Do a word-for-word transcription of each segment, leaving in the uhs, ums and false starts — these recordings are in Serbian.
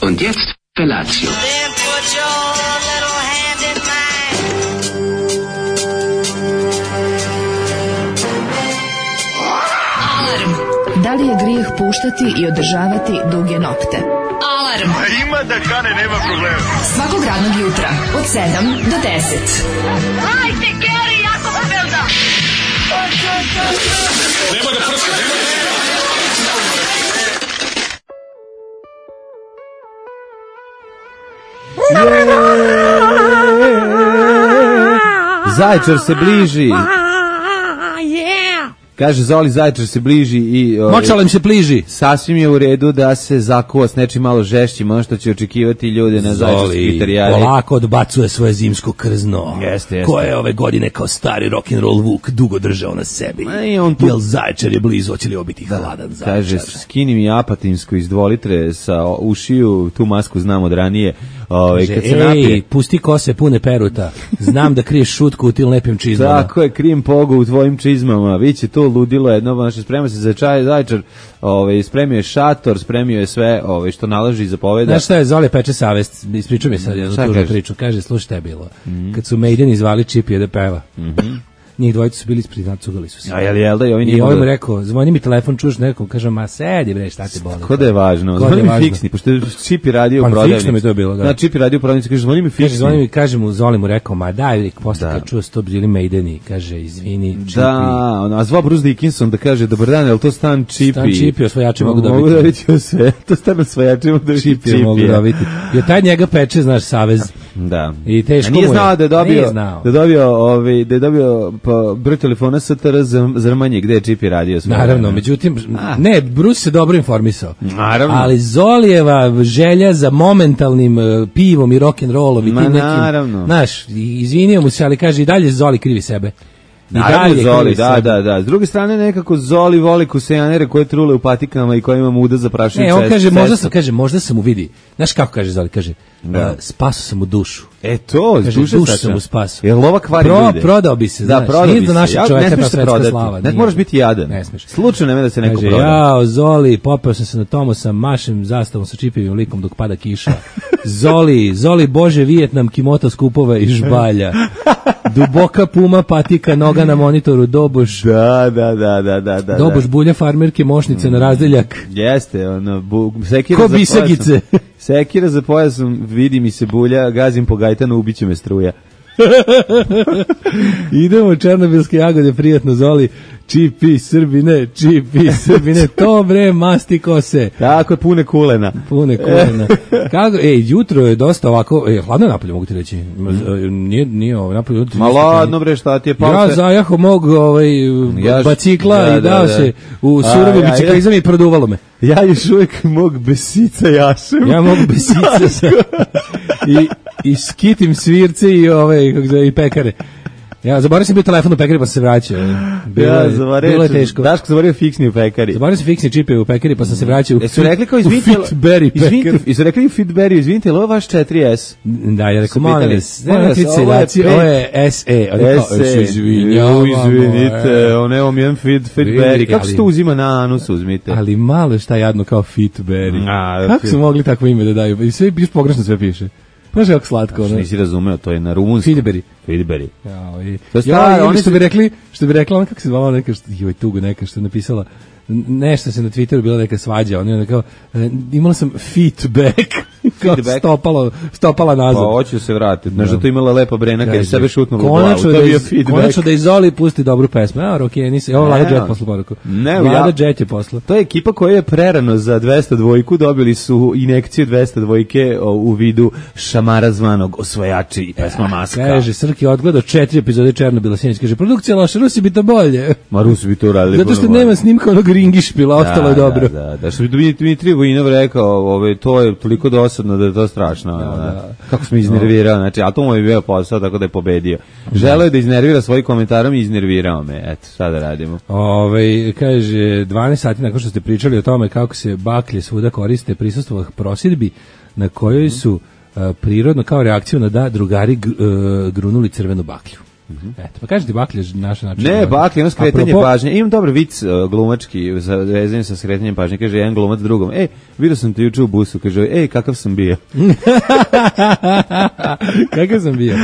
Und jetzt Felatio. Then put your little hand in mine. Alarm. Da li je grijeh puštati i održavati duge nokte? Alarm. A ima da kane, nema problema. Svakog radnog jutra od sedam do deset. Hajde, Geri, jako se velda. Nema da prska, nema da prska. Zaječar se bliži. Kaže Zoli, Zaječar se bliži i o, Močala im se pliži. Sasvim je u redu da se zakuva s nečim malo žešćim, ono što će očekivati ljude na Zaječarskoj itarijadi. Polako odbacuje svoje zimsko krzno. Jeste, jeste. Koje je ove godine kao stari rock'n'roll Vuk dugo držao na sebi. Ma i on tu- Jel Zaječar je blizu, hoće li obiti hladan Zaječar? Kaže, skini mi apatinsku iz dva litre sa ušiju, tu masku znam od ranije. Ove, Kaže, kad se ej, napije, pusti kose pune peruta. Znam da kriješ šutku u tim lepim čizmama. tako je, krim pogo u tvojim čizmama, viće to ludilo jedno, znači sprema se za čaj Zaječar, ove, spremio je šator, spremio je sve ove, što nalaži i zapoveda. Znaš šta je, Zoli peče savest, ispričao mi sad jednu Šta tužnu kaže? priču. Kaže, slušaj, šta je bilo? Kad su Maideni zvali Čipije da peva. Njih dvojica su bili ispred, cugali su se. A jel jel da i ovi I nije ovaj mu mogli- rekao, zvoni mi telefon, čuš nekom, kažem, ma sedi bre, šta te boli? Ko da je važno? Ko da je Zvoni mi važno? fiksni, pošto je Čipi radio u Pa prodavnici. fiksno mi je to bilo, da. Da, Čipi radio u prodavnici, kaže, zvoni mi Kaže, fiksni. zvoni mi, kaže mu, Zoli mu rekao, ma daj, posle Da. kad čuo sto bili Maideni, kaže, izvini, Čipi. Da, ono, a zvao Bruce Dickinson da kaže, dobar dan, je li to stan Čipi? Stan Čipi, osvajači mogu Mogu dobiti. dobiti sve, to stan osvajači mogu dobiti Čipi mogu dobiti. I taj njega peče, znaš, savez. Da. I teško A nije mu je. znao da je dobio, Nije znao. da je dobio, ovaj, da je dobio pa, broj telefona S T R Zrmanje, gde je Čipi radio sve. Naravno, vreme. međutim, A. ne, Bruce se dobro informisao. Naravno. Ali Zolijeva želja za momentalnim uh, pivom i rock'n'rollom i Ma, tim nekim, naravno. znaš, i- izvinio mu se, ali kaže i dalje Zoli krivi sebe. I Naravno dalje Zoli, krivi da, sebe. da, da. S druge strane nekako Zoli voli kusejanere koje trule u patikama i koje ima muda za prašinu Ne, on cestu. kaže, možda sam, kaže, možda sam mu vidi. Znaš kako kaže Zoli, kaže, Da. uh, spasao sam mu dušu. E to, Kaže, duše dušu sača. sam mu spasao. Jer lova kvari Pro- ljude. prodao bi se, da, znaš, prodao nije bi za se. našeg Ja- čoveka ne ta smiješ se svetska prodati. slava, Ne, nije. moraš biti jadan. Ne smiješ. Slučajno nema da se neko Kaže, proda. jao, Zoli, popeo sam se na tomu sa mašem zastavom sa čipivim likom dok pada kiša. Zoli, Zoli, Bože, Vijetnam, kimota skupova i žbalja. Duboka puma, patika, noga na monitoru, doboš, Da, da, da, da, da, da. doboš bulja farmerke, mošnice na razdeljak. Jeste, ono, bu, sekira Ko za bisegice. pojasom. Sekira za pojasom, vidi mi se bulja, gazim po Gajtanu, ubiće me struja. Idemo černobilske jagode, prijatno, Zoli. Čipi, Srbine, čipi, Srbine, to bre, masti kose. Tako je, pune kulena. Pune kolena. Kako, ej, jutro je dosta ovako, ej, hladno je napolje, mogu ti reći. Nije, nije ovo napolje. jutro Ma ništa ladno hladno. bre, šta ti je Ja palce? zajaho mog ovaj, Ja š- bacikla da, i dao da, da. se u A, surovu ja- biciklizam i produvalo me. Ja još uvijek mog besica jašem. Ja mogu besice sa, i, i skitim svirce i, ove, kako zove, i pekare. Ja zaboravio sam bio telefon u pekari pa sam se vraćao. Bilo, Ja, je- zavario, bilo je teško. Daško zavario fiksni u pekari. Zaboravio sam fiksni čipe u pekari pa sam se vraćao u, Jesu rekli kao u izvinite, Fitberry izvinite, pekar. jesu rekli Fitberry, izvinite, je li ovo vaš četiri S? Da, ja rekao, Su molim pitali, vas, molim ne, vas, ti ovo je seljaci, pet- ovo je S E. Oni kao, S E, se izvinjavamo, izvinite, e. on evo mi jedan fit, Vidi, Fitberry. Kako se ali- to uzima na anus, uzmite? Ali malo šta jadno kao Fitberry. A, Kako Fit- su mogli takvo ime da daju? I sve piš pogrešno sve piše. Znaš kako slatko, ono. Nisi razumeo, to je na rumunskom. Fitberry. Fitberry. Jao, i, To je staro, ja, ili oni što su- bi rekli, što bi rekla ona kako se zvala neka što joj tugo neka što je napisala n- nešto se na Twitteru bila neka svađa, oni ona kao e, imala sam feedback kao Feedback? stopalo stopala Pa nazad. hoće se vratiti. Znaš da to imala lepa brena kad je Kaže, sebe šutnula u glavu. konačno To da je bio iz, feedback. konačno da izoli pusti dobru pesmu. A, Rokeni se. Evo Vlada Ne, Jet posla poruku. ne, Vlada ja- Jet je posla. To je ekipa koja je prerano za dvesta dvojku, dobili su injekciju dvesta dvojke o, u vidu šamara zvanog Osvajači i pesma Maska. Kaže, Srki je odgledao četiri epizode Černobila sinoć. Kaže, produkcija loša, Rusi bi to bolje. Ma Rusi bi to uradili. Zato što puno bolje. nema snimka onog ringišpila, ostalo je dobro. Da, da, da, što bi Dmitrij Vojinov rekao, ovaj, to je toliko dosadno da je to strašno. Da, da. Kako smo iznervirao, znači, a to mu je bio posao, tako da je pobedio. Želeo je da iznervira svojim komentarom i iznervirao me. Eto, šta da radimo? Ove, kaže, dvanaest sati nakon što ste pričali o tome kako se baklje svuda koriste, prisustvovah prosjedbi na kojoj su uh, prirodno kao reakciju na da drugari g, uh, grunuli crvenu baklju. Eto, pa kaži ti Baklja naš način. Ne, Baklja, ono skretanje Apropo- pažnje. Imam dobar vic uh, glumački za vezanje sa skretanjem pažnje. Kaže jedan glumac drugom, ej, vidio sam te juče u busu. Kaže, ej, kakav sam bio. Kakav sam bio.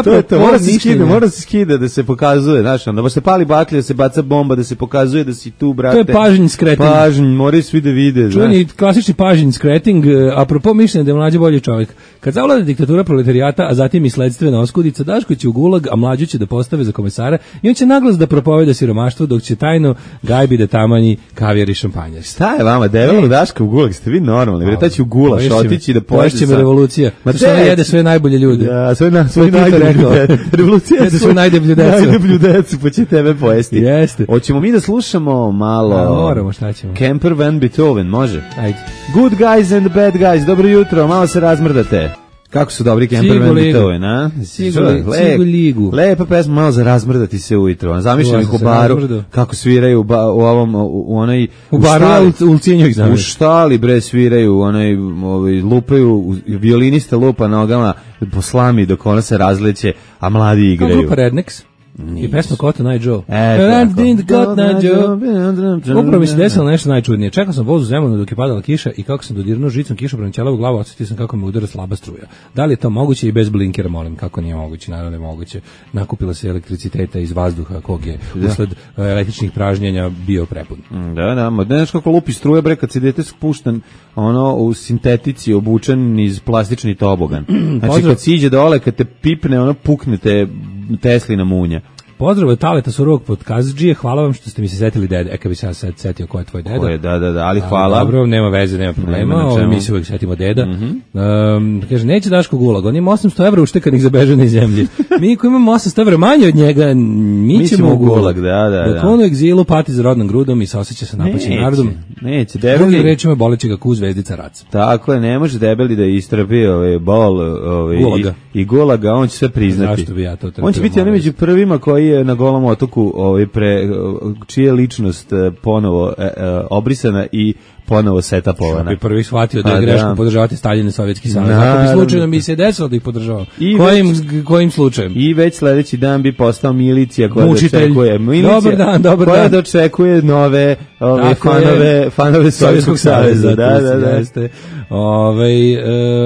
To je to, Apropo mora se mišljenja. skida, mora se skida da se pokazuje, znaš, onda se pali baklja, da se baca bomba, da se pokazuje da si tu, brate. To je pažnj skretanje. Pažnj, moraju svi da vide, znaš. Čuveni klasični pažnjin skreting, e, apropo mišljenja da je mlađe bolji čovjek. Kad zavlada diktatura proletarijata, a zatim i sledstvena oskudica, Daško će u gulag, a mlađu će da postave za komesara i on će naglas da propoveda siromaštvo, dok će tajno gajbi da tamanji kavijar i šampanjac. Šta je vama, debelo Daška u gulag, ste vi normalni, bre, taj će u gulaš Poješće me- otići da poješće pojede me sa- revolucija. Ma To što ona dec- jede sve najbolje ljude. Ja, sve na To sve je Tito najdeblju rekao. decu. Revolucija Jede svoju najdeblju decu. Najdeblju decu, pa će tebe pojesti. Jeste. Hoćemo mi da slušamo malo... A, moramo, šta ćemo? Kemper Van Beethoven, može? Ajde. Good guys and bad guys, dobro jutro, malo se razmrdate. Kako su dobri Kemper Cigu Van ligu. Beethoven, a? Cigu Čuj, li- lep- cigu ligu. Lepa pesma, malo za razmrdati se ujutro. a Zamišljam Ja ih sam u se baru, razmrdao. kako sviraju u, ba, u ovom, u, u onoj... U baru ja štali. u, u Ulcinju ih U znam. štali bre sviraju, onaj ovaj lupaju, u- violinista lupa nogama po slami dok ona se razleće, a mladi Kao igraju. grupa Rednex. I pesma Cotton Eye Joe. E, And tako. didn't Cotton Eye Joe. Upravo mi se desilo nešto najčudnije. Čekao sam voz u Zemunu dok je padala kiša i kako sam dodirnuo žicom kišobran ćelavu glavu, osjetio sam kako me udara slaba struja. Da li je to moguće i bez blinkera, molim, kako nije moguće, naravno je moguće. Nakupila se elektriciteta iz vazduha kog je usled e, električnih pražnjenja bio prepun. Da, da, ma ne znaš kako lupi struje bre kad se dete spušten ono u sintetici obučen iz plastični tobogan. Znači Pozdrav. kad siđe dole, kad te pipne, ono pukne te Teslina munja. Pozdrav od Taleta Surovog podkazđije, hvala vam što ste mi se setili dede. E, kad bi se ja sad setio ko je tvoj deda. Ko je, da, da, da, ali A, hvala. Dobro, nema veze, nema problema. Nema na Ovo, čemu. mi se uvijek setimo deda. Um, kaže, neće Daško gulag, on ima osamsto evra uštekanih za bežanje iz zemlje. Mi koji imamo osamsto evra manje od njega, mi, Mi ćemo ćemo u u gulag. gulag, da, da, Dok da. on u egzilu pati za rodnom grudom i saoseća sa napaćim narodom. neće, Drugim debeli. rečima boleće ga ku zvezdica raca. Tako je, ne može debeli da istrpi ovaj bol ovaj Gulaga. i, i gulaga, on će sve priznati. Zašto bi ja to trpio, On će biti molim onaj vas. među prvima koji je na Golom otoku ovaj pre čija je ličnost eh, ponovo eh, eh, obrisana i ponovo setapovana. Bi prvi shvatio da je A, greško da. podržavati Stalin i Sovjetski savez. Ako bi Naravno. slučajno mi se desilo da ih podržavao. I Kojim, kojim slučajem? I već sledeći dan bi postao milicija koja Mučitelj. dočekuje milicija, Dobar dan, dobar koja dan. dočekuje nove ove Tako fanove, je. fanove Sovjetskog saveza. Da, to da, da. jeste. Ovaj,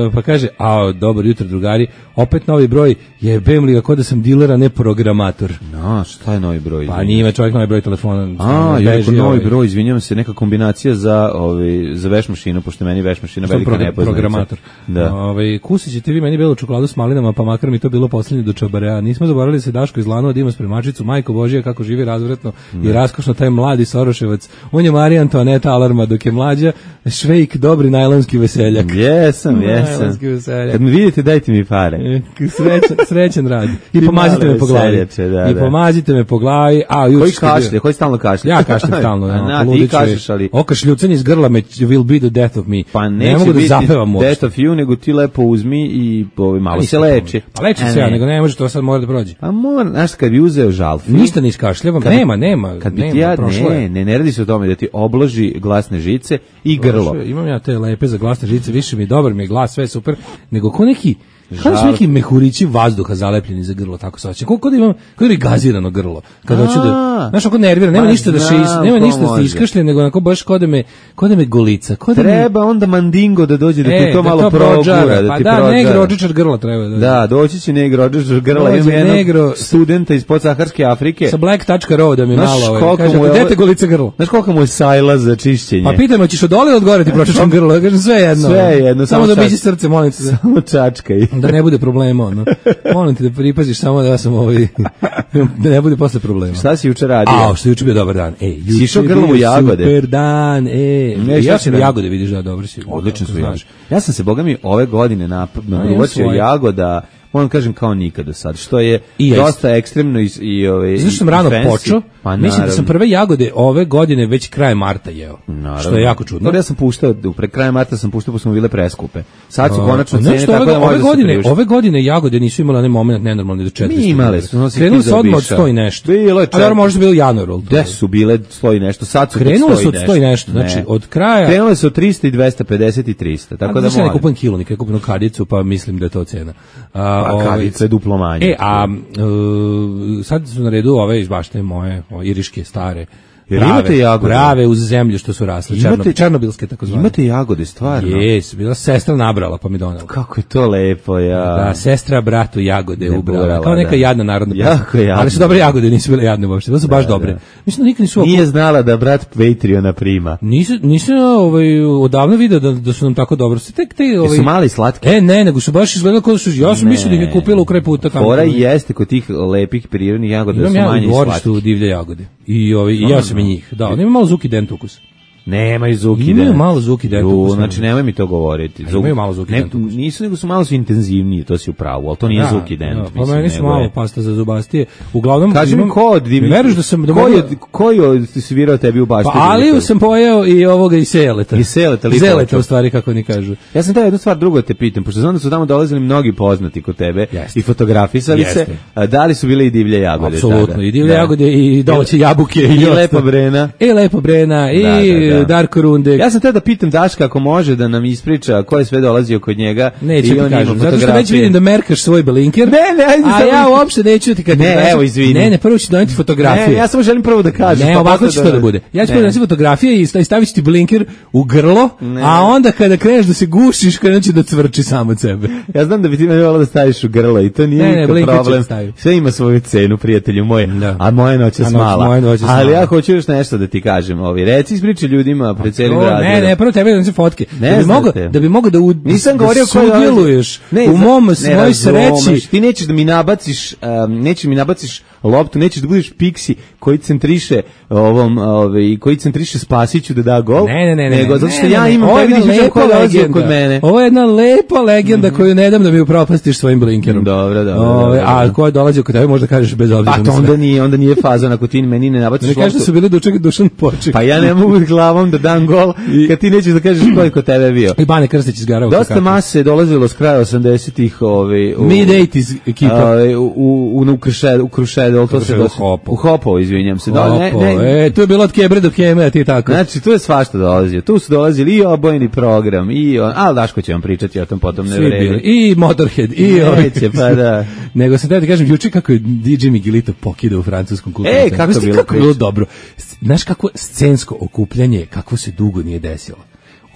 e, pa kaže, a dobro jutro drugari, opet novi broj, jebem li ga ko da sam diler, a ne programator. No, šta je novi broj? Pa nije čovjek novi broj telefona. A, beži, je rekao novi ovaj, broj, izvinjavam se, neka kombinacija za ovaj za veš mašinu, pošto meni veš mašina što velika pro- nepoznanica. programator. Da. Ovaj, kusit ćete vi meni belu čokoladu s malinama, pa makar mi to bilo poslednje do čabarea. Nismo zaboravili se Daško iz Lanova da ima spremačicu, majko Božija kako živi razvratno i raskošno taj mladi Soroševac. On je Marija Antoaneta Alarma, dok je mlađa Švejk, dobri najlonski veseljak. Jesam, jesam. Najlonski veseljak. Kad me vidite, dajte mi pare. E, Srećan, srećan rad. I Ti pomazite male me po glavi. veseljače, da, I da. pomazite me po glavi. A, juče Koji ste bio- kašlje, koji stalno kašlje? Ja kašljem stalno. A, ono, na, ti poludiću je. kašlješ, ali... Okašljucanje iz grla me will be the death of me. Pa ne neće mogu da biti zapevam uopšte. death of you, nego ti lepo uzmi i ovaj, malo se Nisam leči. Pa leči A se ja, ne. nego ne može, to sad mora da prođe. Pa mora, znaš, kad bi uzeo žalfi... Ništa ne iskašljavam, Kad bi- nema, nema, Kad bi nema, ti ja, prošlo je. ne, ne, ne radi se o tome da ti obloži glasne žice i grlo. Prošlo je. Imam ja te lepe za glasne žice, više mi je dobar mi je glas, sve je super, nego ko neki kao da su Žal- neki mehurići vazduha zalepljeni za grlo, tako se osjeća. Kako da imam, kako da mi gazirano grlo. Kad hoću da, znaš, ako nervira, nema Ma ništa da se is, znam nema ko ništa da se može. iskašlje, nego onako baš kod da me, kod da me golica, kod da me Treba onda mandingo da dođe da ti E, to malo progura, prođara, da pa ti da, prođara. negrođičar grla treba da. Da, doći će negro Rodžer grla, Dođe ima jednog negro- studenta iz podsaharske Afrike. Sa black tačka ro da mi Znaš malo, ovaj, koliko kaže, mu je ovo- dete golica grlo. Znaš koliko mu je sajla za čišćenje? Pa pitaj me, hoćeš od dole ili od gore ti pročešam grlo? Ja kažem, sve jedno. Sve jedno, Samo samo da čak- biđi srce, molim te. Da. Samo čačkaj. Da ne bude problema, ono. Molim te da pripaziš samo da ja sam ovaj, da ne bude posle problema. Šta si juče radio? A, što je juče bio dobar dan. Ej, juče Si išao je grlom u bio jagode? Super dan, e. Ne, šta Ja si sam radio? jagode, vidiš da, dobro si. Odlično su Kako jagode. znaš. Ja sam se, boga mi, ove godine nap- naprobačio svoje. jagoda, moram kažem kao nikada sad, što je I ja dosta ekstremno i, i, ove, Zašto sam i rano fancy. počeo? Pa Mislim da sam naravno. prve jagode ove godine već kraj marta jeo. Naravno. Što je jako čudno. Dobro, ja sam puštao, pre kraja marta sam puštao, pa smo bile preskupe. Sad su konačno A, cene, nešto, tako ove, da može ove da se godine, priušti. ove godine jagode nisu imale onaj moment nenormalni do četiristo. Mi imale su, ono si Krenuli ti su odmah od zaobišao. sto i nešto. Bilo je A dobro, četiri. možda bilo januar. ali to Gde je- su bile sto i nešto, sad su Krenule sto i su od sto i nešto, Ne. znači od kraja... Krenule su od trista i dvesta pedeset i trista, tako Tako da da ne molim. kupujem kilo, nikad kupujem kadicu, pa mislim da je to cena. A, A kavica je duplo manje. E, a uh, sad su na redu ove iz bašte moje, ove iriške, stare. Jer Prave, imate jagode? Prave uz zemlju što su rasle, Imate- černo, černobilske takozvane. Imate jagode, stvarno? Jes, bila sestra nabrala pa mi donela. Kako je to lepo, ja. Da, sestra bratu jagode Ne ubrala. burala, Kao neka da. jadna narodna pesma. Jako jadna. Ali su dobre jagode, nisu bile jadne uopšte. Bile su baš Da, dobre. da. Mislim da nikad nisu... Nije znala da brat Patreona prima. Nisu, nisam ovaj, odavno vidio da, da su nam tako dobro. Su tek te, ovaj, Jesu mali i slatki? E, ne, nego su baš izgledali kao da su... Ja sam mislio da ih je kupila u kraj puta. tamo. Fora jeste kod tih lepih prirodnih jagoda da Imam su ja u manje i dvorištu slatki. divlje jagode. I, ovaj, i ja sam i njih. Da, oni imaju malo zuki dent ukus. Nemaju zuki Imaju dent. malo zuki dent Ju, ukus, Znači, ne. nemoj mi to govoriti. A imaju malo zuki ne, dent ukus. Nisu, nego su malo su intenzivniji, to si u pravu, ali to nije Da, zuki dent. da, pa mislim, meni su nego malo je- pasta za zubastije. Uglavnom, Kaži mi imam- ko od divljih... Veruješ da sam... Da ko, mogu- je, ko je svirao tebi u bašti? Pa Aliju sam pojeo i ovoga i Seleta. I Seleta, I lipovača. Zeleta, u stvari, kako oni kažu. Ja sam teo jednu stvar drugo da te pitam, pošto znam da su tamo dolazili mnogi poznati kod tebe Jeste. i fotografisali se, Jeste. a da li su bile i divlje jagode Apsolutno, tada? i divlje Da. jagode i domaće jabuke I ostalo. Lepa Brena. I Lepa Brena i Da, da, da. Darko Rundek. Ja sam teo da pitam Daška ako može da nam ispriča ko je sve dolazio kod njega. Neću i ti on ima kažem, zato što već fotografije. vidim da merkaš svoj blinker. Ne, ne, ajde A samo- ja uopšte neću ti kad Ne, kažem- evo, izvini. Ne, ne, prvo ću doneti fotografije. Ne, ja samo želim prvo da kažem. Ne, pa ovako posle će to da bude. Ja ću Ne. doneti fotografije i sta- i stavit ću ti blinker u grlo, Ne. a onda kada kreneš da se gušiš, krenut će da cvrči sam od sebe. Ja znam da bi ti meni volao da staviš u grlo i to nije Ne, ne, nikakav blinker ću problem. da stavim. Sve ima svoju cenu, prijatelju moj. Da. A moja noć je A noć- smala. moja noć je Ali smala. ja hoću još nešto da ti kažem. Ovi, reci, ispričaj ljudima pred celim O, gradom. ne, ne, prvo tebe da se fotke. Ne da bi znate. mogao da bi mogao da u, Nisam da govorio ko je dolazio. sudjeluješ Ne, u za- mom ne svoj razumeš. sreći. Ti nećeš da mi nabaciš, um, nećeš mi nabaciš loptu, nećeš da budeš Pixi koji centriše ovom, ovaj koji centriše Spasiću da da gol. Ne, ne, ne, ne. Nego zato što ne, ja ne, ne. imam Ovo je tebi jedna da lepa ko dolazi legenda. kod mene. Ovo je jedna lepa legenda koju ne dam da mi upropastiš svojim blinkerom. Dobro, dobro, Ove, dobro, A dobro. ko je dolazio kod tebe možda kažeš bez obzira Pa na to sve. onda nije, onda nije fazon ako ti meni ne nabaciš Ne kažeš da loptu. su bili dučak dušan poček. Pa ja ne mogu glavom da dam gol kad ti nećeš da kažeš ko je kod tebe bio. I Bane Krstić iz Garova. Dosta mase je dolazilo s kraja osamdesetih, ovaj u Mid osamdesetih ekipa. ovaj, u u u Krušedu, u Krušedu, to se Krušedu, dosta- Hopo. u Hopo, izvinjam se. Da, ne, Opo, ne, E, to je bilo od Kebre do Keme, a ti tako. Znači, tu je svašta dolazio. Tu su dolazili i obojeni program, i on, ali Daško će vam pričati o tom potom, ne Svi bili. vredi. I Motorhead, i Neće, ovi. pa da. Nego sam teo ti kažem, juče kako je D J Miguelito pokidao u francuskom kulturnom E, centru. kako Znaš ti bilo kako je bilo priča? dobro. S- Znaš kako scensko okupljanje, kako se dugo nije desilo.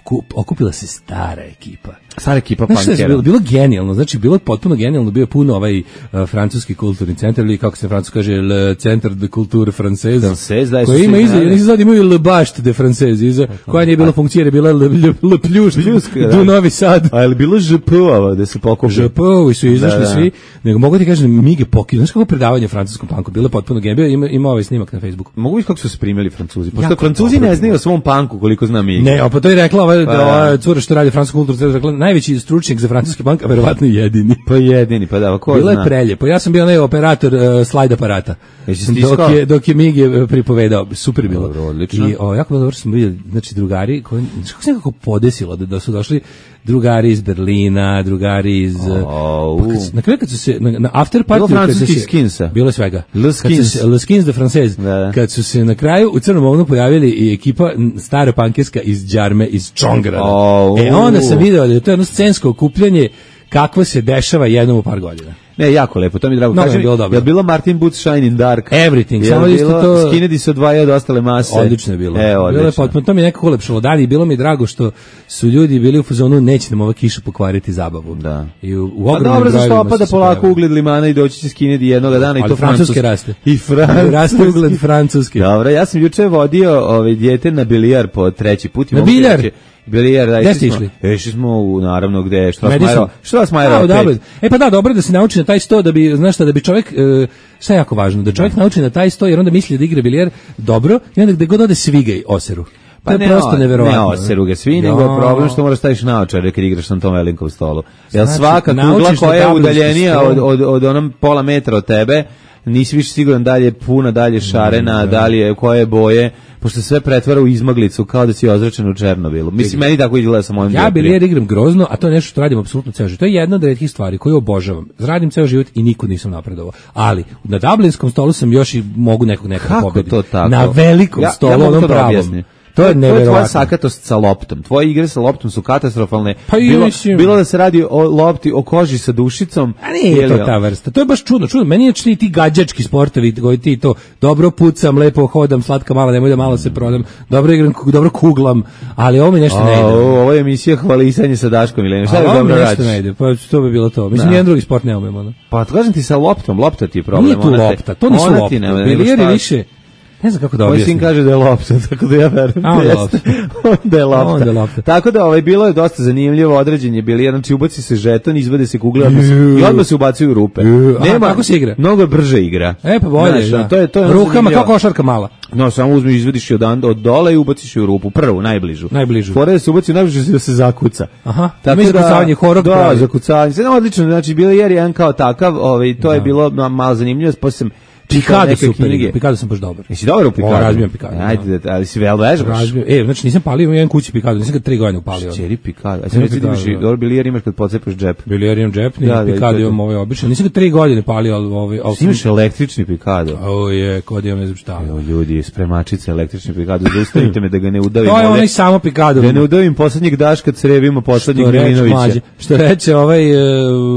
Okup, okupila se stara ekipa. Stara ekipa Znaš šta je punkera. bilo? Bilo genijalno, znači bilo je potpuno genijalno, bio je puno ovaj uh, francuski kulturni centar, ili kako se francuski kaže, le Centre de Culture Française, Française, da, koji su ima svi iza, znali. iza imaju Le Bašte de Française, iza, koja nije bila funkcija, jer je bila Le, le, le Pljušt, Pljuška, da. du Novi Sad. A je li bilo Ž P-ova da se pokupi? Žepovi su izašli Da, da. svi, nego mogu ti kažem, Mige pokidao, znaš kako predavanje o francuskom panku, bilo je potpuno genijalno, ima, ima ovaj snimak na Facebooku. Mogu vidjeti kako su se primili Francuzi. Pošto Jako Francuzi dobro ne znaju bilo. o svom panku koliko zna mi. Ne, a pa to je rekla ova, Pa da, da. ova cura što radi francusku kulturu, rekla, najveći stručnjak za francuski pank, a verovatno i jedini. Pa jedini, pa da, ko Bilo zna. je preljepo. Ja sam bio onaj operator uh, slajd aparata. Jesi stiskao? Dok je, dok je Migi uh, pripovedao. Super je bilo. Dobro, odlično. I o, jako bilo dobro što smo vidjeli, znači drugari, koji, znači kako se nekako podesilo da, da su došli drugari iz Berlina, drugari iz... uh, Au. pa kad su- na kraju kad su se, na, na after party... Bilo francuskih skinsa. Bilo je svega. Le Kad su skins. se- Le Skins de Française. Da, da. Kad su se na kraju u Crnom ovnu pojavili i ekipa m, stara pankerska iz Đarme, iz Čongrada. Au. E onda sam video da je to jedno scensko okupljanje kakvo se dešava jednom u par godina. Ne, jako lepo, to mi je drago. Mnogo Kaži je mi, bilo dobro. je li bilo Martin Boots Shine in Dark? Everything, Je samo li isto bilo to- Skinheadi se odvajaju od ostale mase? Odlično je bilo. E, Bilo je odlično. potpuno, to mi je nekako ulepšalo dan i bilo mi je drago što su ljudi bili u fazonu neće nam ova kiša pokvariti zabavu. Da. I u, u Pa ogromnim dobro, zašto brojevima opada su se polako pojavili. ugled limana i doći će Skinheadi jednoga dana i Ali to francuski francuski. raste. I francuski. Raste ugled francuski. Dobro, ja sam juče vodio ovaj dijete na bilijar po treći put. i Na mogu ti biljar? reći- Bilijar, da, Gde išli ste smo- išli? Išli smo u, naravno, gde, što vas Madison. Majero, što vas A, Majero, u opet? Dublin. E pa da, dobro je da se nauči na taj sto da bi, znaš šta, da bi čovjek, e, šta je jako važno, da čovjek nauči na taj sto jer onda misli da igra bilijer dobro i onda gde god ode svigaj oseru. To je ne, prosto o- neverovatno. Ne oseru ga svi, nego je problem što moraš staviš naočare kad igraš na tom velikom stolu. Jer Znači, svaka kugla naučiš koja na je dublinskom udaljenija od, stolu. od, od onom pola metra od tebe, nisi više siguran da li je puna, da li je šarena, da li je koje boje, pošto se sve pretvara u izmaglicu kao da si ozračen u Černobilu. Mislim, meni tako izgleda sa mojim Ja djeprijom. bilijer igram grozno, a to je nešto što radim apsolutno ceo život. To je jedna od retkih stvari koju obožavam. Radim ceo život i nikud nisam napredovao. Ali na dublinskom stolu sam još i mogu nekog nekada Kako pobediti. to tako? Na velikom Ja- ja stolu, mogu to onom da pravom. objasnim. To je tvoja neverovatno. sakatost sa loptom. Tvoje igre sa loptom su katastrofalne. Pa i bilo, mislim- bilo da se radi o lopti, o koži sa dušicom. A nije ili- to ta vrsta. To je baš čudno. Čudno. Meni je čini ti gađački sportovi koji ti to dobro pucam, lepo hodam, slatka mala, nemoj da malo se prodam. Dobro igram, dobro kuglam, ali ovo mi nešto ne A, ide. ovo ovo je emisija hvalisanje sa Daškom Milenijem. Šta A je ovo mi dobro nešto radiš? ne ide. Pa to bi bilo to. Mislim, Da. jedan drugi sport ne umemo. ono. Pa kažem ti sa loptom, lopta ti je problem. Nije tu ona te- lopta, to nisu ona ti lopte. nema, nego Bilijer je šta- više, ne znam kako da Moj objasnim. sin kaže da je lopta, tako da ja verujem. A, onda da je jeste. Onda je lopta. Onda je lopta. Tako da ovaj, bilo je dosta zanimljivo, određen je bilijer, znači ubaci se žeton, izvade se kugle odmah se- Ju. i odmah se ubacuju u rupe. Ju. Aha, kako se igra? Mnogo je brže igra. E pa bolje, Znaš, da. to je, to je ono Rukama zanimljivo. kao košarka mala. No, samo uzmi, izvadiš je od, od dole i ubaciš je u rupu, prvu, najbližu. Najbližu. Fora da se ubaci u najbližu da se zakuca. Aha, Tako ima da, zakucavanje, horog da, pravi. zakucavanje. Sve odlično, znači bilo je jedan kao takav, ovaj, to je bilo ma- malo zanimljivo, poslije sam čitao Pikado neke super knjige. igra. Pikado sam baš dobar. Jesi dobar u pikadu? O, razbijem pikadu, da. Ajde, da, ali si vel vežbaš? Razbijem. E, znači nisam palio, imam jedan kući pikado, nisam ga tri godine upalio. Čeri pikadu. A sad Ima reci da imaš pikado, i da. dobro bilijer imaš kad pocepaš džep. Bilijer imam džepni, Da, da, i to pikado je to. imam ovaj običan. Nisam ga tri godine palio, ali ovaj... ali sam- Imaš električni pikado. O je, kod imam ne znam šta. Evo ljudi, spremačice električni pikado, zaustavite me da ga ne udavim. To je ovde. onaj samo pikado. Da ne udavim poslednjeg Daška crevima poslednjeg Što reče, Milinovića. mlađe, što reče ovaj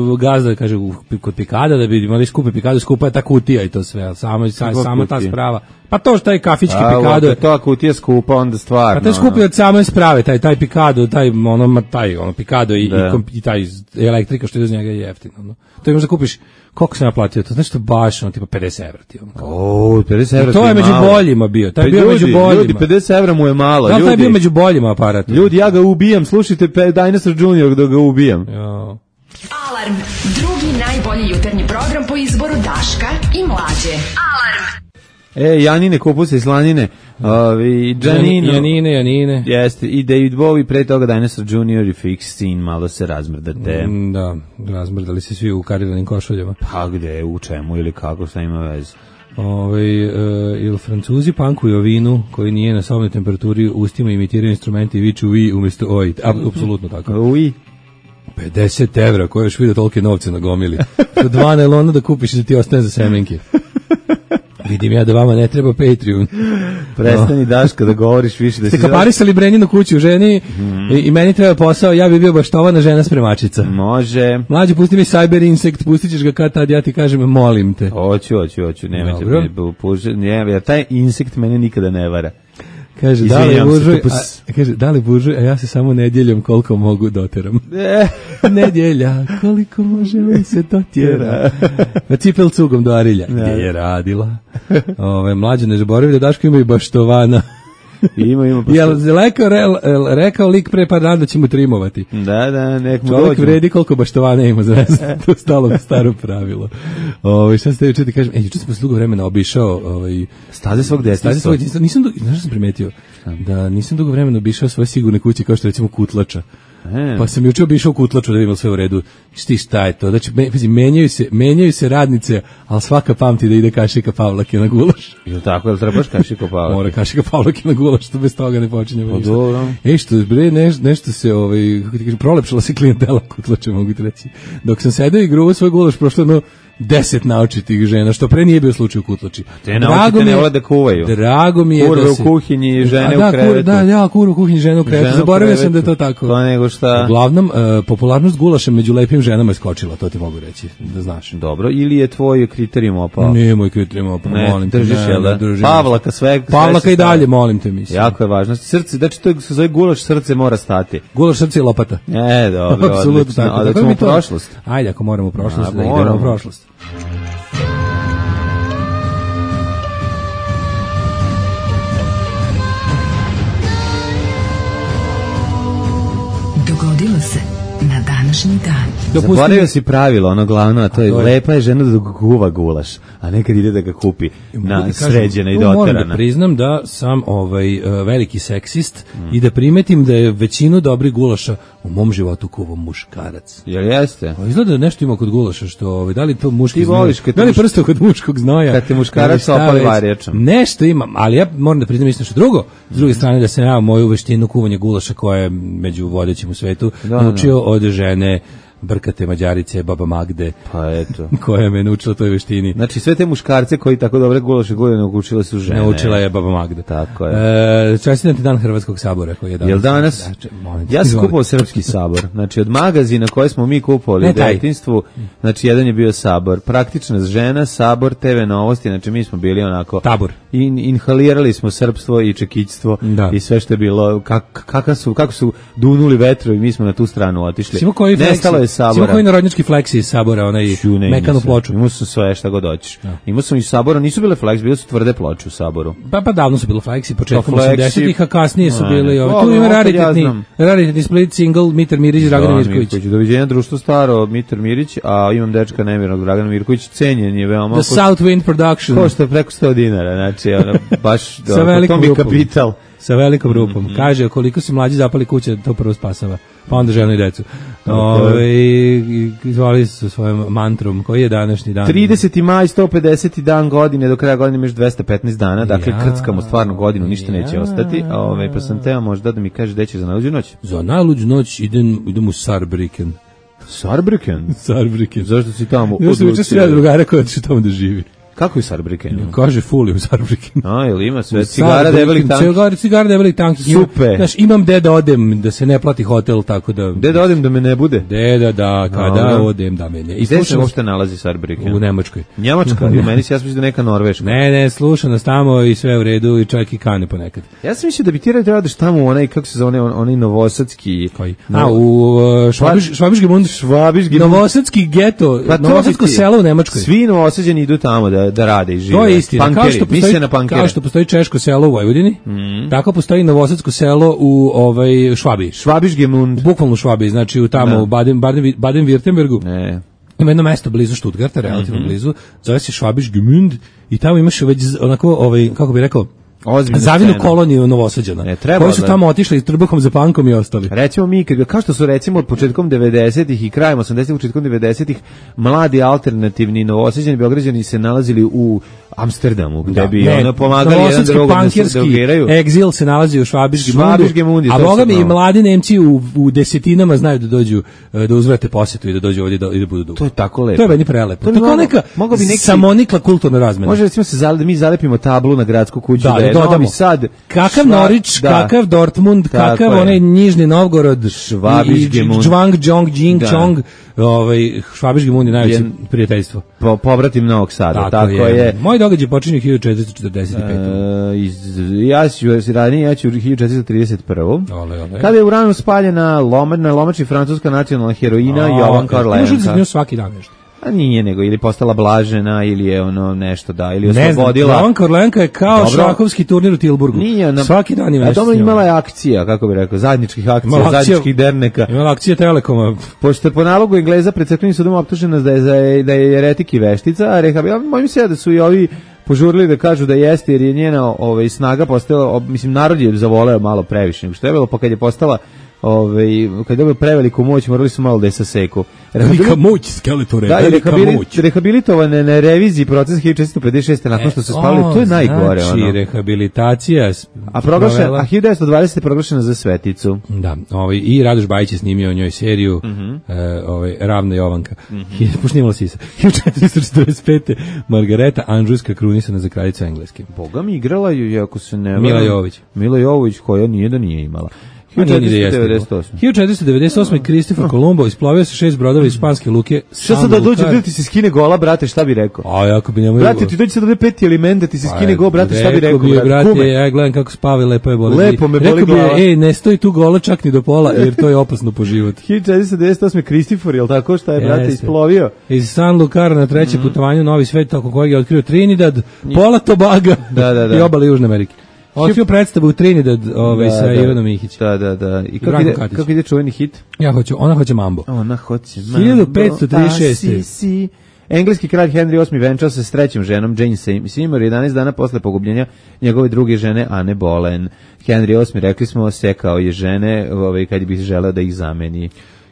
uh, gazda, kaže, u, kod pikada, da bi imali skupi pikado, skupa je ta kutija i to sve, ali samo, sa, Kakva samo ta kutija? sprava. Pa to što taj kafićki A, pikado je, ako to kutija skupa, onda stvarno. pa taj skupi od same sprave, taj, taj pikado, taj, ono, ma, taj, ono, pikado i, Da. i, kom- i taj elektrika što ide uz njega je jeftino, ono. To imaš da kupiš, koliko sam ja platio, to znači baš, ono, tipa pedeset evra ti, ono, kao. O, pedeset evra. To ti je među malo. boljima bio, taj Pa je bio među ljudi, boljima. Ljudi, pedeset evra mu je malo. Da, li taj je ljudi. bio među boljima aparat. Ljudi, ja ga ubijam, slušajte pe, Dinosaur junior da ga ubijam. Jo. Alarm, drugi najbolji jutarnji program po izboru Daška i Mlađe. Alarm. E, Janine, kupuse i slanine, ovi, Janino. Janine, Janine. Jeste, i David Bowie, pre toga Dinosaur junior i Fix Scene, malo se razmrdate. Mm, Da, razmrdali se svi u kariranim košuljama. Pa gde, u čemu ili kako, šta ima veze? Ove, uh, ili Francuzi pankuju o vinu koji nije na sobnoj temperaturi, ustima imitiraju instrumenti i viču vi umjesto oj. A- Apsolutno tako. Ui. pedeset evra, koje još vidio tolike novce na gomili. Za dva nelona da kupiš i da ti ostane za semenke. Vidim ja da vama ne treba Patreon. Prestani Daška da govoriš više da Ste si... kaparisali Brenjinu kuću ženi i, i meni treba posao, ja bi bio baštovana žena spremačica. Može. Mlađe, pusti mi Cyber Insect, pustit ćeš ga kad tad, ja ti kažem, molim te. Hoću, hoću, hoću, nemojte Dobro. mi bu- puže, ne, jer taj insekt mene nikada ne vara. Kaže, da li Izvinjam se, buržuj, kupus. a, kaže, da li buržuj, a ja se samo nedjeljom koliko mogu doteram. E, Nedjelja, koliko može mi se dotjera. Na cipel cugom do Arilja. Gdje je radila? Ove, mlađe, ne zaboravi da Daško ima i baštovana. ima, ima. Jel rekao, re, rekao lik pre par dana da će mu trimovati? Da, da, nek mu Čovjek dođu. vredi koliko baštovana ima za nas. To je stalo staro pravilo. Ove, šta ste juče ti kažem? E, juče sam posle dugo vremena obišao ovaj, Staze svog Staze detinjstva. svoj djetinjstva. Nisam, dugo- znaš što sam primetio? Da nisam dugo vremena obišao svoje sigurne kuće kao što recimo Kutlača. E. Pa sam juče obišao Kutlaču da vidim sve u redu. Šti šta je to? Znači, me, pazi, menjaju se, menjaju se radnice, ali svaka pamti da ide kašika Pavlake na gulaš. Jel tako, jel trebaš kašiko pavati? Mora kašika Pavlake na gulaš, što bez toga ne počinjemo Pa ništa. dobro. E što, bre, neš, nešto se, ovaj, kako ti kažem, prolepšala se klijentela Kutlača, mogu ti reći. Dok sam sedeo i gruvao svoj gulaš, prošlo jedno deset naočitih žena, što pre nije bio slučaj u Kutlači. Te naočite ne vole da kuvaju. Drago mi je Kurve da u se... kuhinji, žene A da, u krevetu. Kur, da, ja, kurve u kuhinji, žene u krevetu. Žene u Zaboravio sam krevetu. da je to tako. To nego šta. Uglavnom, e, popularnost gulaša među lepim ženama je skočila, to ti mogu reći, da znaš. Dobro, ili je tvoj kriterijum opao? Nije moj kriterijum, pa Ne, molim te. držiš, ne, jel da? ne, držim. Pavlaka, sve- sve Pavlaka se i dalje, staje. molim te, mislim. Jako je važno. Srce, znači to se zove gulaš, srce mora stati. Gulaš, srce i lopata. E, dobro, Apsolutno odlično. tako. A da Tako ćemo mi u to- prošlost. Ajde, ako moramo u prošlost, A, da idemo moramo. u prošlost. Dogodilo se na današnji dan. Dopustim- Zaboravio si pravilo, ono glavno, a to je, to je- lepa je žena da guva gulaš, a nekad ide da ga kupi Mogu na ti kažem, sređena i tu Moram da doterana. priznam da sam ovaj e, veliki seksist i da primetim da je većinu dobrih gulaša u mom životu kuvao muškarac. Jel jeste? Pa izgleda da nešto ima kod gulaša što ovaj da li to muški Ti voliš znoj, kad da li muš- prsto kod muškog znoja, kad te muškarac ili šta opali već. varjačom. Nešto ima, ali ja moram da priznam isto što drugo. S druge strane da sam ja moju veštinu kuvanja gulaša koja je među vodećim u svetu Da, naučio od žene brkate Mađarice, baba Magde, Pa eto. koja me naučila toj veštini. Znači sve te muškarce koji tako dobre gulaše gule naučile su žene. Naučila je baba Magda. Tako je. E, čestitam ti dan Hrvatskog sabora koji je danas. Jel danas? Da, če- molim te, Ja sam izvoli. kupovao Srpski sabor. Znači od magazina koje smo mi kupovali Ne u taj. detinjstvu, znači jedan je bio Sabor. Praktična žena, Sabor, te ve novosti, znači mi smo bili onako... Tabor. In, inhalirali smo srpstvo i čekićstvo Da. i sve što je bilo, kak, kakav su, kako su dunuli vetrovi, mi smo na tu stranu otišli. Simo koji Nestalo je Simo Sabora. koji narodnjački fleksi iz sabora, onaj Ću, ne, mekanu nisam. ploču. Imao sam sve šta god hoćeš. Imao sam i Sabora, nisu bile flex, bile su tvrde ploče u Saboru. Pa, pa davno su bilo fleksi, početkom Pa fleksi- osamdesetih, a kasnije su Ne, bili... ne, Ove, to tu ima ono, kad ja raritetni, znam. raritetni split single Mitar Mirić i Dragan Mirković. Doviđenja, društvo staro, Mitar Mirić, a imam dečka nemirnog Dragana Mirković, cenjen je veoma. The South Wind Production. Košta preko sto dinara, znači ono, baš Sa dobro, velikom to mi je rupom. kapital. Sa velikom rupom. Kaže, koliko si mlađi zapali kuće, to prvo spasava. Pa onda ženu i decu. Ove, i- izvali se sa svojom mantrom. Koji je današnji dan? trideseti maj, sto pedeseti dan godine, do kraja godine još dvesta petnaest dana, dakle Ja, krckamo stvarno godinu, ništa neće ja. ostati, a ovaj, pa sam teo možda da mi kaže gde će za najluđu noć. Za najluđu noć idem, idem u Sarbriken. Sarbriken? Sarbriken. Zašto si tamo? Ja sam juče odlučio? sreda drugara koja će tamo da živi. Kako je Sarbriken? Kaže fuli u Sarbriken. A, jel ima sve? Cigara debelih tanki? Cigara, cigara debelih tanki. Supe. Znaš, imam gde da odem, da se ne plati hotel, tako da... Gde da odem da me ne bude? Gde da, da, kada Dobro. odem da me ne... I gde se slušam- uopšte nalazi Sarbriken? U Nemačkoj. Njemačka, i u meni se ja sam mislio da neka Norveška. Ne, ne, sluša nas tamo i sve u redu i čak i kane ponekad. Ja sam mislio da bi ti trebao da odeš tamo u onaj, kako se zove, on- onaj novosadski... Koji? No- A, u uh, Švabiš, Švabiški mund. Švabiški mund. Novosadski geto, Pa to novosadsko bi ti- selo u Nemačkoj. Svi novosađeni idu tamo da, da rade i žive. To je istina. Kao Pankeri, što misle postoji, na pankere. kao što postoji češko selo u Vojvodini, tako postoji novosadsko selo u ovaj Švabiji. Švabišgemund. Bukvalno u Švabiji, znači u tamo Da. u Baden Baden Baden-Württembergu. Ne. Ima jedno mesto blizu Stuttgarta, relativno Mhm. blizu, zove se Schwabisch-Gmünd i tamo imaš već z- onako ovaj kako bi rekao Ozbiljna zavinu scena. koloniju Novosađana. Ne, treba koji su da- tamo otišli s trbuhom za pankom i ostali. Recimo mi, kad- kao što su recimo od početkom devedesetih i krajem osamdesetih, početkom devedesetih, mladi alternativni novosađani Beograđani se nalazili u Amsterdamu, gde bi Ne, ono pomagali jedan novosadski drugom da se pankirski drogiraju. egzil se nalazi u Švabiški Švabiški mund je a to boga sad mi i novo. mladi Nemci u, u desetinama znaju da dođu, e, da uzvrate posetu i da dođu ovdje da, i da budu dugo. To je tako lepo. To je meni prelepo. To To bi je kao moglo- neka mogao bi neki- samonikla kulturna razmena. Može recimo se zale, da mi zalepimo tablu na gradsku kuću, Da, da, je da dodamo. Novi Sad. Kakav Šva- Norić, da. kakav Dortmund, Tako kakav je. onaj Nižni Novgorod, Švabišgemund. Džvang, Džong, Džing, Da. Čong, ovaj, Švabišgemund je najveće Je- prijateljstvo. Po, pobratim Novog Sada, tako, je. Moj događaj počinje hiljadu četiristo četrdeset pet. E, iz, ja ću ranije, ja ću hiljadu četiristo trideset prvi. Ole, ole. Kada je u ranu spaljena loma, na lomači francuska nacionalna heroina Jovanka Možda se Orleanka. nju svaki dan nešto. A nije nego, ili postala blažena, ili je ono nešto, da, ili Ne znam, oslobodila. Jovanka Orleanka je kao Dobro. šahovski turnir u Tilburgu. Nije, ona, Svaki dan ima a nešto. dobro s njom. imala je akcija, kako bi rekao, zajedničkih akcija, Imala akcija- zajedničkih derneka. Imala akcije Telekoma. Pošto je po nalogu Engleza pred crkvenim sudom optužena da je, za- da je eretik i veštica, a rehabil, mojim se da su i ovi požurili da kažu da jeste, jer je njena ovaj, snaga postala, ob- mislim, narod je zavoleo malo previše nego što je bilo, pa kad je postala ovaj, kad je dobio preveliku moć, morali su malo da je saseku. Velika moć, Skeletore, Da, i velika rehabilit, moć. rehabilitovane na reviziji proces hiljadu četiristo pedeset šeste nakon što su spali, to je najgore. Znači, ono. rehabilitacija. s- A, proglašen, provela- a hiljadu devetsto dvadesete je proglašena za sveticu. Da, ovaj, i Radoš Bajić je snimio o njoj seriju Mhm. e, ovaj, Ravna Jovanka. Mm Pošnimala sisa. hiljadu četiristo četrdeset pete. Margareta Andžujska krunisana za kraljicu Engleske. Boga mi igrala ju, ako se ne... Mila varam, Jovović. Mila Jovović, koja nije da nije imala. A nije ni da hiljadu jeste četiristo devedeset bilo. osme. hiljadu četiristo devedeset osme. Kristofor Kolumbo isplovio sa šest brodova iz španske luke. Šta sad San da dođe, Lucar. da ti se skine gola, brate, šta bi rekao? A ako bi njemu... Brate, ti dođe sad ovde peti element, da ti se Pa, skine gol, brate, šta bi rekao, bi, brate? brate, Kume. ja gledam kako spava, lepo je boli. Lepo me boli Rekao bi, glava. ej, ne stoji tu gola čak ni do pola, jer to je opasno po život. hiljadu četiristo devedeset osme. Kristofor, jel tako, šta je, brate, Jeste. isplovio? Iz San Lucara na treće Mhm. putovanje u Novi svet, tako kojeg je otkrio Trinidad, pola Tobaga Da, da, da. i obale Južne Amerike. Otkrio predstavu u Trinidad ovaj, Da, sa da. Ivanom Mihić. Da, da, da. I kako Branko ide, Katić. kako ide čuveni hit? Ja hoću, ona hoće mambo. Ona hoće hiljadu petsto trideset šeste. mambo, a, si, si. Engleski kralj Henry osmi venčao se s trećom ženom, Jane Seymour, jedanaest dana posle pogubljenja njegove druge žene, Anne Boleyn. Henry osmi, rekli smo, sekao je žene ovaj, kad bi želeo da ih zameni.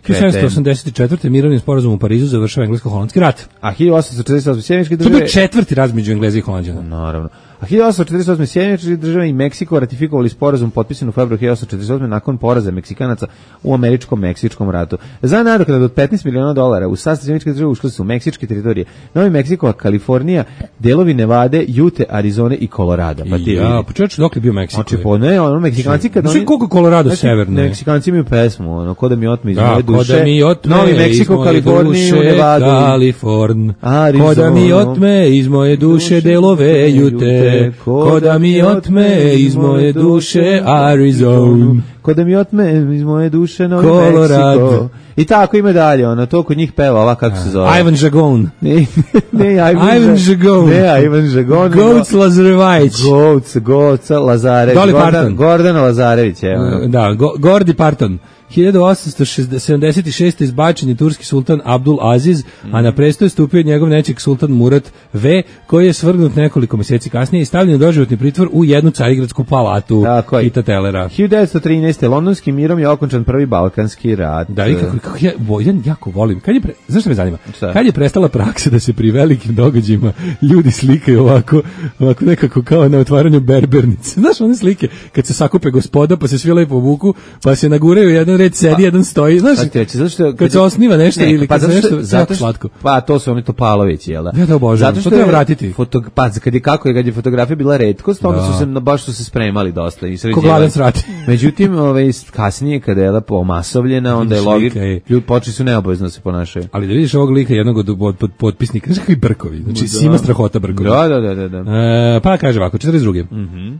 hiljadu sedamsto osamdeset četvrte. mirovnim sporazumom u Parizu završava englesko-holandski rat. A hiljadu osamsto četrdeset osme. Sjemeničke To je države... bio četvrti rat među Engleza i Holanđana. Naravno. A hiljadu osamsto četrdeset osme. Sjedinjene Države i Meksiko ratifikovali sporazum potpisan u februaru hiljadu osamsto četrdeset osme. nakon poraza Meksikanaca u američko-meksičkom ratu. Za nadoknadu od petnaest miliona dolara u sastav Sjedinjenih Država ušle su meksičke teritorije, Novi Meksiko, Kalifornija, delovi Nevade, Jute, Arizone i Kolorada. Pa ti ja, pa čovječ, dok li bio Meksiko? Znači, po ne, ono, Meksikanci kad oni... koliko Kolorado severno? Meksikanci imaju pesmu, ono, ko da mi otme iz da, moje duše. Ko da mi otme Novi Meksiko, Kaliforniju, Nevadu. Kaliforn. Ko da mi otme iz moje duše delove Jute. Ko da mi otme iz moje duše Arizona. Ko da mi otme iz moje duše Novi Colorado. Meksiko. I tako ima dalje, ono, to kod njih peva, ova kako se zove. Ivan Žagon. Ne, ne, Ivan, Ivan Žagon. Ne, Ivan Žagon. Goats Lazarević. Goats, Goats Lazarević. Dolly Gordana, Parton. Gordana Lazarević, evo. Da, Go, Gordi Parton. hiljadu osamsto sedamdeset šeste. izbačen je turski sultan Abdul Aziz, mm. a na presto je stupio njegov nečik sultan Murat V, koji je svrgnut nekoliko mjeseci kasnije i stavljen u doživotni pritvor u jednu carigradsku palatu Ita Telera. hiljadu devetsto trinaeste. londonskim mirom je okončan prvi Balkanski rat. Da, i kako, kako ja, ja jako volim. Kad je pre, znaš što me zanima? Šta? Kad je prestala praksa da se pri velikim događajima ljudi slikaju ovako, ovako nekako kao na otvaranju berbernice. Znaš one slike? Kad se sakupe gospoda, pa se svi lepo obuku, pa se naguraju jedan red sedi, pa, jedan stoji, znaš, reći, zašto, kad se osniva nešto ne, ili pa kad se nešto zato što, slatko. Pa to su oni Topalovići, jel da? Ja to obožavam, zato što to treba vratiti. Foto, pa kad je kako je, kad je fotografija bila retkost, onda su se, baš su se spremali dosta. I ko gladan srati. Međutim, ove, kasnije, kada je lepo omasovljena, onda je logično, ljudi počeli su neobavezno da se ponašaju. Ali da vidiš ovog lika jednog od, od, od potpisnika, znaš kakvi brkovi, znači sima strahota brkovi. Da, da, da. da, da. E, pa kaže ovako, četrdeset druge. Mhm.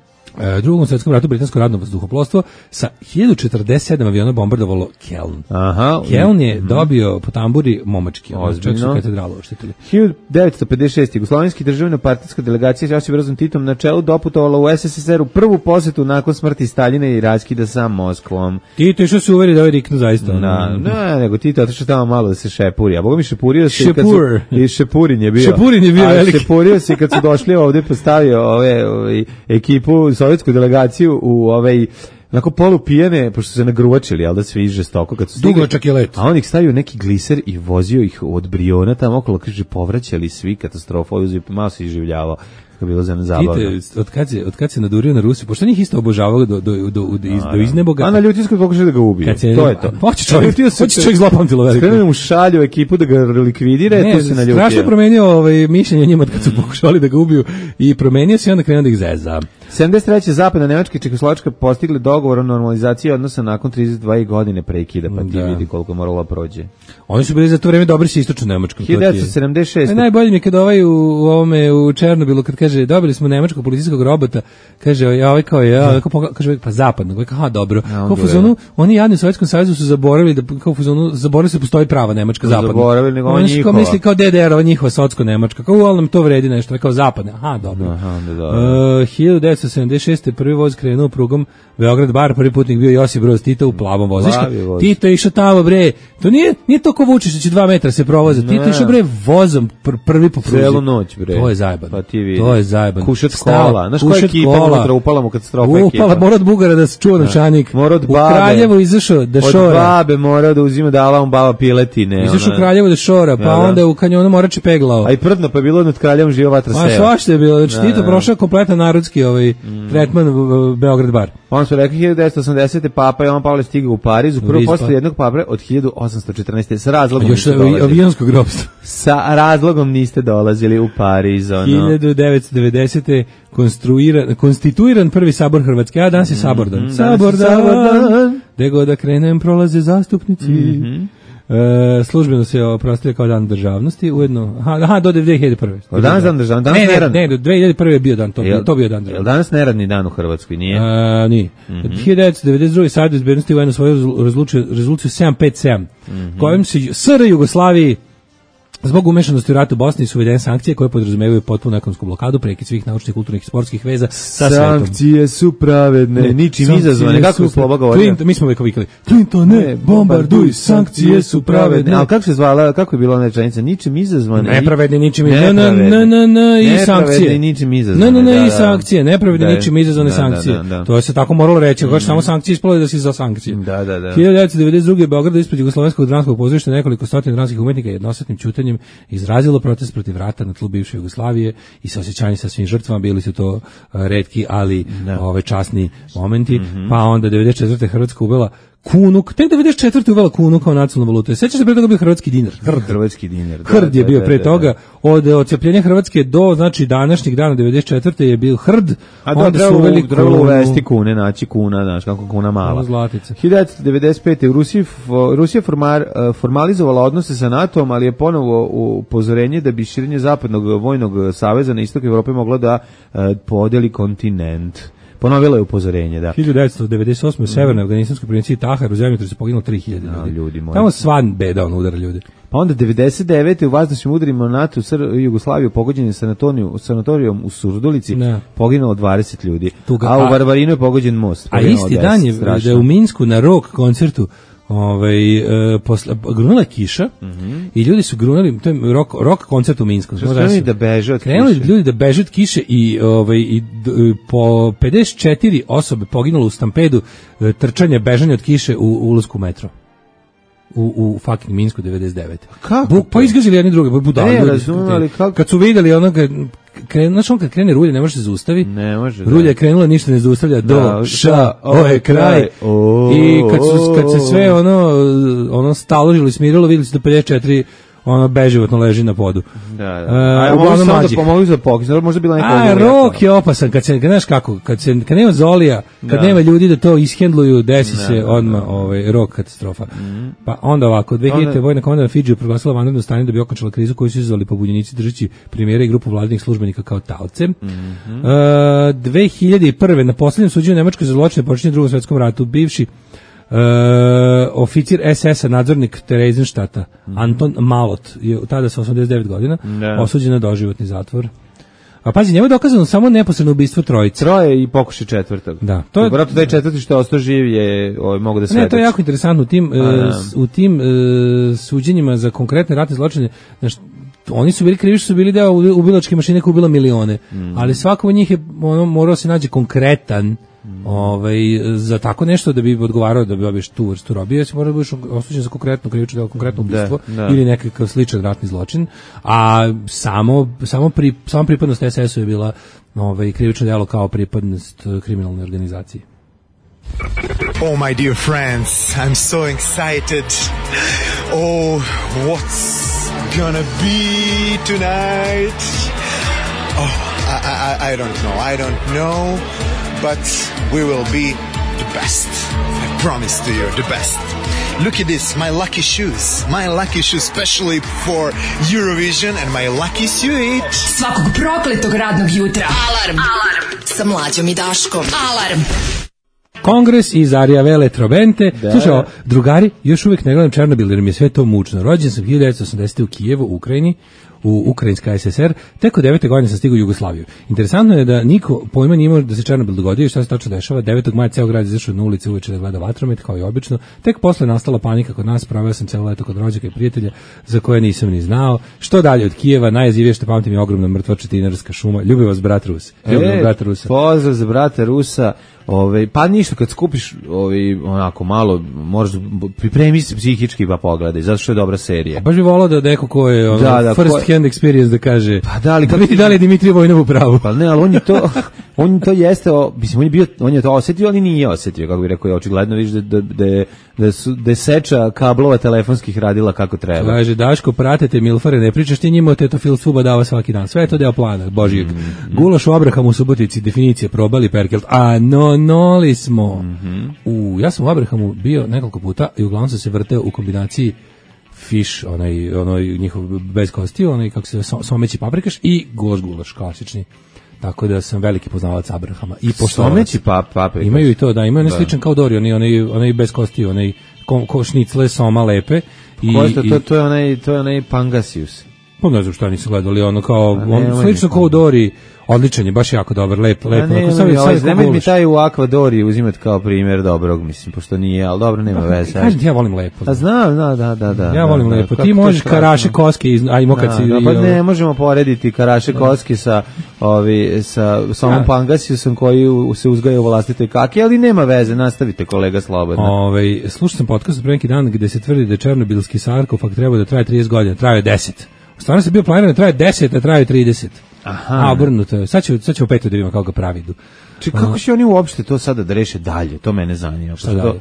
U Drugom svjetskom ratu britansko radno vazduhoplovstvo sa hiljadu četrdeset sedam aviona bombardovalo Keln. Aha. Keln je mm-hmm. dobio po tamburi momački, čak su katedralu oštitili. hiljadu devetsto pedeset šeste. Jugoslovenski državno-partijska delegacija s Josipom Brozom Titom na čelu doputovala u S S S R u prvu posjetu nakon smrti Staljina i raskida sa Moskvom. Tito išao se uveri da ovaj riknu zaista. Na, ne, nego Tito otišao tamo malo da se šepuri. A boga mi šepurio se Šepur. kad su, i Šepurin je bio. Šepurin je bio a veliki. Šepurio se kad su došli ovdje, postavio ove, ove ekipu, sovjetsku delegaciju u ovaj onako polupijene, pošto su se nagruvačili, jel da svi žestoko kad su stigli. Dugočak je let. A on ih stavio neki gliser i vozio ih od Briona tamo okolo, kaže, povraćali svi, katastrofa, malo se iživljavao. Bilo za zabavno. Tite, od kad se od kad se nadurio na Rusiju, pošto njih isto obožavao do do do do, iz, do izneboga. A na Ljutinskoj pokušao da ga ubije. Se, to je to. Hoće čovjek, hoće čovjek zlopamtilo veliko. Skrenuo mu šalju ekipu da ga likvidira, ne, to se naljutio. Strašno promenio ovaj mišljenje njima kad su pokušali da ga ubiju i promenio se i onda krenuo da ih zeza. sedamdeset treće. zapadna Nemačka i Čehoslovačka postigli dogovor o normalizaciji odnosa nakon trideset dve godine prekida, pa ti da. Vidi koliko moralo prođe. Oni su bili za to vreme dobri sa istočnom Nemačkom. hiljadu devetsto sedamdeset šeste. Najbolje mi je kad ovaj u, u ovome u Černobilu kad kaže dobili smo nemačkog policijskog robota, kaže ja ovaj kao ja, ovaj kao, kaže pa zapadnog, ovaj kao ha dobro. Ja, kao fuzonu, oni jadni u Sovjetskom savezu su zaboravili da kao fuzonu zaboravili se postoji prava nemačka zapadna. Zaboravili nego oni njihova. Kao misli kao D D R, ova njihova sovjetsko nemačka. Kao al nam to vredi nešto, kao zapadna. Aha, dobro. Aha, da, da. Uh, hiljadu devetsto sedamdeset šeste. prvi voz krenuo prugom Beograd Bar, prvi putnik bio Josip Broz Tito u plavom vozu. Voz. Tito je išao tamo bre. To nije nije to ko Vučić će dva metra se provoza. Tito je išao bre vozom pr prvi po pruzi. Celu noć bre. To je zajebano. Pa ti vidi. To je zajebano. Kušat kola. Znaš koja ekipa unutra upala mu katastrofa ekipa. Upala mora od Bugara da se čuva novčanik. Mora od babe. U Kraljevo izašao da šora. Od babe mora da uzima dala on baba piletine. Izašao u Kraljevo da šora, pa ja, onda u kanjonu Morače peglao. A i prdno pa je bilo nad Kraljevom živa vatra sela. A svašta je bilo. Znači Tito prošao kompletan narodski ovaj mm. tretman Beograd Bar. On su rekli hiljadu devetsto osamdesete. Papa Jovan Pavle stigao u Pariz u prvu posle jednog pape od hiljadu osamsto četrnaeste. Sa razlogom još avionskog grobstva. Sa razlogom niste dolazili u Pariz. Ono. hiljadu devetsto devedesete. konstruiran, konstituiran prvi sabor Hrvatske. A danas je sabor dan. Mm, sabor dan. Gde god da krenem prolaze zastupnici. Mm-hmm. E, službeno se oprostio kao dan državnosti, ujedno, aha, aha do dve hiljade prve. O danas dan državnosti, danas ne, neradni. Ne, ne, do dve hiljade prve je bio dan, to, jel, to bio dan državnosti. Jel danas neradni dan u Hrvatskoj, nije? A, nije. Mm-hmm. hiljadu devetsto devedeset druge. Savjet bezbednosti UN svoju rezoluciju, rezoluciju sedam pet sedam, mm-hmm. kojom se S R Jugoslaviji zbog umešanosti u ratu u Bosni su uvedene sankcije koje podrazumevaju potpunu ekonomsku blokadu, prekid svih naučnih, kulturnih i sportskih veza sa svetom. Sankcije su pravedne, ne, ničim izazvane. Kako je Sloba govorio? Mi smo uvijek vikali, Clintone, bombarduj, sankcije su pravedne. Ali kako se zvala, kako je bila ona rečenica? Ničim izazvane. Nepravedne, ničim izazvane. Ne, ne, ne, i sankcije. Nepravedne, ničim izazvane. Ne, ne, ne, i sankcije. Nepravedne, ničim izazvane sankcije. To je se tako moralo reći. Ako samo sankcije ispalo da si za sankcije. Da, da, da. hiljadu devetsto devedeset druge. Beograd ispred Jugoslovenskog dramskog pozorišta nekoliko stotina dramskih umetnika jednostatnim ćutanjem suđenjem izrazilo protest protiv rata na tlu bivše Jugoslavije i saosećanje sa svim žrtvama, bili su to uh, retki, ali ove časni momenti, mm-hmm. pa onda devedeset četvrte. Hrvatska uvela kunu, tek devedeset četvrte uvela kunu kao nacionalnu valutu. Sećaš se pre toga bio hrvatski dinar? Hrd. Hrvatski dinar. Hrd je bio pre toga. Od odcepljenja Hrvatske do, znači, današnjeg dana devedeset četvrte je bio hrd. A da, onda su uveli trebalo uvesti kune, naći kuna, znaš, kako kuna mala. Zlatica. hiljadu devetsto devedeset pete. u Rusiji Rusija formar, formalizovala odnose sa NATO-om, ali je ponovo upozorenje da bi širenje zapadnog vojnog saveza na istok Evrope moglo da uh, podeli kontinent. Ponovilo je upozorenje, da. hiljadu devetsto devedeset osme. u severnoj afganistanskoj provinciji Tahar u zemljotresu poginulo tri hiljade no, ljudi. ljudi Tamo svan beda on udara ljudi. Pa onda devedeset devete. u vazdušnim udarima NATO u Jugoslaviju pogođen sanatorijom u Surdulici, ne. Poginulo dvadeset ljudi. Tuga, a u Varvarinu je pogođen most. A isti deset, dan je strašno. Da je u Minsku na rock koncertu ovaj e, posle grunula kiša mm-hmm. i ljudi su grunali, to je rock rock koncert u Minsku. Krenuli da beže od krenuli kiše. Ljudi da beže od kiše i ovaj i d, po pedeset četiri osobe poginulo u stampedu trčanja, bežanja od kiše u ulasku u metro. U, u fucking Minsku devedeset devete. Kako? Buk, pa izgazili jedni druge, budali ljudi. Razumali, kako? Kad su vidjeli onoga, kren, znaš on kad krene rulje ne može se zaustavi. Ne može. Rulja je krenula, ništa ne zaustavlja, do, da, ša, o je kraj. O, I kad, su, kad se sve ono, ono staložilo i smirilo, vidjeli su da pedeset četiri ono beživotno leži na podu. Da, da. A uh, mogu samo da pomogli za pokis, možda bila neka... A, rok je opasan, kad se, kad znaš kako, kad, se, kad nema zolija, kad da. nema ljudi da to ishendluju, desi da, se da, odmah da. ovaj, rok katastrofa. Mm. Pa onda ovako, dve hiljadite. Onda... vojna komanda na Fidžiju proglasila vanredno stanje da bi okončala krizu koju su izazvali pobunjenici držeći premijera i grupu vladinih službenika kao taoce. Mm-hmm. Uh, dve hiljade prve. na poslednjem suđenju Nemačkoj za zločine počinjene u Drugom svetskom ratu, bivši Uh, oficir es es a, nadzornik Terezinštata, mm. Anton Malot, je tada sa osamdeset devet godina, ne. osuđen na doživotni zatvor. A pazi, njemu je dokazano samo neposredno ubistvo trojice. Troje i pokušaj četvrtog. Da. To je vratno taj četvrti što je ostao živ je, ovaj, mogu da svedoči. Ne, to je jako interesantno u tim, uh, u tim uh, suđenjima za konkretne ratne zločine. Znaš, oni su bili krivi što su bili deo ubilačke mašine koja ubila milione, mm. ali svako od njih je ono, morao se nađe konkretan Mm. Ovaj, za tako nešto da bi odgovarao da bi dobiješ tu vrstu robije, si mora da budeš osuđen za konkretno krivično delo, konkretno ubistvo ili nekakav sličan ratni zločin, a samo, samo, pri, samo pripadnost es es u je bila ovaj, krivično delo kao pripadnost kriminalne organizacije. Oh my dear friends, I'm so excited. Oh, what's gonna be tonight? Oh, I, I, I don't know, I don't know. But we will be the best. I promise to you, the best. Look at this, my lucky shoes. My lucky shoes specially for Eurovision and my lucky suit. Svakog prokletog radnog jutra. Alarm. Alarm. Sa Mlađom i Daškom. Alarm. Kongres iz Arijave Eletrobente. Da. Slušaj, drugari, još uvijek ne gledam Černobil jer mi je sve to mučno. Rođen sam hiljadu devetsto osamdesete. u Kijevu, u Ukrajini, u Ukrajinska es es er, tek od devete godine sam stigao u Jugoslaviju. Interesantno je da niko pojma nije imao da se Černobil dogodio i šta se tačno dešava. devetog maja ceo grad izašao na ulice uveče da gleda vatromet, kao i obično. Tek posle nastala panika kod nas, proveo sam celo leto kod rođaka i prijatelja za koje nisam ni znao. Što dalje od Kijeva, najjezivije što pamtim je ogromna mrtva četinarska šuma. Ljubi vas brat Rus. Ljubi vas brat Rusa. Pozdrav za brata Rusa. Ove, pa ništa, kad skupiš ovaj, onako malo, moraš pripremi se psihički pa pogledaj, zato što je dobra serija. A baš bi volao da neko ko je ono, da, da, first ko... hand experience da kaže, pa da, ali da vidi da li je Dimitrij Vojnov u pravu. Pa ne, ali on je to, on to jeste, o, mislim, on je, bio, on je to osetio, ali nije osetio, kako bi rekao, je očigledno vidiš da, da, da, da, su, da je seča kablova telefonskih radila kako treba. Kaže, Daško, pratite milfare, ne pričaš ti njima o tetofilstvu badava svaki dan, sve je to deo plana, Božijeg. Mm-hmm. Gulaš u Abrahamu u Subotici, definicija, probali perkelt, a no, noli smo. Mm-hmm. U, ja sam u Abrahamu bio nekoliko puta i uglavnom sam se vrteo u kombinaciji fiš, onaj, onaj njihov bez kostiju, onaj kako se someći paprikaš i gulaš gulaš, klasični. Tako da sam veliki poznavalac Abrahama. I someći pa, paprikaš. Imaju i to, da, imaju ne sličan kao Dori, onaj, onaj, onaj bez kostiju, onaj ko, ko šnicle, soma lepe. I, Ko je to, to, to, je onaj, to je onaj Pangasius. Pa ne znam šta nisu gledali, ono kao, on, slično kao Dori. Odličan je, baš jako dobar, lep, lep. Ne, ne, ne, ne mi taj u Akvadori uzimati kao primjer dobrog, mislim, pošto nije, ali dobro, nema veze. Kažem ti, ja volim lepo. A znam, da, da, da, da. Ja volim da, lepo. Ti možeš karaše koske, ajmo kad si... Da, pa ne, možemo porediti karaše koske sa, ovi, sa samom Pangasiusom koji se uzgaja u vlastitoj kaki, ali nema veze, nastavite kolega slobodno. Ove, slušao sam podcast pre neki dan gde se tvrdi da černobilski sarkofag treba da traje trideset godina, traje deset. Stvarno se bio planiran da traje deset, a traje trideset. Aha. A obrnuto je. Sad ću, sad ću opet da vidimo kako ga pravidu. Či kako će oni uopšte to sada da reše dalje? To mene zanima. Šta dalje?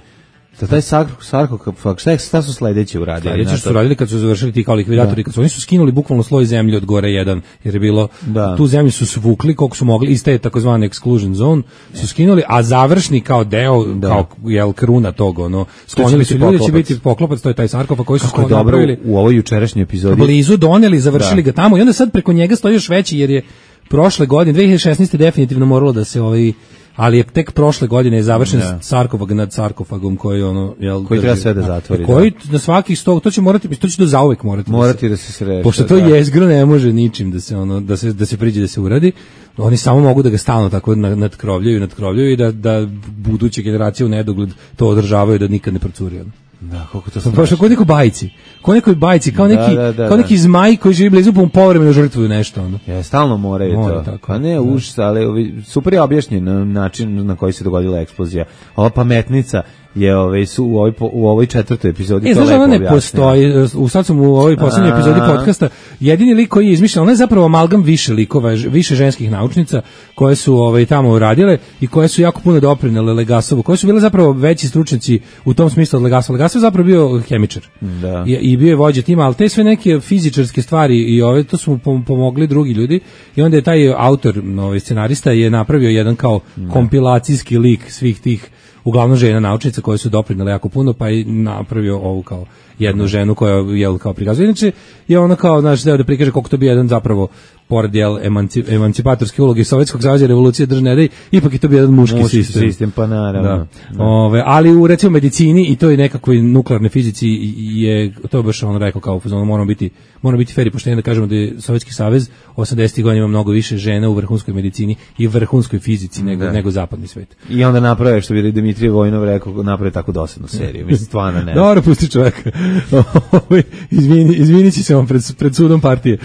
Da taj sarkofag, šta, šta su sledeće uradili? Sledeće što su radili kad su završili ti kao likvidatori, kad su oni su skinuli bukvalno sloj zemlje od gore jedan, jer je bilo, da. Tu zemlju su svukli koliko su mogli, iz te takozvane exclusion zone su skinuli, a završni kao deo, da. Kao jel, kruna tog, ono, sklonili su ljudi, će biti poklopac, to je taj sarkofag koji su kako napravili u ovoj jučerašnjoj epizodi. Blizu doneli, završili da. Ga tamo i onda sad preko njega stoji još veći, jer je prošle godine, dve hiljade šesnaeste definitivno moralo da se ovaj ali je tek prošle godine je završen ja. Sarkofag nad sarkofagom koji ono jel koji treba sve da zatvori. Koji da. Na svakih sto to će morati to će do zauvek morati. Morati da se, da se sreši. Pošto to da. Jezgro ne može ničim da se ono da se da se priđe da se uradi. Oni samo mogu da ga stalno tako nadkrovljaju, nadkrovljaju i da da buduće generacije u nedogled to održavaju da nikad ne procuri. Da, kako to baš kao neko bajci. Kao nekoj bajci, kao neki da, da, da, kao neki da. Zmaj koji živi blizu pa povremeno žrtvuju nešto onda. Ja, stalno moraju More, to. Tako, a ne užas, ali super je objašnjen način na koji se dogodila eksplozija. Ova pametnica je ovaj su u ovoj u ovoj četvrtoj epizodi e, to lepo ne postoji. U sad sam u ovoj poslednjoj epizodi podcasta jedini lik koji je izmišljen, on je zapravo amalgam više likova, više ženskih naučnica koje su ovaj tamo radile i koje su jako puno doprinele Legasovu, koje su bile zapravo veći stručnjaci u tom smislu od Legasova. Legasov je zapravo bio hemičar. Da. I, i bio je vođa tima, al te sve neke fizičarske stvari i ove to su mu pomogli drugi ljudi i onda je taj autor, ovaj scenarista je napravio jedan kao da. Kompilacijski lik svih tih uglavnom žena naučnica koje su doprinele jako puno, pa je napravio ovu kao jednu ženu koja je kao prikazuje. Inače je ono kao, znaš, da prikaže koliko to bi jedan zapravo pored jel, emancip, emancipatorske uloge Sovjetskog saveza revolucije držne nedej, ipak je to bio jedan muški, muški sistem. sistem. Pa naravno. Da. Da. Ove, ali u recimo medicini i to i nekakvoj nuklearnoj fizici je, to je baš on rekao kao, moramo biti, moramo biti fer i pošteni da kažemo da je Sovjetski savez osamdesetih godina ima mnogo više žena u vrhunskoj medicini i vrhunskoj fizici nego, da. Nego zapadni svet. I onda naprave, što bi Dimitrije Vojnov rekao, naprave tako dosadnu seriju. Mislim, stvarno ne. Dobro, pusti čovjeka. Izvini, izvinit će se vam pred, pred sudom partije.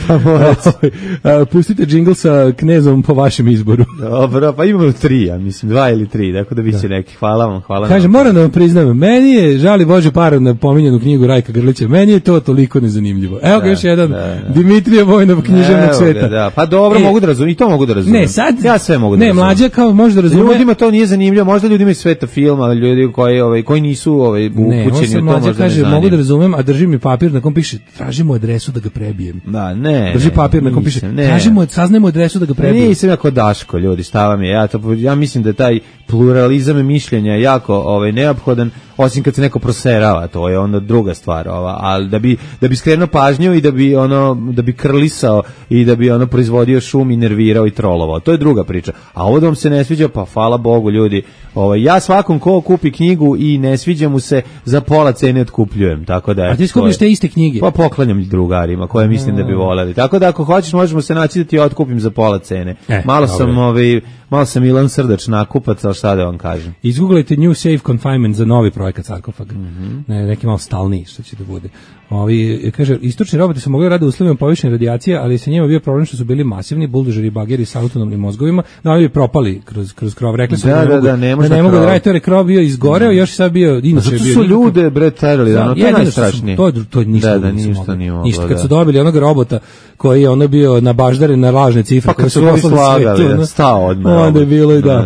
Pa pustite džingl sa Knezom po vašem izboru. Dobro, pa imamo tri, ja mislim, dva ili tri, tako da biće da. Neki. Hvala vam, hvala. Kaže, moram da vam priznam, meni je, žali Bože par na pominjenu knjigu Rajka Grlića, meni je to toliko nezanimljivo. Evo ga da, još jedan, da, da. Dimitrije Vojnov književnog sveta. Da, pa dobro, e, mogu da razumem, i to mogu da razumem. Ne, sad, ja sve mogu da ne, razumem. Mlađa kao može da razume. Ljudima to nije zanimljivo, možda ljudima iz sveta filma, ali ljudi koji, ovaj, koji nisu ovaj, upućeni u to možda kaže, ne mogu da razumem, a drži mi papir na kom piše, tražimo adresu da ga prebijem. Da, ne. Drži papir na kom piše, tražimo, saznajmo adresu da ga prebijem. Nisam jako Daško, ljudi, stava mi je. Ja, to, ja mislim da je taj pluralizam mišljenja jako ovaj, neophodan, osim kad se neko proserava, to je onda druga stvar, ova, ali da bi da bi skrenuo pažnju i da bi ono da bi krlisao i da bi ono proizvodio šum i nervirao i trolovao. To je druga priča. A ovo da vam se ne sviđa, pa hvala Bogu, ljudi. Ovaj ja svakom ko kupi knjigu i ne sviđa mu se, za pola cene otkupljujem, tako da. A ti skupiš te iste knjige? Pa poklanjam drugarima koje mislim da bi voleli. Tako da ako hoćeš možemo se naći da ti otkupim za pola cene. E, malo sam dobre. ovaj malo sam Milan Srdač nakupac, al šta da vam kažem. Izguglajte New Safe Confinement za novi projekat sarkofaga. Mm -hmm. ne, neki malo stalniji što će da bude. Ovi, kaže, istočni roboti su mogli raditi u uslovima povišene radijacije, ali sa njima bio problem što su bili masivni buldožeri i bageri sa autonomnim mozgovima, da oni bi propali kroz, kroz krov. Rekli su da, da, da, da, ne može da ne mogu da raditi, to je krov bio izgoreo, mm. još sad bio, inače bio. Zato su ljude, bre, terali, da, no, to je najstrašnije. To, to ništa, da, da, ništa nije moglo. Ništa, kad su dobili onog robota koji je ono bio nabaždaren na lažne cifre, pa kad su ovi slagali, da, stao odmah. Onda je bilo i da.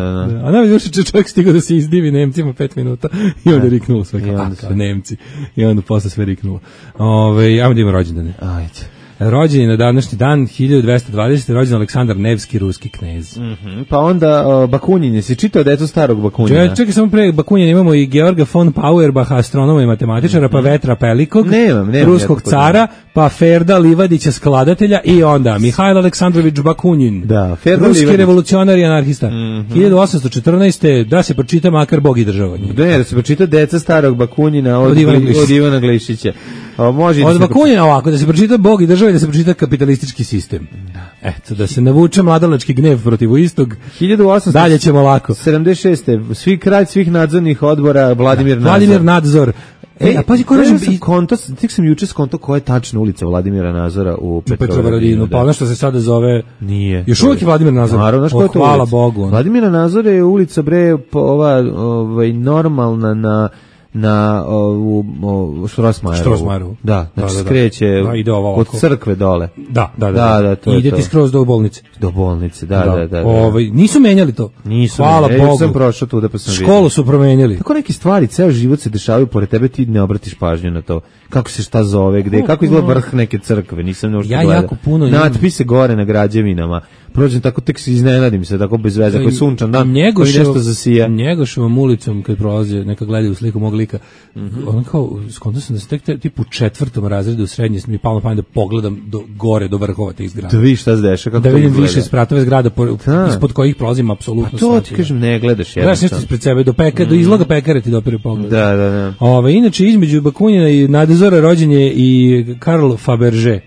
A nam je još čovjek stigao da se izdivi Nemcima pet minuta i onda je riknulo sve kao Nemci. I onda posle sve riknulo. Ove, ajmo da imamo rođendane. Ajde. Rođen je na današnji dan hiljadu dvesta dvadesete rođen Aleksandar Nevski, ruski knez. Mm -hmm. Pa onda uh, Bakunin, jesi čitao decu starog Bakunina? Čekaj, čekaj samo pre Bakunina imamo i Georga von Feuerbacha, astronoma i matematičara, mm -hmm. pa Vetra Pelikog, nemam, nemam ruskog cara, pa Ferda Livadića, skladatelja i onda Mihajl Aleksandrović Bakunin, da, Ferda ruski Livadić. Revolucionar i anarhista. Mm -hmm. hiljadu osamsto četrnaeste da se pročita makar Bog i država. Ne, da se pročita deca starog Bakunina od, od Ivana Glišića. Od Ivana Glišića. O, može od Bakunina ovako, da se pročita Bog i država i da se pročita kapitalistički sistem. Da. Eto, da se navuče mladalački gnev protiv istog. hiljadu osamsto Dalje ćemo lako. sedamdeset šeste svi kralj svih nadzornih odbora Vladimir da, Nadzor. Vladimir Nadzor. E, a pazi koji je konto, tek sam juče skonto koja je tačna ulica Vladimira Nazora u Petrovaradinu. Pa ono što se sada zove nije. Još uvijek je Vladimir Nazor. Naravno, o, hvala Bogu. Vladimira Nazora je ulica bre ova ovaj normalna na na ovu o, Štrosmajerovu. Štrosmajerovu. Da, znači Da, da, da. skreće Da, ide ovo od ovako. crkve dole. Da, da, da. Da, da, to je ide to. ti skroz do bolnice. Do bolnice, da, da, da. da. Ovaj, nisu menjali to. Nisu. Hvala ne, Bogu. Ja sam prošao tu da pa sam vidio. Školu su promenili. Tako neke stvari, ceo život se dešavaju pored tebe, ti ne obratiš pažnju na to. Kako se šta zove, gde, kako izgleda vrh neke crkve, nisam ne uopšte Ja gledao. jako puno imam- Natpise gore na građevinama. Prođem tako, tek se iznenadim se, tako bez veze, ako je sunčan dan, koji nešto zasija. Njegošovom ulicom kad prolaze, neka gledaju sliku mog lika, Mhm. ono kao, skontao sam da se tek te, tipu u četvrtom razredu u srednje mi je palo na pamet da pogledam do, gore, do vrhova tih zgrada. Da vidiš šta se dešava, kako Da to vidim izgleda. više spratove zgrada po, Da. ispod kojih prolazim apsolutno Pa to sve. ti kažem, ne gledaš Gledaš nešto jednostavno. ispred sebe, do, peka, do izloga pekare ti dopire pogled. Da, da, da. Ove, inače, između Bakunjina i Nadezora rođen je i Karl Fabergé,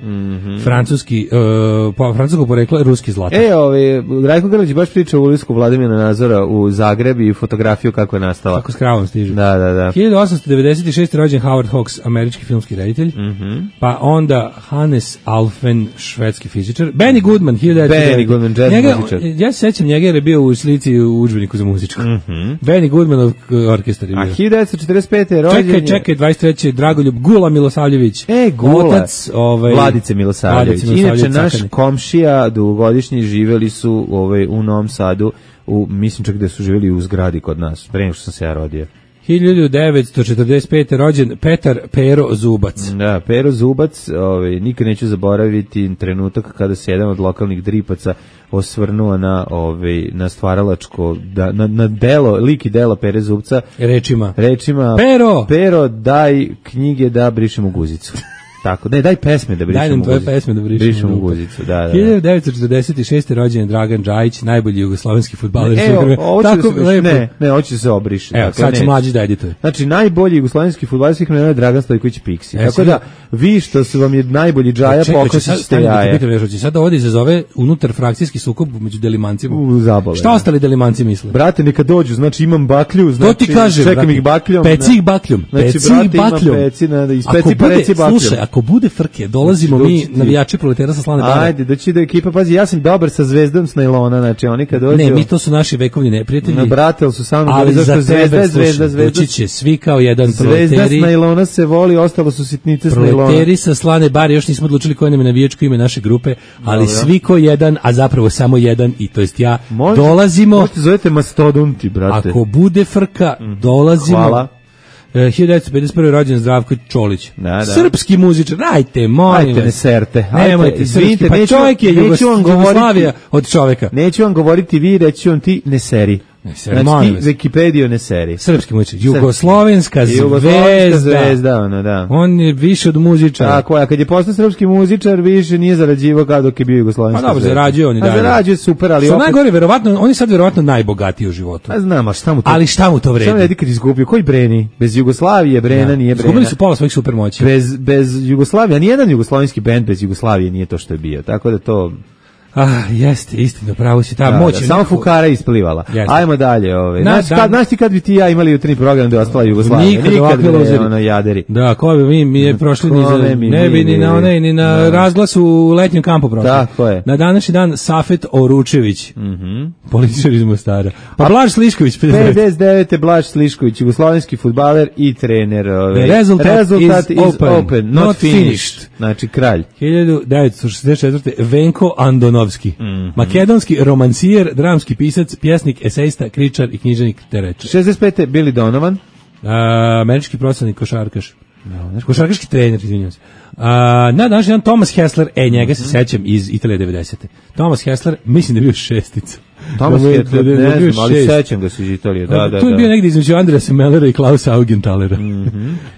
francuski, uh, po, francuskog porekla, ruski zlatar. E, ovaj, Rajko Grlić baš priča o ulisku Vladimira Nazora u Zagreb i fotografiju kako je nastala. Kako s kravom stižu. Da, da, da. hiljadu osamsto devedeset šeste. rođen Howard Hawks, američki filmski reditelj. Mhm. Pa onda Hannes Alfen, švedski fizičar. Benny Goodman, hiljadu devetsto devedeset. Benny Goodman, jazz njega, muzičar. ja se sećam njega jer je bio u slici u udžbeniku za muzičku. Benny Goodmanov orkestar je A bio. hiljadu devetsto četrdeset pete. rođen Čekaj, je- čekaj, dvadeset treće. Dragoljub Gula Milosavljević. E, Gula. Otac, ovaj, Vladice Milosavljević. Vladice Inače, Milosavljević, naš Cakani. komšija dugogodišnji živeli su ovaj, u Novom Sadu, u, mislim čak da su živeli u zgradi kod nas, pre nego što sam se ja rodio. hiljadu devetsto četrdeset pete. rođen Petar Pero Zubac. Da, Pero Zubac, ovaj, nikad neću zaboraviti trenutak kada se jedan od lokalnih dripaca osvrnuo na, ovaj, na stvaralačko, da, na, na delo, lik i delo Pere Zubca, Rečima. rečima Pero! Pero, daj knjige da brišemo guzicu. Tako, ne, daj pesme da brišemo Daj nam tvoje guzicu. pesme da brišemo brišemo guzicu. guzicu. Da, da, da. hiljadu devetsto četrdeset šeste. rođen je Dragan Džajić, najbolji jugoslovenski fudbaler. E, svih vremena. ovo će da Tako se, lepo. ne, ne, hoće da se obriše. Evo, Dakle, sad će ne. mlađi da edituje. Znači, najbolji jugoslovenski fudbaler svih vremena je Dragan Stojković Piksi. E, Tako sad- da, vi što su vam je najbolji džaja, Čekaj, hoće pokosit sad- ćete stani da te jaje. pitam još, hoće sad ovdje izazove unutar frakcijski sukob među delimancima. U, zabole. Šta ostali delimanci misle? Brate, neka dođu, znači imam baklju, znači, To ti kaže, čekam brate. ih bakljom. Peci ih bakljom. Znači, Peci brate, ih bakljom. ima peci, na, iz Ako peci pa bude- reci bakljom. Slušaj, ako bude frke, dolazimo Znači, mi, doći ti. navijači proletera sa slane bare. Ajde, doći do ekipa, pazi, ja sam dobar sa zvezdom s najlona, znači oni kad dođu... Ne, mi to su naši vekovni neprijatelji. Na brate, ali su sa mnom Ali bili, za zašto tebe, zvezda, slušaj, zvezda, zvezda, doći će svi kao jedan zvezda s proleteri. najlona se voli, ostalo su sitnice s najlona. Proleteri sa slane bare, još nismo odlučili koje nam je navijačko ime naše grupe, ali Dobro. svi ko jedan, a zapravo samo jedan, i to jest ja, Možete- dolazimo, Možete zovete mastodonti, brate. ako bude frka, dolazimo. Hvala. E, hiljadu devetsto pedeset prve. rođen Zdravko Čolić. Da, da. Srpski muzičar, ajte, molim Ajte, ne vas. serte. Nemojte, Ajte, srpski, izvinite, pa neću- čovjek je neću Jugos- vam govoriti- Jugoslavija od čoveka. Neću vam govoriti vi, reći vam ti ne seri. Ne seri, molim znači, vas. ti Wikipedio ne seri. Srpski muzičar, jugoslovenska Jugoslovenska zvezda. zvezda, ono, da. On je više od muzičara. Tako je, a kad je postao srpski muzičar, više nije zarađivao kao dok je bio jugoslovenska Pa dobro, zvezda. zarađuje on i A dalje. zarađuje super, ali Što opet... najgore, verovatno, on je sad verovatno najbogatiji u životu. A znam, a šta mu to... Ali šta mu to Šta mu vredi? redi kad izgubio? Koji Breni? Bez Jugoslavije Brena nije Brena. Izgubili su pola svojih supermoći. Bez, bez Jugoslavije, a nijedan jugoslovenski bend bez Jugoslavije nije to što je bio. Tako da to... Ah, jeste, istina, pravo si ta Da, moć. da, je samo nekako- Fukara je isplivala. Jeste. Ajmo dalje. Ovaj. Na, Znaš, da. kad, znaš ti kad bi ti i ja imali jutarnji program da je ostala Jugoslavija? Nikad ovakve bre, luzeri. ono, jaderi. Da, ko bi mi, mi je prošli ni za, Kome mi, ne bi mi, ni mi, na mi. onaj, ni na Da. razglas u letnjem kampu prošli. Tako je. Na današnji dan Safet Oručević, Mhm. političar iz Mostara. Pa Blaž Slišković, pedeset devet. pedeset devete. Blaž Slišković, jugoslovenski fudbaler i trener. Ovaj. The result is, is open, not, not finished. finished. Znači, kralj. hiljadu devetsto šezdeset četvrte. Venko Andonovski, Mhm. makedonski romancijer, dramski pisac, pjesnik, esejista, kričar i književnik Tereča. šezdeset pete. Billy Donovan. A, američki profesionalni košarkaš. Košarkaški trener, izvinjavam se. A, na današnji dan Thomas Hessler, e, njega se sećam iz Italije devedesete. Thomas Hessler, mislim da je bio šestica. Thomas Da mu je- Hitler, da je ne bio znam, ali šest. sećam ga se iz Italije. Da, da, Tu je da. bio negdje između Andreasa Mellera i Klausa Augenthalera.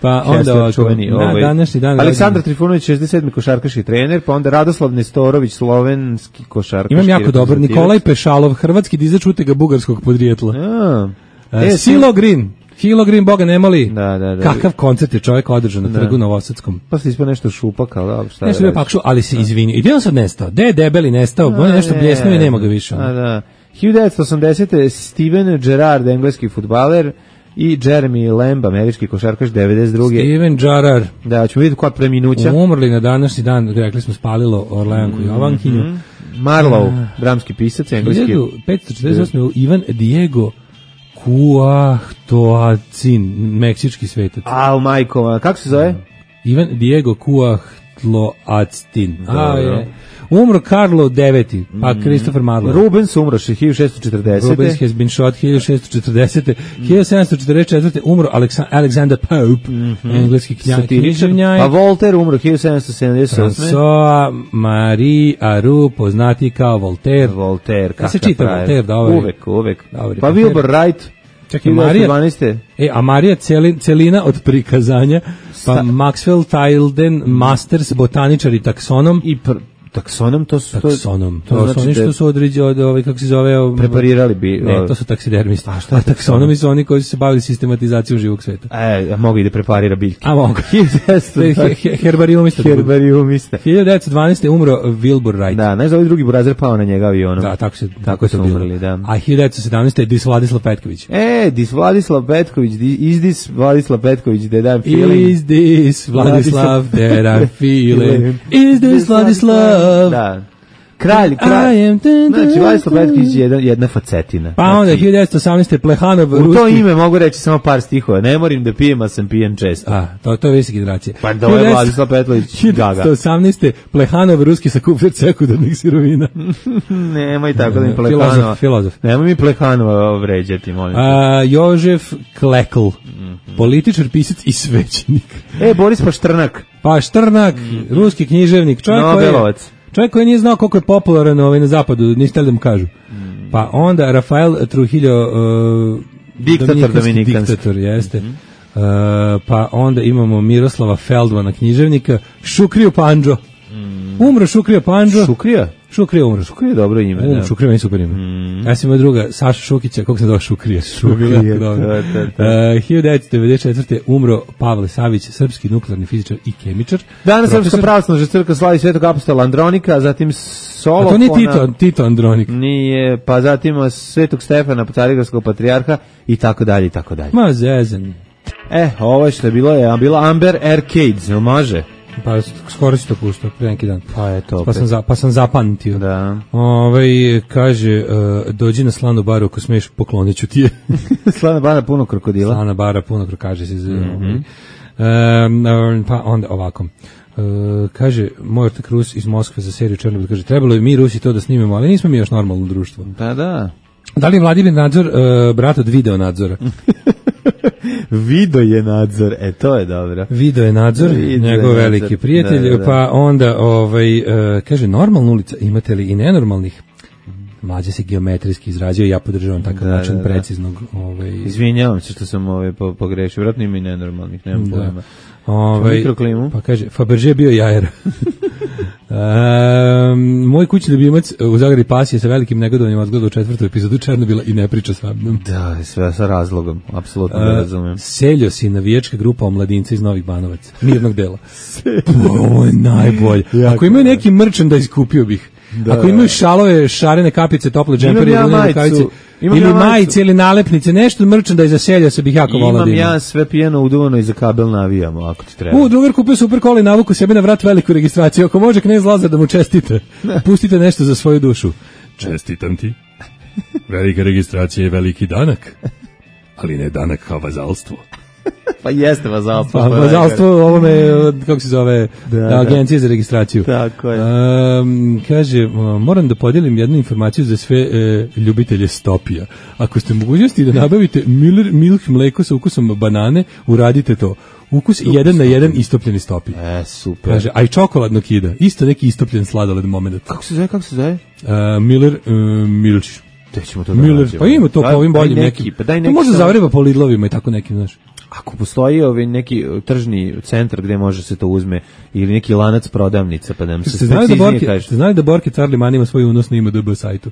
Pa onda Hessler, ovako, čuveni, na ovaj. današnji dan... Aleksandar rođen- Trifunović, šezdeset sedmi. košarkaški trener, pa onda Radoslav Nestorović, slovenski košarkaški. Imam jako dobar. reprezentativac. Nikolaj Pešalov, hrvatski dizač utega bugarskog podrijetla. A, E, Silo Green. Hilo Green, boga nemali. Da, da, da. Kakav koncert je čovjek održao na Da. trgu Novosadskom. pa se ispao nešto šupak, ali dobro, šta Ne da sam bio radiš? pakšu, ali se izvinio. I gdje on sad nestao? Gde je debeli nestao? On je nešto A, bljesnuo i ne. nema ga više. A, da. hiljadu devetsto osamdesete. Steven Gerrard, engleski fudbaler, i Jeremy Lamb, američki košarkaš, devedeset druge. Steven Gerrard. Da, ćemo vidjeti koja preminuća. Umrli na današnji dan, rekli smo, spalilo Orleanku Jovankinju. Marlowe, dramski pisac, engleski. hiljadu petsto četrdeset osme. Ivan Diego Cuauhtoacin, meksički svetac. A, u majkova, kako se zove? Ivan Diego Cuauhtloactin. A, Dobro. je. Umro Karlo deveti, pa Christopher Marlowe. Rubens umro hiljadu šessto četrdesete. Rubens has been shot hiljadu šessto četrdesete. hiljadu sedamsto četrdeset četvrte. umro Aleksa- Alexander Pope, engleski knja- Satiričar. književnjak. Pa Voltaire umro hiljadu sedamsto sedamdeset osme. François Marie Aru, poznati kao Voltaire. Voltaire, Ja se kakav čita frajer. Voltaire, da ovaj- Uvek, uvek. Dobri, Pa pa Wilbur Wright. Čekaj, Marija, dvanaeste. e, a Marija Celin, Celina od prikazanja, pa Maxwell Tilden Masters, botaničar i taksonom. I pr taksonom, to su... to- Taksonom, to, to su znači oni da što su određi od, ovaj, kako se zove... o- preparirali bi... Ne, to su taksidermisti. A šta je A taksonomi su oni koji su se bavili sistematizacijom živog sveta. E, mogu i da preparira biljke. A mogu. hiljadu devetsto He- he- Herbariumista. Herbariumista. hiljadu devetsto dvanaeste. umro Wilbur Wright. Da, znaš da ovaj drugi burazer pao na njega avionom. Da, tako se Tako tako su su bilo. umrli, da. A hiljadu devetsto sedamnaeste. Dis Vladislav Petković. E, dis Vladislav Petković, di- is this Vladislav Petković, that I'm feeling? Is this Vladislav that I'm feeling? Is this Vladislav? Da. Kralj, kralj. I am dun, dun, Znači, Vladislav dun. Petković je jedna, jedna facetina. Pa onda Znači, hiljadu devetsto osamnaeste. Plehanov, u to ruski... ime mogu reći samo par stihova. Ne moram da pijem, a sam pijen često. A, to, to je visoke generacije. Pa da, ovo je Vladislav Petković gaga. hiljadu devetsto osamnaeste. Plehanov, ruski sakupljat sekundarnih sirovina. Nemoj tako da mi Filozof, Plehanova. filozof. Nemoj mi Plehanova vređati, molim te. A, Jožef Klekl, političar, pisac i svećenik. E, Boris Paštrnak. Pa Štrnak, ruski književnik, čovjek koji, je, Nobelovac. čovjek koji nije znao koliko je popularan ovaj, na zapadu, niste htjeli da mu kažu. Pa onda Rafael Trujillo, uh, Diktator dominikanski. diktator, jeste. Uh, pa onda imamo Miroslava Feldmana, književnika, Šukriju Pandžo. Umro Šukrija Pandžo. Šukrija? Šukrija umro. Šukrija je dobro ime. Um, da. Šukrija meni super ime. Ja sam imao druga, Saša Šukića, kako se zove Šukrija? Šukrija, Dobro. da, da, da. Uh, hiljadu devetsto devedeset četvrte. umro Pavle Savić, srpski nuklearni fizičar i kemičar. Danas Profesor- Srpska pravoslavna crkva slavi Svetog apostola Andronika, zatim Solofona. A to nije Tito, Tito Andronik. Nije, pa zatim Svetog Stefana, carigradskog patrijarha i tako dalje i tako dalje. Ma zezan. E, ovo što je bilo je bila Amber Arcades, jel može? Pa skoro si to pustao, pre neki dan. Pa eto opet. Pa sam, za, pa sam zapamtio. Da. Ovaj kaže, uh, dođi na slanu baru ako smiješ, poklonit ću ti je. Slana bana puno krokodila. Slana bara, puno krokaže se. Mm-hmm. Um, pa onda ovako. Uh, kaže, moj ortak Rus iz Moskve za seriju Černobyl, kaže, trebalo je mi Rusi to da snimemo, ali nismo mi još normalno društvo. Da, da. Da li je Vladimir Nadzor uh, brat od video nadzora? Video je nadzor, e to je dobro. Video je nadzor, Video njegov je veliki nadzor. prijatelj, Da, da. pa onda ovaj, uh, kaže, normalna ulica, imate li i nenormalnih? Mlađe se geometrijski izrađuje, ja podržavam takav Da, način da, da. preciznog. Ovaj, Izvinjavam se što sam ovaj po, pogrešio, vjerojatno ima i nenormalnih, nemam Da. pojma. Ovaj, Mikroklimu. Pa kaže, Fabergé je bio jajer. um, moj kućni ljubimac u Zagradi Pasije sa velikim negodovanjem odgleda u četvrtu epizodu Černobila i ne priča sa mnom. Da, sve sa razlogom, apsolutno ne razumem. Seljos i navijačka grupa omladinca iz Novih Banovaca. Mirnog dela. Ovo je najbolje. Ako imaju neki merchandise, kupio bih. Da. Ako imaju šalove, šarene kapice, tople džempere, Imam ja ili majicu. rukavice, Imam ili ja majicu. majice, ili nalepnice, nešto merchandise za Seljosa bih jako volao da Imam imam. ja sve pijeno uduvano i za kabel navijamo, ako ti treba. U, drugar kupio super kola i navuku sebi na vrat veliku registraciju. Ako može knez Lazar da mu čestite, pustite nešto za svoju dušu. Čestitam ti. Velika registracija je veliki danak, ali ne danak kao vazalstvo. Pa jeste vazalstvo. Pa, vazalstvo ovome, od, kako se zove, Da, da, da. agencije za registraciju. Tako je. Um, kaže, moram da podijelim jednu informaciju za sve e, ljubitelje stopija. Ako ste mogućnosti da nabavite Miller Milk mleko sa ukusom banane, uradite to. Ukus jedan na jedan istopljeni stopi. E, super. Kaže, a i čokoladno kida. Isto neki istopljen sladoled moment. Kako se zove, kako se zove? Uh, Miller uh, Milč. Gde ćemo to da Miller, nađemo? pa ima to po Daj- ovim daj boljim neki, nekim. Pa daj To neki možda sa- zavriva po Lidlovima i tako nekim, znaš. Ako postoji ovaj neki tržni centar gde može se to uzme ili neki lanac prodavnica pa da nam se Ste znali da preciznije Borki, kaže. ste znali da Borki Carliman ima svoj unos na I M D B sajtu?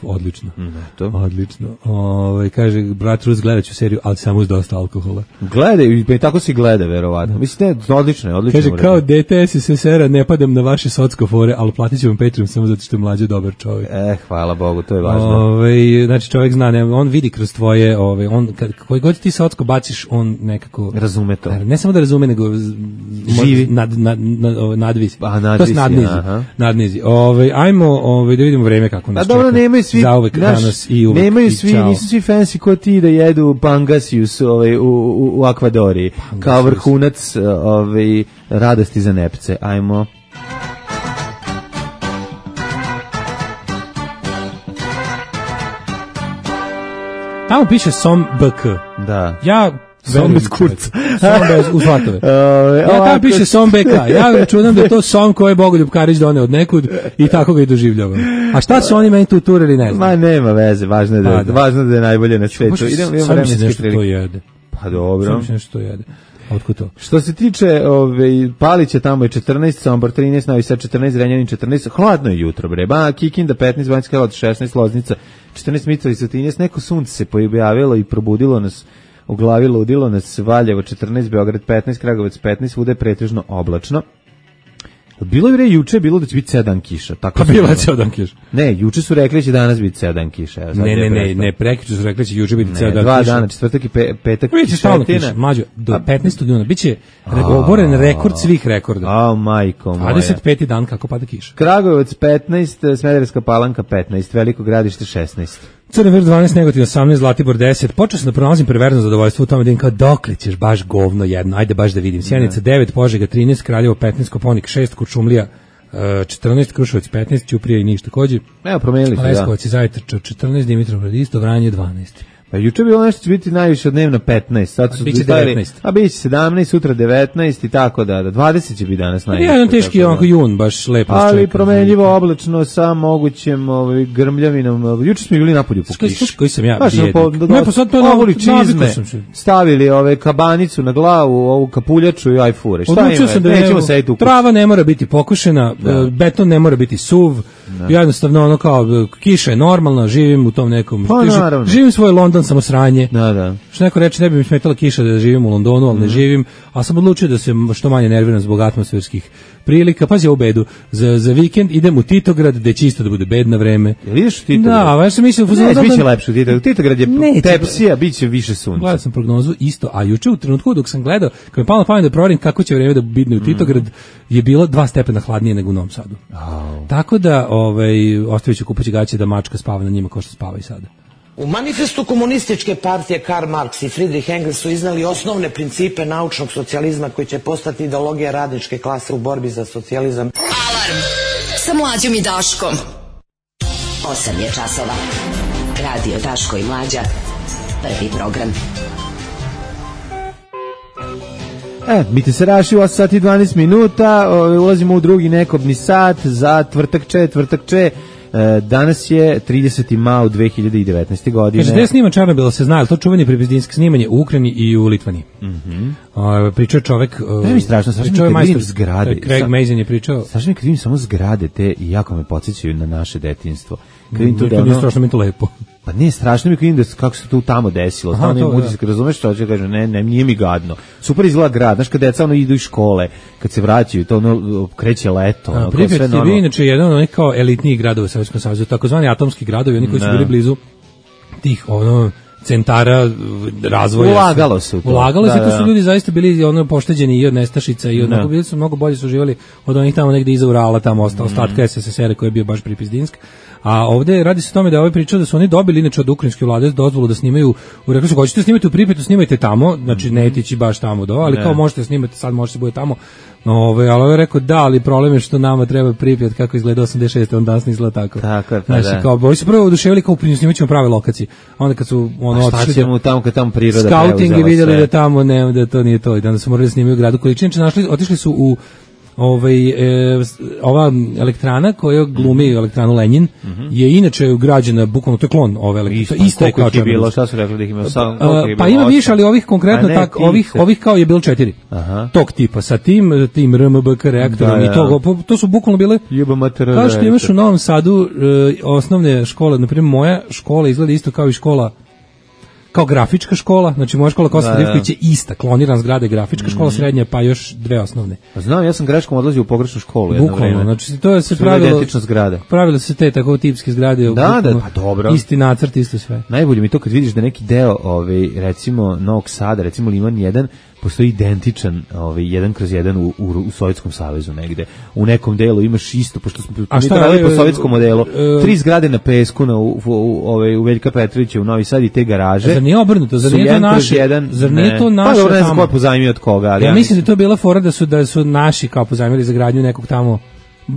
Odlično. To. Odlično. Ovaj kaže brat Rus, gledaću seriju, ali samo uz dosta alkohola. Gledaj, pa i tako se gleda verovatno. Mislim ne, odlično je, odlično. Kaže je kao urađeno. D T S S S R-a ne padam na vaše socko fore, ali platit ću vam Patreon samo zato što je mlađe dobar čovjek. E, hvala Bogu, to je važno. Ovaj znači čovjek zna, ne, on vidi kroz tvoje, ovaj on kad koji god ti socko baciš, on nekako Razume to. Ne samo da razume, nego z- Živi. nad nad nad nadvisi. A, nadvisi, To je nadnizi. aha. Nadnizi. Ovaj ajmo ovaj da vidimo vreme kako A nas dobro, čeka. nemoj svi, zauvek naš, danas i uvek. Nemaju i svi, čao. nisu svi fancy ko ti da jedu pangasius ovaj, u, u, u Akvadori, pangasius. Kao vrhunac ovaj, radosti za nepce. Ajmo. Tamo piše Som B K. Da. Ja Som bez kurca. Som bez u Zlatove. Ja tamo piše Som B K. Ja računam da je to som koji je Bogoljub Karić doneo od nekud i tako ga i doživljavam. A šta su oni meni tu turili, ne znam. Ma nema veze, važno je da, pa, da. Važno da je najbolje na svetu. Idemo, idemo vremenski prilike. To jede. Pa dobro. Sam nešto to jede. Otkud to? Što se tiče ove, Palića, tamo je četrnaest, Sombor trinaest, Novi Sad četrnaest, Zrenjanin četrnaest, hladno je jutro, bre. Ba, Kikinda petnaest, Banjska Karlovac šesnaest, Loznica četrnaest, Mitrovica trinaest, neko sunce se pojavilo i probudilo nas, u glavi ludilo nas, Valjevo četrnaest, Beograd petnaest, Kragujevac petnaest, svuda je pretežno oblačno. Bilo je juče bilo da će biti ceo dan kiša, tako. Pa bilo je ceo dan kiša. Ne, juče su rekli da će danas biti ceo dan kiša. Evo, ne, ne, ne, ne, prekjuče su rekli da će juče biti ceo dan kiša. Dva dana, četvrtak i pe, petak. Biće stalno kiša, mlađo, do petnaestog juna biće oboren rekord svih rekorda. A, majko moja. dvadeset peti dan kako pada kiša. Kragujevac petnaest, Smederevska Palanka petnaest, Veliko Gradište šesnaest. Crni vrh dvanaest, Negotin osamnaest, Zlatibor deset. Počeo sam da pronalazim perverzno zadovoljstvo u tome da im kao dokle ćeš baš govno jedno, ajde baš da vidim. Sjenica devet, Požega trinaest, Kraljevo petnaest, Koponik šest, Kuršumlija četrnaest, Kruševac petnaest, Ćuprija i Niš takođe. Evo, promenili su, da. Leskovac i Zajtrča četrnaest, Dimitrovgrad isto, Vranje dvanaest. Pa juče bilo nešto će biti najviše od dnevna petnaest, sad su biće devetnaest. A biće sedamnaest, sutra devetnaest i tako da, da dvadeset će biti danas najviše. Jedan teški onako jun, baš lepo. Ali promenljivo oblačno sa mogućem ovaj, grmljavinom. Juče smo bili napolju po kiši. Koji sam ja baš bijednik. Po, do, ne, pa sad to ovoli čizme, stavili ove kabanicu na glavu, ovu kapuljaču i ajfure. Šta odlučio ima? sam da nećemo sediti u kući. Trava ne mora biti pokošena, da. Beton ne mora biti suv, da. Jednostavno ono kao kiša je normalna, živim u tom nekom, pa, živim svoj London samo sranje. Da, da. Što neko reče, ne bi mi smetala kiša da živim u Londonu, ali mm. ne živim, a sam odlučio da se što manje nerviram zbog atmosferskih prilika. Pazi ovu bedu, za, za vikend idem u Titograd, gde će isto da bude bedna vreme. Jel ideš u Titograd? Da, ja sam mislio... Ne, da, bit će lepše u Titograd. Titograd je ne, tepsija, bit će više sunca. Gledao sam prognozu isto, a juče u trenutku dok sam gledao, kad mi palo na pamet da proverim kako će vreme da bidne u Titograd, je bilo dva stepena hladnije nego u Novom Sadu. Oh. Tako da, ovaj, ostavit ću kupaći gaće da mačka spava na njima kao što spava i sada. U manifestu komunističke partije Karl Marx i Friedrich Engels su iznali osnovne principe naučnog socijalizma koji će postati ideologija radničke klase u borbi za socijalizam. Alarm sa Mlađom i Daškom. osam je časova. Radio Daško i Mlađa. Prvi program. E, biti se raši u osam sati i dvanaest minuta, ulazimo u drugi nekobni sat za tvrtakče, tvrtakče. Danas je trideseti maj dve hiljade devetnaeste. godine. Kaže, gde je sniman Čarnobila, se zna, ali to čuvanje pripizdinsko snimanje u Ukrajini i u Litvani. Mhm. Uh, pričao je čovek... Uh, ne mi strašno, strašno pričao je kad vidim majstor, zgrade. Craig Mazin je pričao... Strašno mi kad vidim samo zgrade te i jako me podsjećaju na naše detinjstvo. Kad vidim to to da ono... ono... strašno mi to lepo. Pa ne, strašno mi kad vidim da kako se to tamo desilo. Aha, to, da. Kad razumeš što će kaže, ne, ne, nije mi gadno. Super izgleda grad, znaš kad deca ono idu iz škole, kad se vraćaju, to ono kreće leto. Ono, Pripjat je bio inače jedan od onih kao elitnijih gradova u Sovjetskom savezu, takozvani atomski gradovi, oni koji su bili blizu tih ono centara razvoja. Ulagalo se u to. Ulagalo se, da, to da. su ljudi zaista bili ono pošteđeni i od nestašica i od mnogo, bili su mnogo bolje su živjeli od onih tamo negde iza Urala, tamo ostao ostatka S S S R koji je bio baš pripizdinsk. A ovde radi se o tome da je ovaj pričao da su oni dobili inače od ukrajinske vlade dozvolu da snimaju, u rekli su hoćete snimati u Pripetu, snimajte tamo, znači ne etići baš tamo do, ali ne. Kao možete snimati, sad možete bude tamo. Ove, ali ovaj je rekao da, ali problem je što nama treba Pripjat kako izgleda osamdeset šeste on danas ne izgleda tako. Tako je, pa znači, da. Kao, oni su prvo oduševili kao u snimat ćemo prave lokacije. Onda kad su ono otišli ćemo tamo kad tamo priroda scouting i vidjeli sve. Da tamo ne, da to nije to i da su morali snimati u gradu koji činjenica našli, otišli su u ovaj e, ova elektrana koja glumi elektranu Lenjin mm -hmm. je inače ugrađena bukvalno to je klon ove elektrane ista je kao je bilo šta su rekli da ih ima sam pa ima više ali ovih konkretno ne, tak ovih ovih kao je bilo četiri Aha. Tog tipa sa tim tim R M B K reaktorom da, i to to su bukvalno bile kao što imaš u Novom Sadu e, osnovne škole, na primjer moja škola izgleda isto kao i škola kao grafička škola, znači moja škola Kosta Divković je ista, kloniran zgrade grafička mm. škola srednja, pa još dve osnovne. Pa znam, ja sam greškom odlazio u pogrešnu školu jedno Bukvalno, vreme. znači to je se pravilo zgrade. Pravilo se te tako tipske zgrade, da, da, pa dobro. Isti nacrt, isto sve. Najbolje mi to kad vidiš da neki deo, ovaj recimo Novog Sada, recimo Liman jedan, postoji identičan ovaj jedan kroz jedan u, u, u Sovjetskom savezu negde. U nekom delu imaš isto, pošto smo mi to radili po sovjetskom modelu. Uh, tri zgrade na pesku na u, u, u, ovaj u Veljka Petrovića u Novi Sad i te garaže. Zar nije obrnuto? Zar nije to naše? Jedan, zar nije to naše? Pa dobro, ne znam ko je pozajmio od koga, ali ja, ja mislim da to je bila fora da su da su naši kao pozajmili za gradnju nekog tamo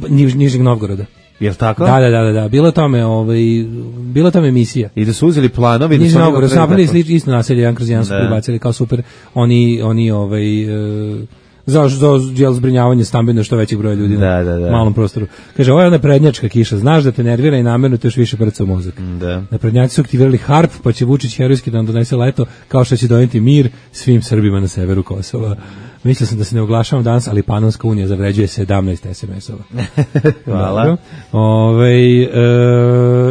niž, Nižeg Novgoroda. Jel tako? Da, da, da, da, bilo tome, ovaj, bilo tome emisija. I da su uzeli planovi, da su Novgorod, su napravili isto naselje, jedan kroz jedan su pribacili kao super, oni, oni, ovaj, uh, za, za, za zbrinjavanje stambeno što većeg broja ljudi da, da, da. na malom prostoru. Kaže, ovo je ona prednjačka kiša, znaš da te nervira i namjerno te još više prca u mozak. Da. Naprednjaci su aktivirali harp, pa će Vučić herojski da nam donese leto, kao što će doneti mir svim Srbima na severu Kosova. Mislio sam da se ne oglašavam danas, ali Panonska unija zavređuje sedamnaest es em esova. Hvala. Ove, e,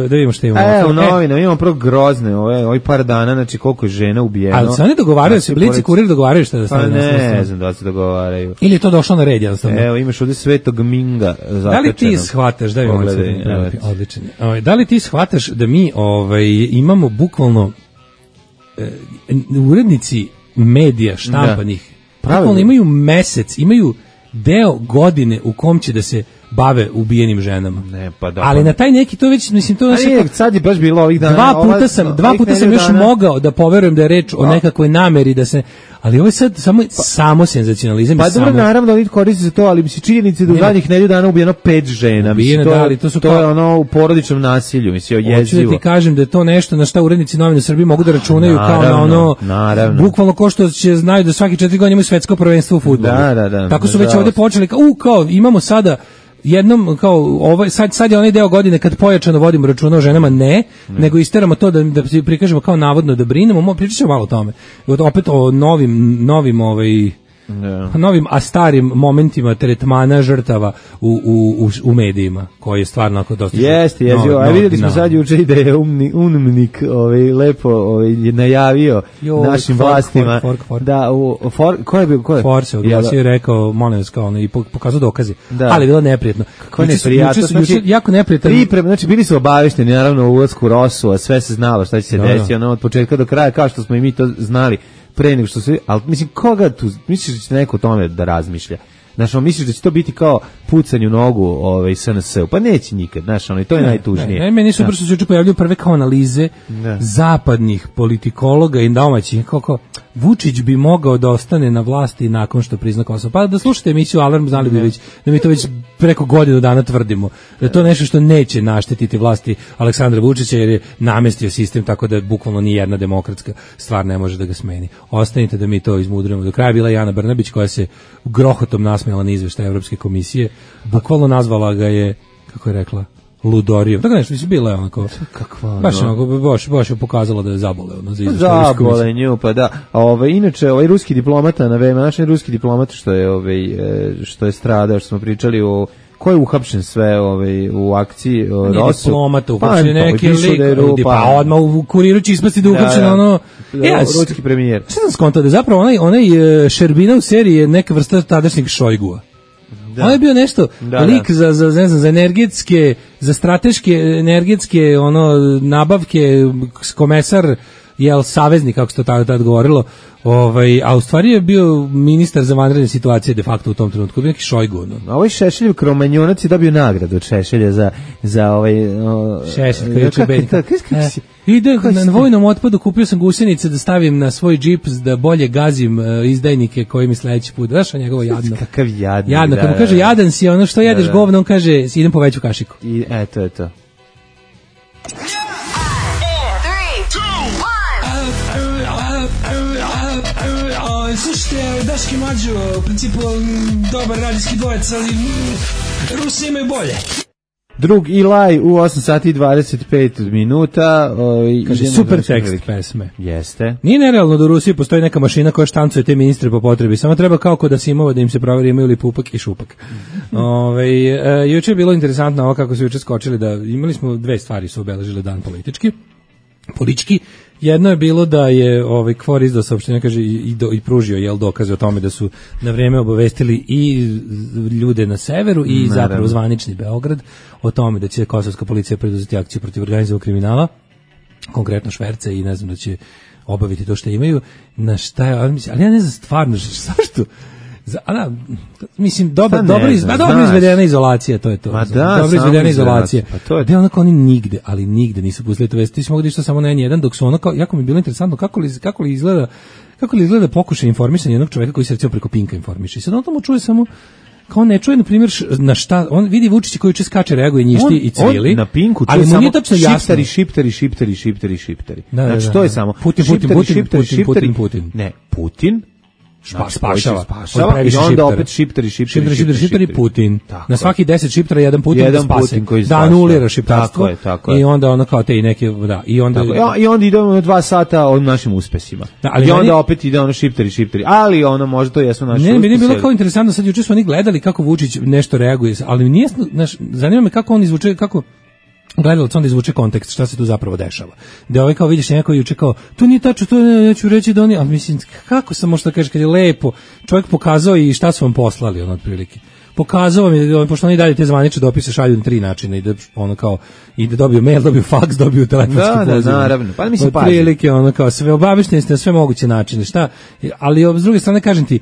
da vidimo što imamo. Evo, novine, imamo prvo grozne, ove, ovaj par dana, znači koliko je žena ubijeno. Ali se oni dogovaraju, se Blic i Kurir dogovaraju šta da stane pa na osnovu. Ne, ne znam da se dogovaraju. Ili je to došlo na red, jednostavno. Evo, imaš ovdje Svetog Minga zakačeno. Da li ti shvataš, da imamo odličan. Da li ti shvataš da mi ovaj, imamo bukvalno e, urednici medija štampanih, bukvalno imaju mesec, imaju deo godine u kom će da se bave ubijenim ženama. Ne, pa da. Ali pa... na taj neki to već mislim to znači kao, sad je baš bilo ovih dana. Dva puta sam, ova, dva puta sam još dana... mogao da poverujem da je reč o nekakvoj nameri da se, ali ovo je sad samo pa, samo senzacionalizam. Pa dobro, samo... naravno oni koriste za to, ali bi se činjenice da u zadnjih nedelju dana ubijeno pet žena. Ubijeno, mislim, to, da, ali to su to kao... je ono u porodičnom nasilju, mislim, jezivo. Hoću da ti kažem da je to nešto na šta urednici novina u Srbiji mogu da računaju naravno, kao na ono, naravno. Bukvalno ko što će znaju da svaki četiri godine imaju svetsko prvenstvo u fudbalu. Da, da, da. Tako su već ovdje počeli, kao, u, kao, imamo sada jednom kao ovaj sad sad je onaj deo godine kad pojačano vodimo računa o ženama, ne, ne. nego isteramo to da da prikažemo kao navodno da brinemo, mo pričamo malo o tome. Opet o novim novim ovaj Yeah. novim a starim momentima tretmana žrtava u, u, u medijima, koji je stvarno ako dosta... Jeste, jezivo. A vidjeli smo sad juče i da je umni, umnik ovaj, lepo ovaj, najavio jo, našim fork, vlastima. Fork, fork, fork. Da, u, for, ko je bio? Ko je? For se oglasio i rekao, molim vas, kao, i pokazao dokaze. Da. Ali je bilo neprijetno. Kako je neprijatno? Znači, jako neprijatno. Priprem, znači, bili su obavešteni, naravno, u ulasku Rosu, a sve se znalo šta će se desiti, ono, od početka do kraja, kao što smo i mi to znali pre nego što se, ali mislim, koga tu, misliš da će neko o tome da razmišlja? Znaš, on misliš da će to biti kao pucanje u nogu ovaj, S N S-u? Pa neće nikad, znaš, ono, i to je ne, najtužnije. Ne, ne, meni su brzo se juče pojavljaju prve kao analize ne. zapadnih politikologa i domaćih, kako Vučić bi mogao da ostane na vlasti nakon što prizna Kosovo. Pa da slušate emisiju Alarm, znali bi već, da mi to već preko godinu dana tvrdimo. Da je to nešto što neće naštetiti vlasti Aleksandra Vučića, jer je namestio sistem tako da bukvalno ni jedna demokratska stvar ne može da ga smeni. Ostanite da mi to izmudrujemo. Do kraja bila Jana Brnabić koja se grohotom nasmijala na izveštaj Evropske komisije. Bukvalno nazvala ga je, kako je rekla, ludorijom. Tako nešto, mislim, bila je onako, kakva, baš onako, baš, baš je pokazala da je zabole ono, za izveštaj Evropske komisije. Zabole nju, pa da. A ovaj, inače, ovaj ruski diplomata, na vreme, naš ruski diplomata što je, ovaj, što je stradao, što smo pričali o ko je uhapšen sve ovaj, u akciji o, Rosu? Diplomata, uhapšen pa, neki lik, pa, pa odmah u Kuriru će ispasti da uhapšen da, ono... Da, ja, ruski premijer. Šta sam skontao da je zapravo onaj, onaj Šerbina u seriji je neka vrsta tadašnjeg Šojgua. Da. On je bio nešto da, lik da. za za ne znam za energetske, za strateške energetske ono nabavke, komesar jel saveznik kako se to tada tad govorilo. Ovaj, a u stvari je bio ministar za vanredne situacije de facto u tom trenutku, bio neki Šojgu. No. A ovaj Šešeljev kromanjonac je dobio nagradu od Šešelja za, za ovaj... O, Šešelj, koji je čubenjka. Ide na vojnom otpadu, kupio sam gusenice da stavim na svoj džip da bolje gazim uh, izdajnike koji mi sledeći put. Znaš, a njegovo jadno. Kakav jadno. Jadno, kad mu kaže jadan si, ono što jedeš da, da. govno, on kaže idem po veću kašiku. I eto, eto. Slušajte, Daški Mlađo, u principu dobar radijski dvojec, ali Rusi imaju bolje. Drug Eli u osam sati i dvadeset pet minuta. O, kaže, super tekst velike. Pesme. Jeste. Nije nerealno da u Rusiji postoji neka mašina koja štancuje te ministre po potrebi. Samo treba kao kod Asimova da im se proveri imaju li pupak i šupak. Ove, e, juče je bilo interesantno ovo kako su juče skočili da imali smo dve stvari su obeležile dan politički. Politički. Jedno je bilo da je ovaj Kvor izdao saopštenje, kaže i, do, i pružio jel dokaze o tome da su na vreme obavestili i ljude na severu i Naravno. zapravo zvanični Beograd o tome da će kosovska policija preduzeti akciju protiv organizovanog kriminala. konkretno šverce i ne znam da će obaviti to što imaju, na šta je, ali ja ne znam stvarno zašto. Za, a da, mislim, dobra, dobra, iz, ba, dobro izvedena izolacija, to je to. Ma da, dobro izvedena izolacija. Pa to je... Da, onako oni nigde, ali nigde nisu pustili to vesti. Ti si mogu da išta samo na en jedan, dok su ono kao, jako mi je bilo interesantno kako li, kako li izgleda, kako li izgleda pokušaj informisanja jednog čoveka koji se recimo preko Pinka informiše. I sad on tamo čuje samo, kao ne čuje, na primjer, na šta, on vidi Vučića koji juče skače, reaguje, njišti on, i cvili. On na Pinku, to ali je samo šiptari, šiptari, šiptari, šiptari, šiptari. Da, da, znači, da, to je da. samo Putin, Putin, šiptari, Putin, šiptari, Putin, šiptari, Putin, Putin. Ne, Putin. Špa, spašava, spašava i onda opet šiptari, šiptari, šiptari, šiptari, šiptari, Putin. Tako na svaki deset šiptara jedan Putin jedan da spase, Putin koji da anulira šiptarstvo. Tako je, tako je. I onda ono kao te i neke, da, i onda... Tako, i onda idemo na dva sata o našim uspesima. Da, ali I onda meni, opet ide ono šiptari, šiptari, ali ono možda to jesu naši uspesi. Ne, meni je bilo uspesi. kao interesantno, sad juče su oni gledali kako Vučić nešto reaguje, ali nije, znaš, zanima me kako on izvuče, kako... gledalac onda izvuče kontekst šta se tu zapravo dešava. Da ovaj kao vidiš neko juče kao to nije tačno, to ne, neću reći da oni, a mislim kako sam možda kaže kad je lepo čovjek pokazao i šta su vam poslali ono otprilike. Pokazao mi da pošto oni dalje te zvanične dopise šalju na tri načina i da ono kao i da dobiju mail, dobiju faks, dobiju telefonsku poziv. poziv. Da, naravno. Pa mislim pa. Otprilike ono kao sve obavešteni ste na sve moguće načine, šta? Ali s druge strane kažem ti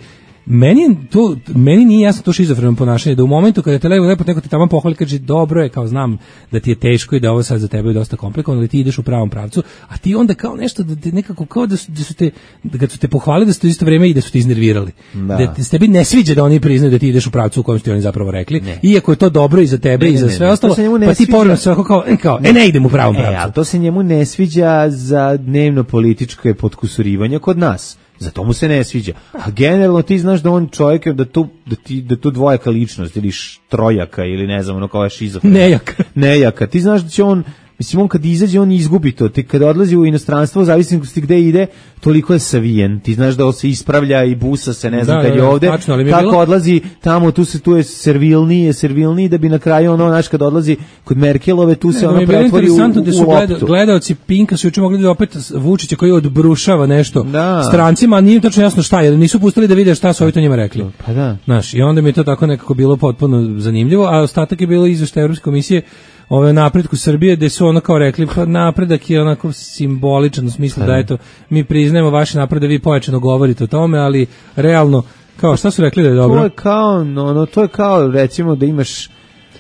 meni to meni nije jasno to šizofreno ponašanje da u momentu kada te lepo lepo neko te tamo pohvali kaže dobro je kao znam da ti je teško i da ovo sad za tebe je dosta komplikovano ali ti ideš u pravom pravcu a ti onda kao nešto da te nekako kao da su, da su te da kad su te pohvalili da su te isto vrijeme i da su te iznervirali da, da te, tebi ne sviđa da oni priznaju da ti ideš u pravcu u kojem su ti oni zapravo rekli ne. Iako je to dobro i za tebe ne, i za sve ne, ne, ostalo pa ti povremeno svako kao kao e ne idem u pravom pravcu. E, ali to se njemu ne sviđa za dnevno političke potkusurivanje kod nas. Zato mu se ne sviđa. A generalno ti znaš da on čovjek da tu da ti da tu dvojaka ličnost ili trojaka ili ne znam ono kao šizofren. Nejaka. Nejaka. Ti znaš da će on mislim on kad izađe on izgubi to. Ti kad odlazi u inostranstvo zavisnosti gde ide, toliko je savijen. Ti znaš da on se ispravlja i busa se, ne znam da, kad je ovde. Tačno, kako bilo... odlazi tamo tu se tu je servilniji, je servilniji da bi na kraju ono naš kad odlazi kod Merkelove tu ne, se ono pretvori u, u, da su gleda, gledaoci Pinka su juče mogli da opet Vučića koji odbrušava nešto da. Strancima, a nije tačno jasno šta je, nisu pustili da vide šta su ovi to njima rekli. Pa da. Znaš, i onda mi je to tako nekako bilo potpuno zanimljivo, a ostatak je bilo izveštaj Evropske komisije ove napretku Srbije, gde su ono kao rekli, pa napredak je onako simboličan u smislu da eto, mi priznajemo vaš napredak, vi pojačano govorite o tome, ali realno, kao šta su rekli da je dobro? To je kao, no, no, to je kao recimo da imaš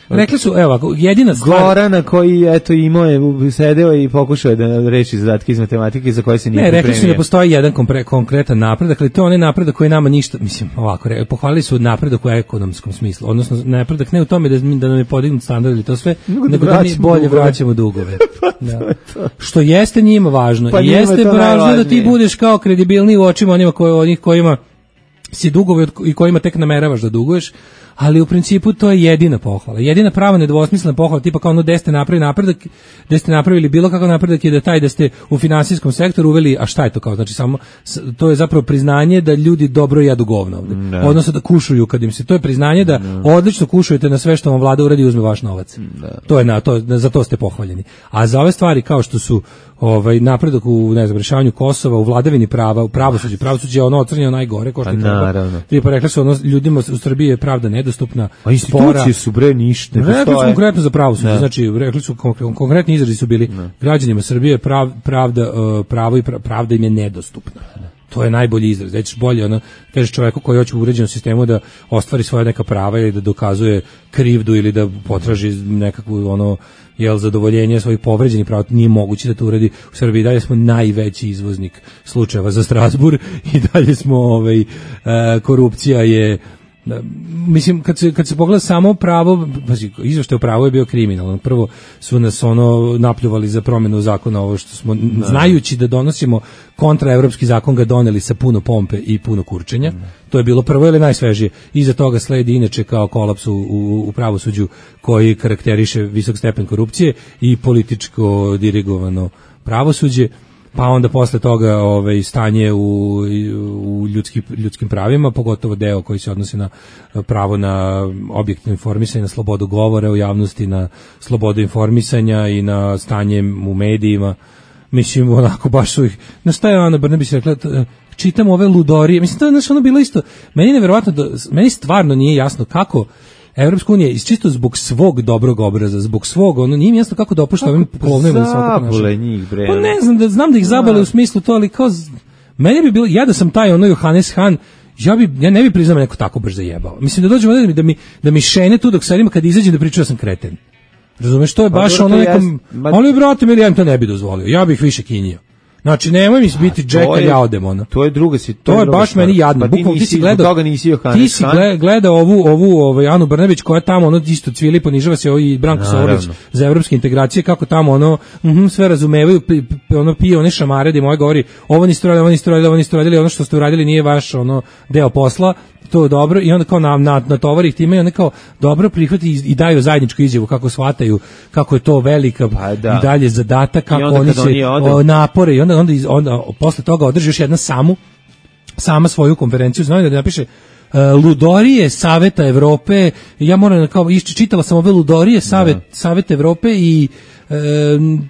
rekli su, evo, jedina stvar... Gorana koji, eto, imao je, sedeo i pokušao da reši zadatke iz matematike za koje se nije ne, pripremio. Ne, rekli su da postoji jedan kompre, konkretan napredak, ali to je onaj napredak koji nama ništa, mislim, ovako, re, pohvalili su napredak u ekonomskom smislu, odnosno napredak ne u tome da, da nam je podignut standard ili to sve, nego, nego da, da mi bolje dugove. vraćamo dugove. Da. To je to. Što jeste njima važno. Pa I jeste važno da ti budeš kao kredibilniji u očima onima koji, onih kojima si dugovi i kojima tek nameravaš da duguješ, ali u principu to je jedina pohvala. Jedina prava nedvosmislena pohvala, tipa kao ono da ste napravili napredak, da ste napravili bilo kakav napredak je da taj da ste u finansijskom sektoru uveli, a šta je to kao? Znači samo to je zapravo priznanje da ljudi dobro jedu govno ovde. No. Odnosno da kušuju kad im se, to je priznanje da no. odlično kušujete na sve što vam vlada uradi i uzme vaš novac. No. To je na to, za to ste pohvaljeni. A za ove stvari kao što su ovaj napredak u ne znam rešavanju Kosova, u vladavini prava, u pravosuđu, pravosuđe je ono ocrnjeno najgore ko što naravno. Ti pa rekli su ono ljudima u Srbiji je pravda nedostupna. A institucije spora. Su bre ništa. Rekli su konkretno za pravosuđe, znači rekli su konkretni izrazi su bili ne. Građanima Srbije prav, pravda uh, pravo i pravda im je nedostupna. Ne. To je najbolji izraz. Znači bolje ono kažeš čovjeku koji hoće u uređenom sistemu da ostvari svoja neka prava ili da dokazuje krivdu ili da potraži nekakvu ono jel zadovoljenje svojih povređenih prava, nije moguće da to uradi u Srbiji. Dalje smo najveći izvoznik slučajeva za Strasburg i dalje smo ovaj e, korupcija je da, mislim kad se kad se pogleda samo pravo, pazi, izveštaj o pravu je bio kriminalan. Prvo su nas ono napljuvali za promjenu zakona, ovo što smo da. Znajući da donosimo kontraevropski zakon ga doneli sa puno pompe i puno kurčenja. Da. To je bilo prvo ili najsvežije. Iza toga sledi inače kao kolaps u, u, u pravosuđu koji karakteriše visok stepen korupcije i političko dirigovano pravosuđe. Pa onda posle toga ovaj stanje u, u ljudski, ljudskim pravima, pogotovo deo koji se odnosi na pravo na objektivno informisanje, na slobodu govora u javnosti, na slobodu informisanja i na stanje u medijima. Mislim, onako baš su ih... Na šta je Ana Brnabić rekla, čitam ove ludorije, mislim, to je znaš, ono bilo isto, meni je nevjerovatno, da, meni stvarno nije jasno kako Evropska unija iz čisto zbog svog dobrog obraza, zbog svog, ono nije mi jasno kako dopušta ovim polovnim da se ovako ponašaju. njih, bre. Pa ne znam, da znam da ih zabale u smislu to, ali kao z- meni bi bilo, ja da sam taj ono Johannes Han, ja bi ja ne bi priznao neko tako brzo zajebao. Mislim da dođemo da mi da mi da mi šene tu dok sedim kad izađem da pričam da sam kreten. Razumeš, to je baš dobro, ono to nekom, jest, ma- ali brate mili, ja im to ne bi dozvolio. Ja bih više kinjio. Znači nemoj mi biti Jack kad ja odem ono. To je druga si, To je druga baš stvar. meni jadno. Pa ti Bukvalno ti nisi, si gledao, zbog toga nisi Johannes ti si Han. gle- gledao ovu ovu ovaj Anu Brnabić koja tamo ono isto cvili, ponižava se ovaj Branko Naravno. Sorović za evropske integracije, kako tamo ono mhm, sve razumevaju, pi- pi- ono pije one šamare da im ovaj govori ovo niste uradili, ovo niste uradili, ovo niste uradili, ono što ste uradili nije vaš ono deo posla, to je dobro, i onda kao na, na, na tovari ih time i onda kao dobro prihvati i, i daju zajedničku izjavu kako shvataju kako je to velika Pa da. i dalje zadatak, kako onda oni kad se oni odu- o, napore i onda, onda, iz- onda posle toga održi još jedna samu sama svoju konferenciju, znam da napiše uh, ludorije Saveta Evrope, ja moram da kao išči, čitala sam ove ludorije Savet, Savet Evrope i e,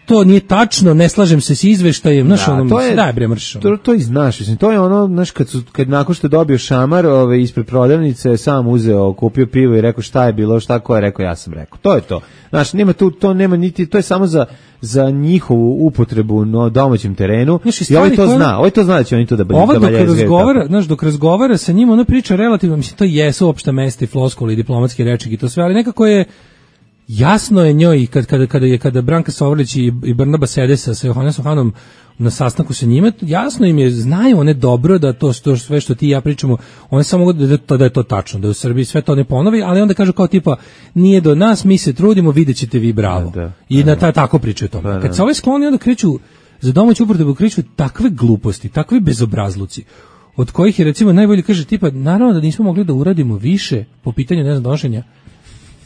to nije tačno, ne slažem se s izveštajem, znaš, Da, ono, to je- daj bre mrš. ono. To, to i znaš, mislim, to je ono, znaš, kad, su, kad nakon što je dobio šamar ove, ispred prodavnice, sam uzeo, kupio pivo i rekao šta je bilo, šta ko je rekao, ja sam rekao. To je to. Znaš, nema tu, to nema niti, to je samo za, za njihovu upotrebu na domaćem terenu. Znaš, i I ovaj stvari to koje- zna, ovaj to zna da će oni to da Ova da dok valjezgaju razgovara, tako. znaš, dok razgovara sa njim, ona priča relativno, mislim, to jesu opšta mesta i floskuli i diplomatski rečnik i to sve, ali nekako je jasno je njoj kad kada kada je kada Branka Sovrlić i, i Brnaba sede sa, sa Johannesom Hanom na sastanku sa njima, jasno im je, znaju one dobro da to što sve što ti i ja pričamo, one samo mogu da, da, to, da je to tačno, da u Srbiji sve to ne ponovi, ali onda kažu kao tipa nije do nas, mi se trudimo, videćete vi bravo. Da, da. I na ta tako pričaju o tome. Da, da. Kad se ovaj skloni, onda kreću za domaću upotrebu, kreću takve gluposti, takve bezobrazluci, od kojih je recimo najbolje kaže tipa naravno da nismo mogli da uradimo više po pitanju ne znam donošenja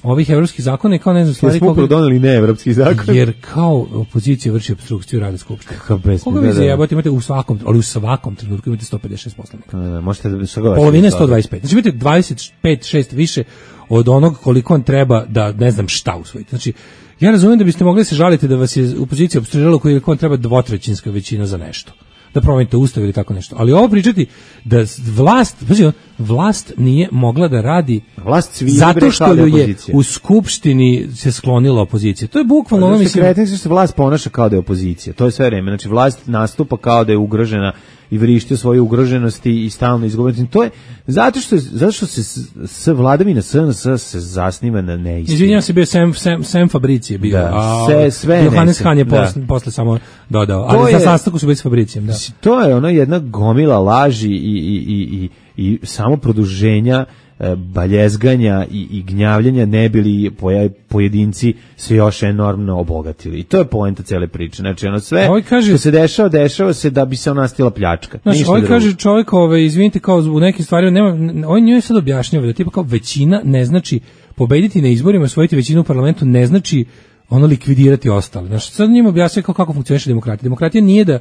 ovih evropskih zakona i kao ne znam Jer stvari smo upravo doneli neevropski zakon. jer kao opozicija vrši opstrukciju rada skupštine. Kakav besmisao, Koga da, vi da. zajebate, imate u svakom, ali u svakom trenutku imate sto pedeset šest poslanika. Da, da, možete da saglasite. Polovina je sto dvadeset pet. Znači imate dvadeset pet šest više od onog koliko on treba da ne znam šta usvojiti. Znači ja razumijem da biste mogli da se žaliti da vas je opozicija opstruirala koliko on treba dvotrećinska većina za nešto. Da promenite ustav ili tako nešto. Ali ovo pričati da s- vlast, pazi, vlast nije mogla da radi Vlast cvili, zato bre, što kao da je ju je opozicija. u skupštini se sklonila opozicija. To je bukvalno ono, Ono mislim, mislim, što se vlast ponaša kao da je opozicija. To je sve vreme. Znači vlast nastupa kao da je ugrožena i vrišti o svojoj ugroženosti i stalno izgovori. To je zato što zato što se s, s vladavina S N S se zasniva na neistini. izvinjavam se, bio Sam, Sam, Sam Fabrici je bio, Da, a sve- sve Johannes neistine, Han je da. posle, posle samo dodao. To Ali je- za sastanku su bili s Fabricijem, da. Mislim, to je ono jedna gomila laži i, i, i, i, i samo produženja e, baljezganja i, i gnjavljanja ne bili poja- pojedinci se još enormno obogatili. I to je poenta cele priče. Znači, ono sve Ovaj kaže- što se dešava, dešava se da bi se nastila pljačka. Znaš, Ništa ovaj drugo. kaže čovjek, ovaj, izvinite, kao u nekim stvarima, nema, ovaj njoj sad objašnjava da tipa kao većina ne znači pobediti na izborima, osvojiti većinu u parlamentu ne znači ono likvidirati ostale. Znaš, sad njima objasnjava kao kako funkcioniše demokratija. Demokratija nije da,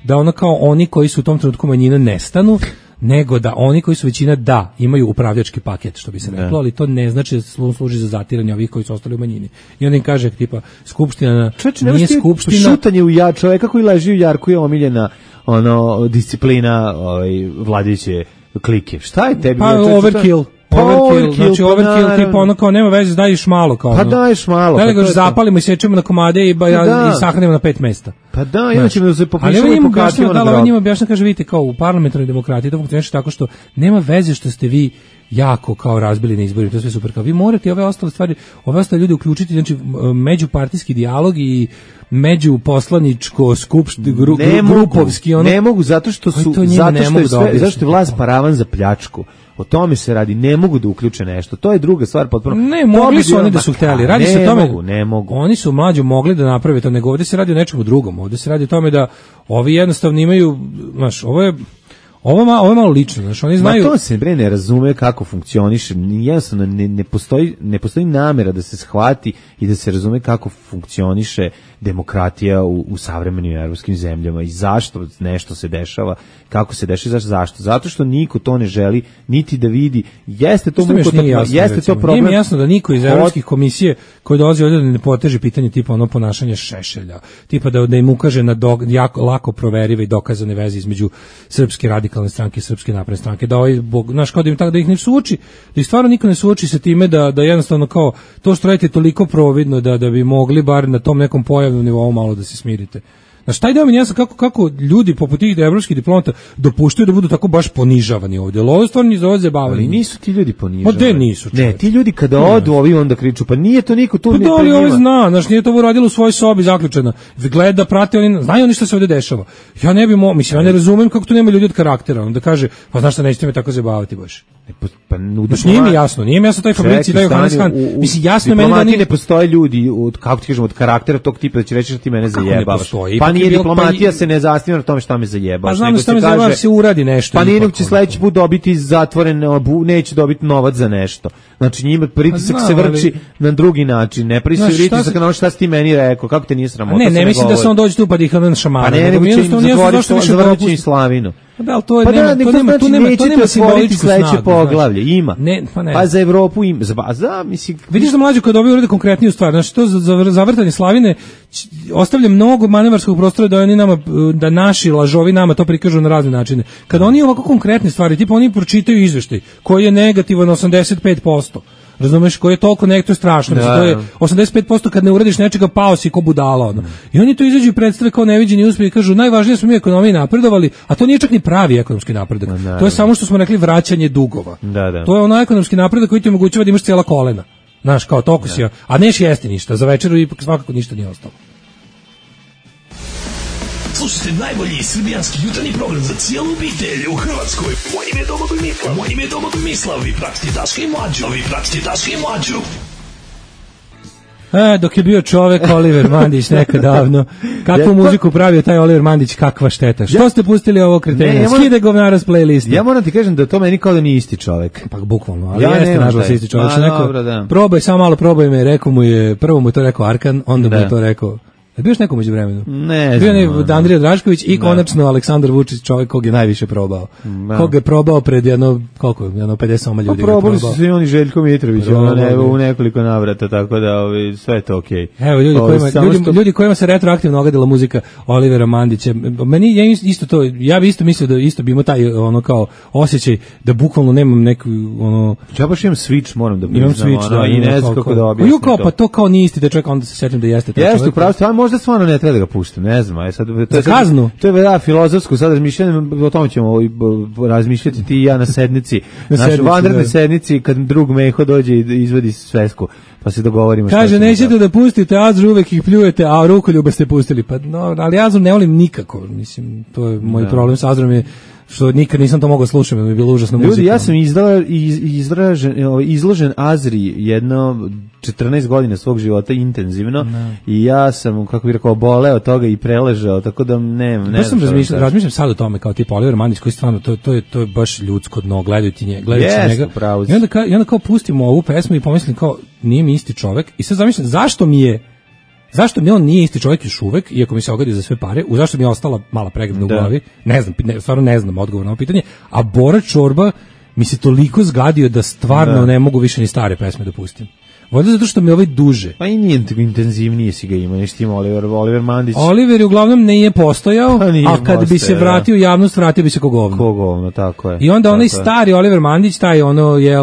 da ono kao oni koji su u tom trenutku manjina nestanu, nego da oni koji su većina da imaju upravljački paket, što bi se reklo, ali to ne znači da slu- služi za zatiranje ovih koji su ostali u manjini. I onda im kaže tipa skupština na- Čoveče, nije nemaš ti skupština. šutanje u ja, čoveka koji leži u jarku je omiljena ono disciplina ovaj vladajuće klike. Šta je tebi? Pa čoveče, overkill. šta- Pa Overkill, znači pa overkill naravno. tipa ono kao nema veze, daješ malo kao. Pa ono. daješ malo, Da pa li to ga je to. zapalimo i sečemo na komade i, ba, Pa da. i sahranimo na pet mesta. Pa da, i onda Znaš, ćemo da se ali popišemo ovo i njima pokažemo objašnjava, na da, ali ovo grob. njima objašnjava, kaže, vidite, kao u parlamentarnoj demokratiji to funkcioniše tako što nema veze što ste vi jako kao razbili na izborima, to je sve super, kao vi morate ove ostale stvari, ove ostale ljudi uključiti, znači m- međupartijski dijalog i međuposlaničko skupšt, gru, ne gru, mogu, grupovski, ono, ne mogu zato što Koji su to njima zato ne što mogu je da sve, objasne. zašto je vlast paravan za pljačku. O tome se radi, ne mogu da uključe nešto. To je druga stvar potpuno. Ne, To mogli bi su bilo- oni da su Ma, hteli. pa, Radi se o ne tome. mogu, ne mogu. Oni su mlađi mogli da naprave to, nego ovde se radi o nečemu drugom. Ovde se radi o tome da ovi jednostavno imaju, znaš, ovo je ovo, ma, ovo je malo lično, znaš, oni znaju. Ma to se bre ne razume kako funkcioniše. Ni jednostavno ne, ne postoji ne postoji namera da se shvati i da se razume kako funkcioniše demokratija u, u savremenim evropskim zemljama i zašto nešto se dešava, kako se dešava, zašto zašto? Zato što niko to ne želi niti da vidi. Jeste to Što mi još nije mukotrpno, jasno, jeste recimo. to problem. Nije mi jasno da niko iz Hod- evropskih komisije koji dolazi ovdje da ne poteže pitanje tipa ono ponašanja Šešelja, tipa da, da im ukaže na do, jako, lako proverive i dokazane veze između Srpske radikalne radikalne stranke, Srpske napredne stranke, da ovaj bog, znaš, kao da im tako da ih ne suoči, da ih stvarno niko ne suoči sa time da da jednostavno kao to što radite toliko providno da da bi mogli bar na tom nekom pojavnom nivou malo da se smirite. Znaš, taj deo mi jasno kako, kako ljudi poput tih evropskih diplomata dopuštaju da budu tako baš ponižavani ovdje. Ovo je stvarno iz ovdje zabavljeni. Ali nisu ti ljudi ponižavani. Ma de nisu, čovječ. Ne, ti ljudi kada odu, ovi onda kriču, pa nije to niko tu. Pa da li ovo zna, znaš, nije to uradilo u svojoj sobi zaključena. Gleda, prate, oni, znaju oni što se ovdje dešava. Ja ne bi mo, mislim, ja ne razumem kako to nema ljudi od karaktera. Onda kaže, pa znaš šta, nećete me tako zabavati baš. Pa, pa, znaš, nije mi jasno, nije mi jasno taj Fabrici, taj Johannes Hahn. Mislim, jasno meni da nije... ne postoje ljudi, od, kako ti kažem, od karaktera tog tipa da će reći da ti mene zajebavaš. Pa nije diplomatija, se ne zasniva na tome šta me zajebaš. Pa znam da šta me zajebaš, se uradi nešto. Pa nije će sledeći put dobiti zatvoren, neće dobiti novac za nešto. Znači njima pritisak pa se vrči na drugi način, ne pritisak pritisak na ono šta si ti meni rekao, kako te nije sramota. Ne, ne mislim da se on dođe tu pa da ih na šamara. Pa ne, nego će im zatvoriti zavrći Slavinu. Da, ali to je, pa nema, da, to nema, to nema, to nema simboličku snagu. Poglavlje, ima. Ne, pa ne. Pa za Evropu ima, za, za mislim... Vidiš da mlađi kod ovi urede konkretniju stvar, znači to za, za zavrtanje Slavine ostavlja mnogo manevarskog prostora da oni nama, da naši lažovi nama to prikažu na razne načine. Kada oni ovako konkretne stvari, tipa oni pročitaju izveštaj koji je negativan osamdeset pet posto. Razumeš, koji je toliko nekto strašno, da, to je osamdeset pet posto kad ne uradiš nečega, pao si ko budala, ono. I oni to izađu i predstave kao neviđeni uspjeh i kažu najvažnije smo mi u ekonomiji napredovali, a to nije čak ni pravi ekonomski napredak. Da, to je samo što smo rekli vraćanje dugova. Da, da. To je ono ekonomski napredak koji ti omogućava da imaš cijela kolena. Znaš, kao toliko si, a neš jesti ništa, za večeru ipak svakako ništa nije ostalo. Slušajte najbolji srbijanski jutarnji program za cijelu obitelj u Hrvatskoj. Moje ime je Domagoj Mislav. Moje ime je Domagoj Mislav. Vi pratite Daška i Mlađu. Vi pratite Daška i Mlađu. E, dok je bio čovek Oliver Mandić nekad davno. Kakvu muziku pravio taj Oliver Mandić, kakva šteta. Što ja, ste pustili ovo kretenje? Ja skide govnara s playlista. Ja moram ti kažem da to meni kao da nije isti čovek. Pa bukvalno, ali ja jeste nažalost isti čovek. A, neko, dobro, da. Probaj, samo malo probaj me, rekao mu je, prvo mu je to rekao Arkan, onda da. mu je to rekao... Je bio još neko među vremenu? Ne znam. Bio je Andrija Drašković i konačno Aleksandar Vučić, čovjek kog je najviše probao. Da. Kog je probao pred jedno, koliko, jedno pedeset ljudi. Pa probali su svi oni Željko Mitrović, ono ne, u nekoliko navrata, tako da ovi, sve je to okej. Okay. Evo, ljudi, kojima, ljudi, što... ljudi kojima se retroaktivno ogadila muzika Olivera Mandića, meni je isto to, ja bi isto mislio da isto bi imao taj ono kao osjećaj da bukvalno nemam neku, ono... Ja baš imam switch, moram da priznam. Imam switch, ono, da. I ne znam kako da objasnim to. Pa to kao nije isti da čovjek, onda se setim da jeste taj čovjek. Jeste, upravo, možda stvarno ne treba da ga puštam, ne znam, aj sad to je kaznu. To je da filozofsko sad razmišljanje, o tome ćemo razmišljati ti i ja na sednici, na našoj vanrednoj sednici kad drug Meho dođe i izvadi svesku, pa se dogovorimo. Kaže nećete da pustite Azru, uvek ih pljujete, a Rukoljuba ste pustili. Pa no, ali Azru ne volim nikako, mislim, to je moj da. problem sa Azrom je što nikad nisam to mogao slušati, mi je bilo užasno muzika. Ljudi, ja sam izdala, iz, izražen, izložen Azri jedno četrnaest godina svog života intenzivno no. i ja sam, kako bih rekao, boleo od toga i preležao, tako da ne, ne, ne znam. Razmišljam, razmišljam sad o tome kao tipa Oliver Mandić koji stvarno, to, to, je, to je baš ljudsko dno, gledajući njega. Gledajući yes, njega. Pravo. I onda, kao, I onda kao pustimo ovu pesmu i pomislim kao, nije mi isti čovek i sad zamišljam, zašto mi je Zašto mi on nije isti čovjek još uvek, iako mi se ogadio za sve pare, u zašto mi je ostala mala pregrada u glavi, ne znam, ne, stvarno ne znam odgovor na ovo pitanje, a Bora Čorba mi se toliko zgadio da stvarno da. ne mogu više ni stare pesme da pustim. Voda zato što mi ovaj duže. Pa i nije intenzivnije si ga ima, nešto ima Oliver, Oliver Mandić. Oliver je uglavnom nije postojao, pa nije a kad postoja, bi se vratio u javnost, vratio bi se ko govno. Ko govno, tako je. I onda onaj stari Oliver Mandić, taj ono je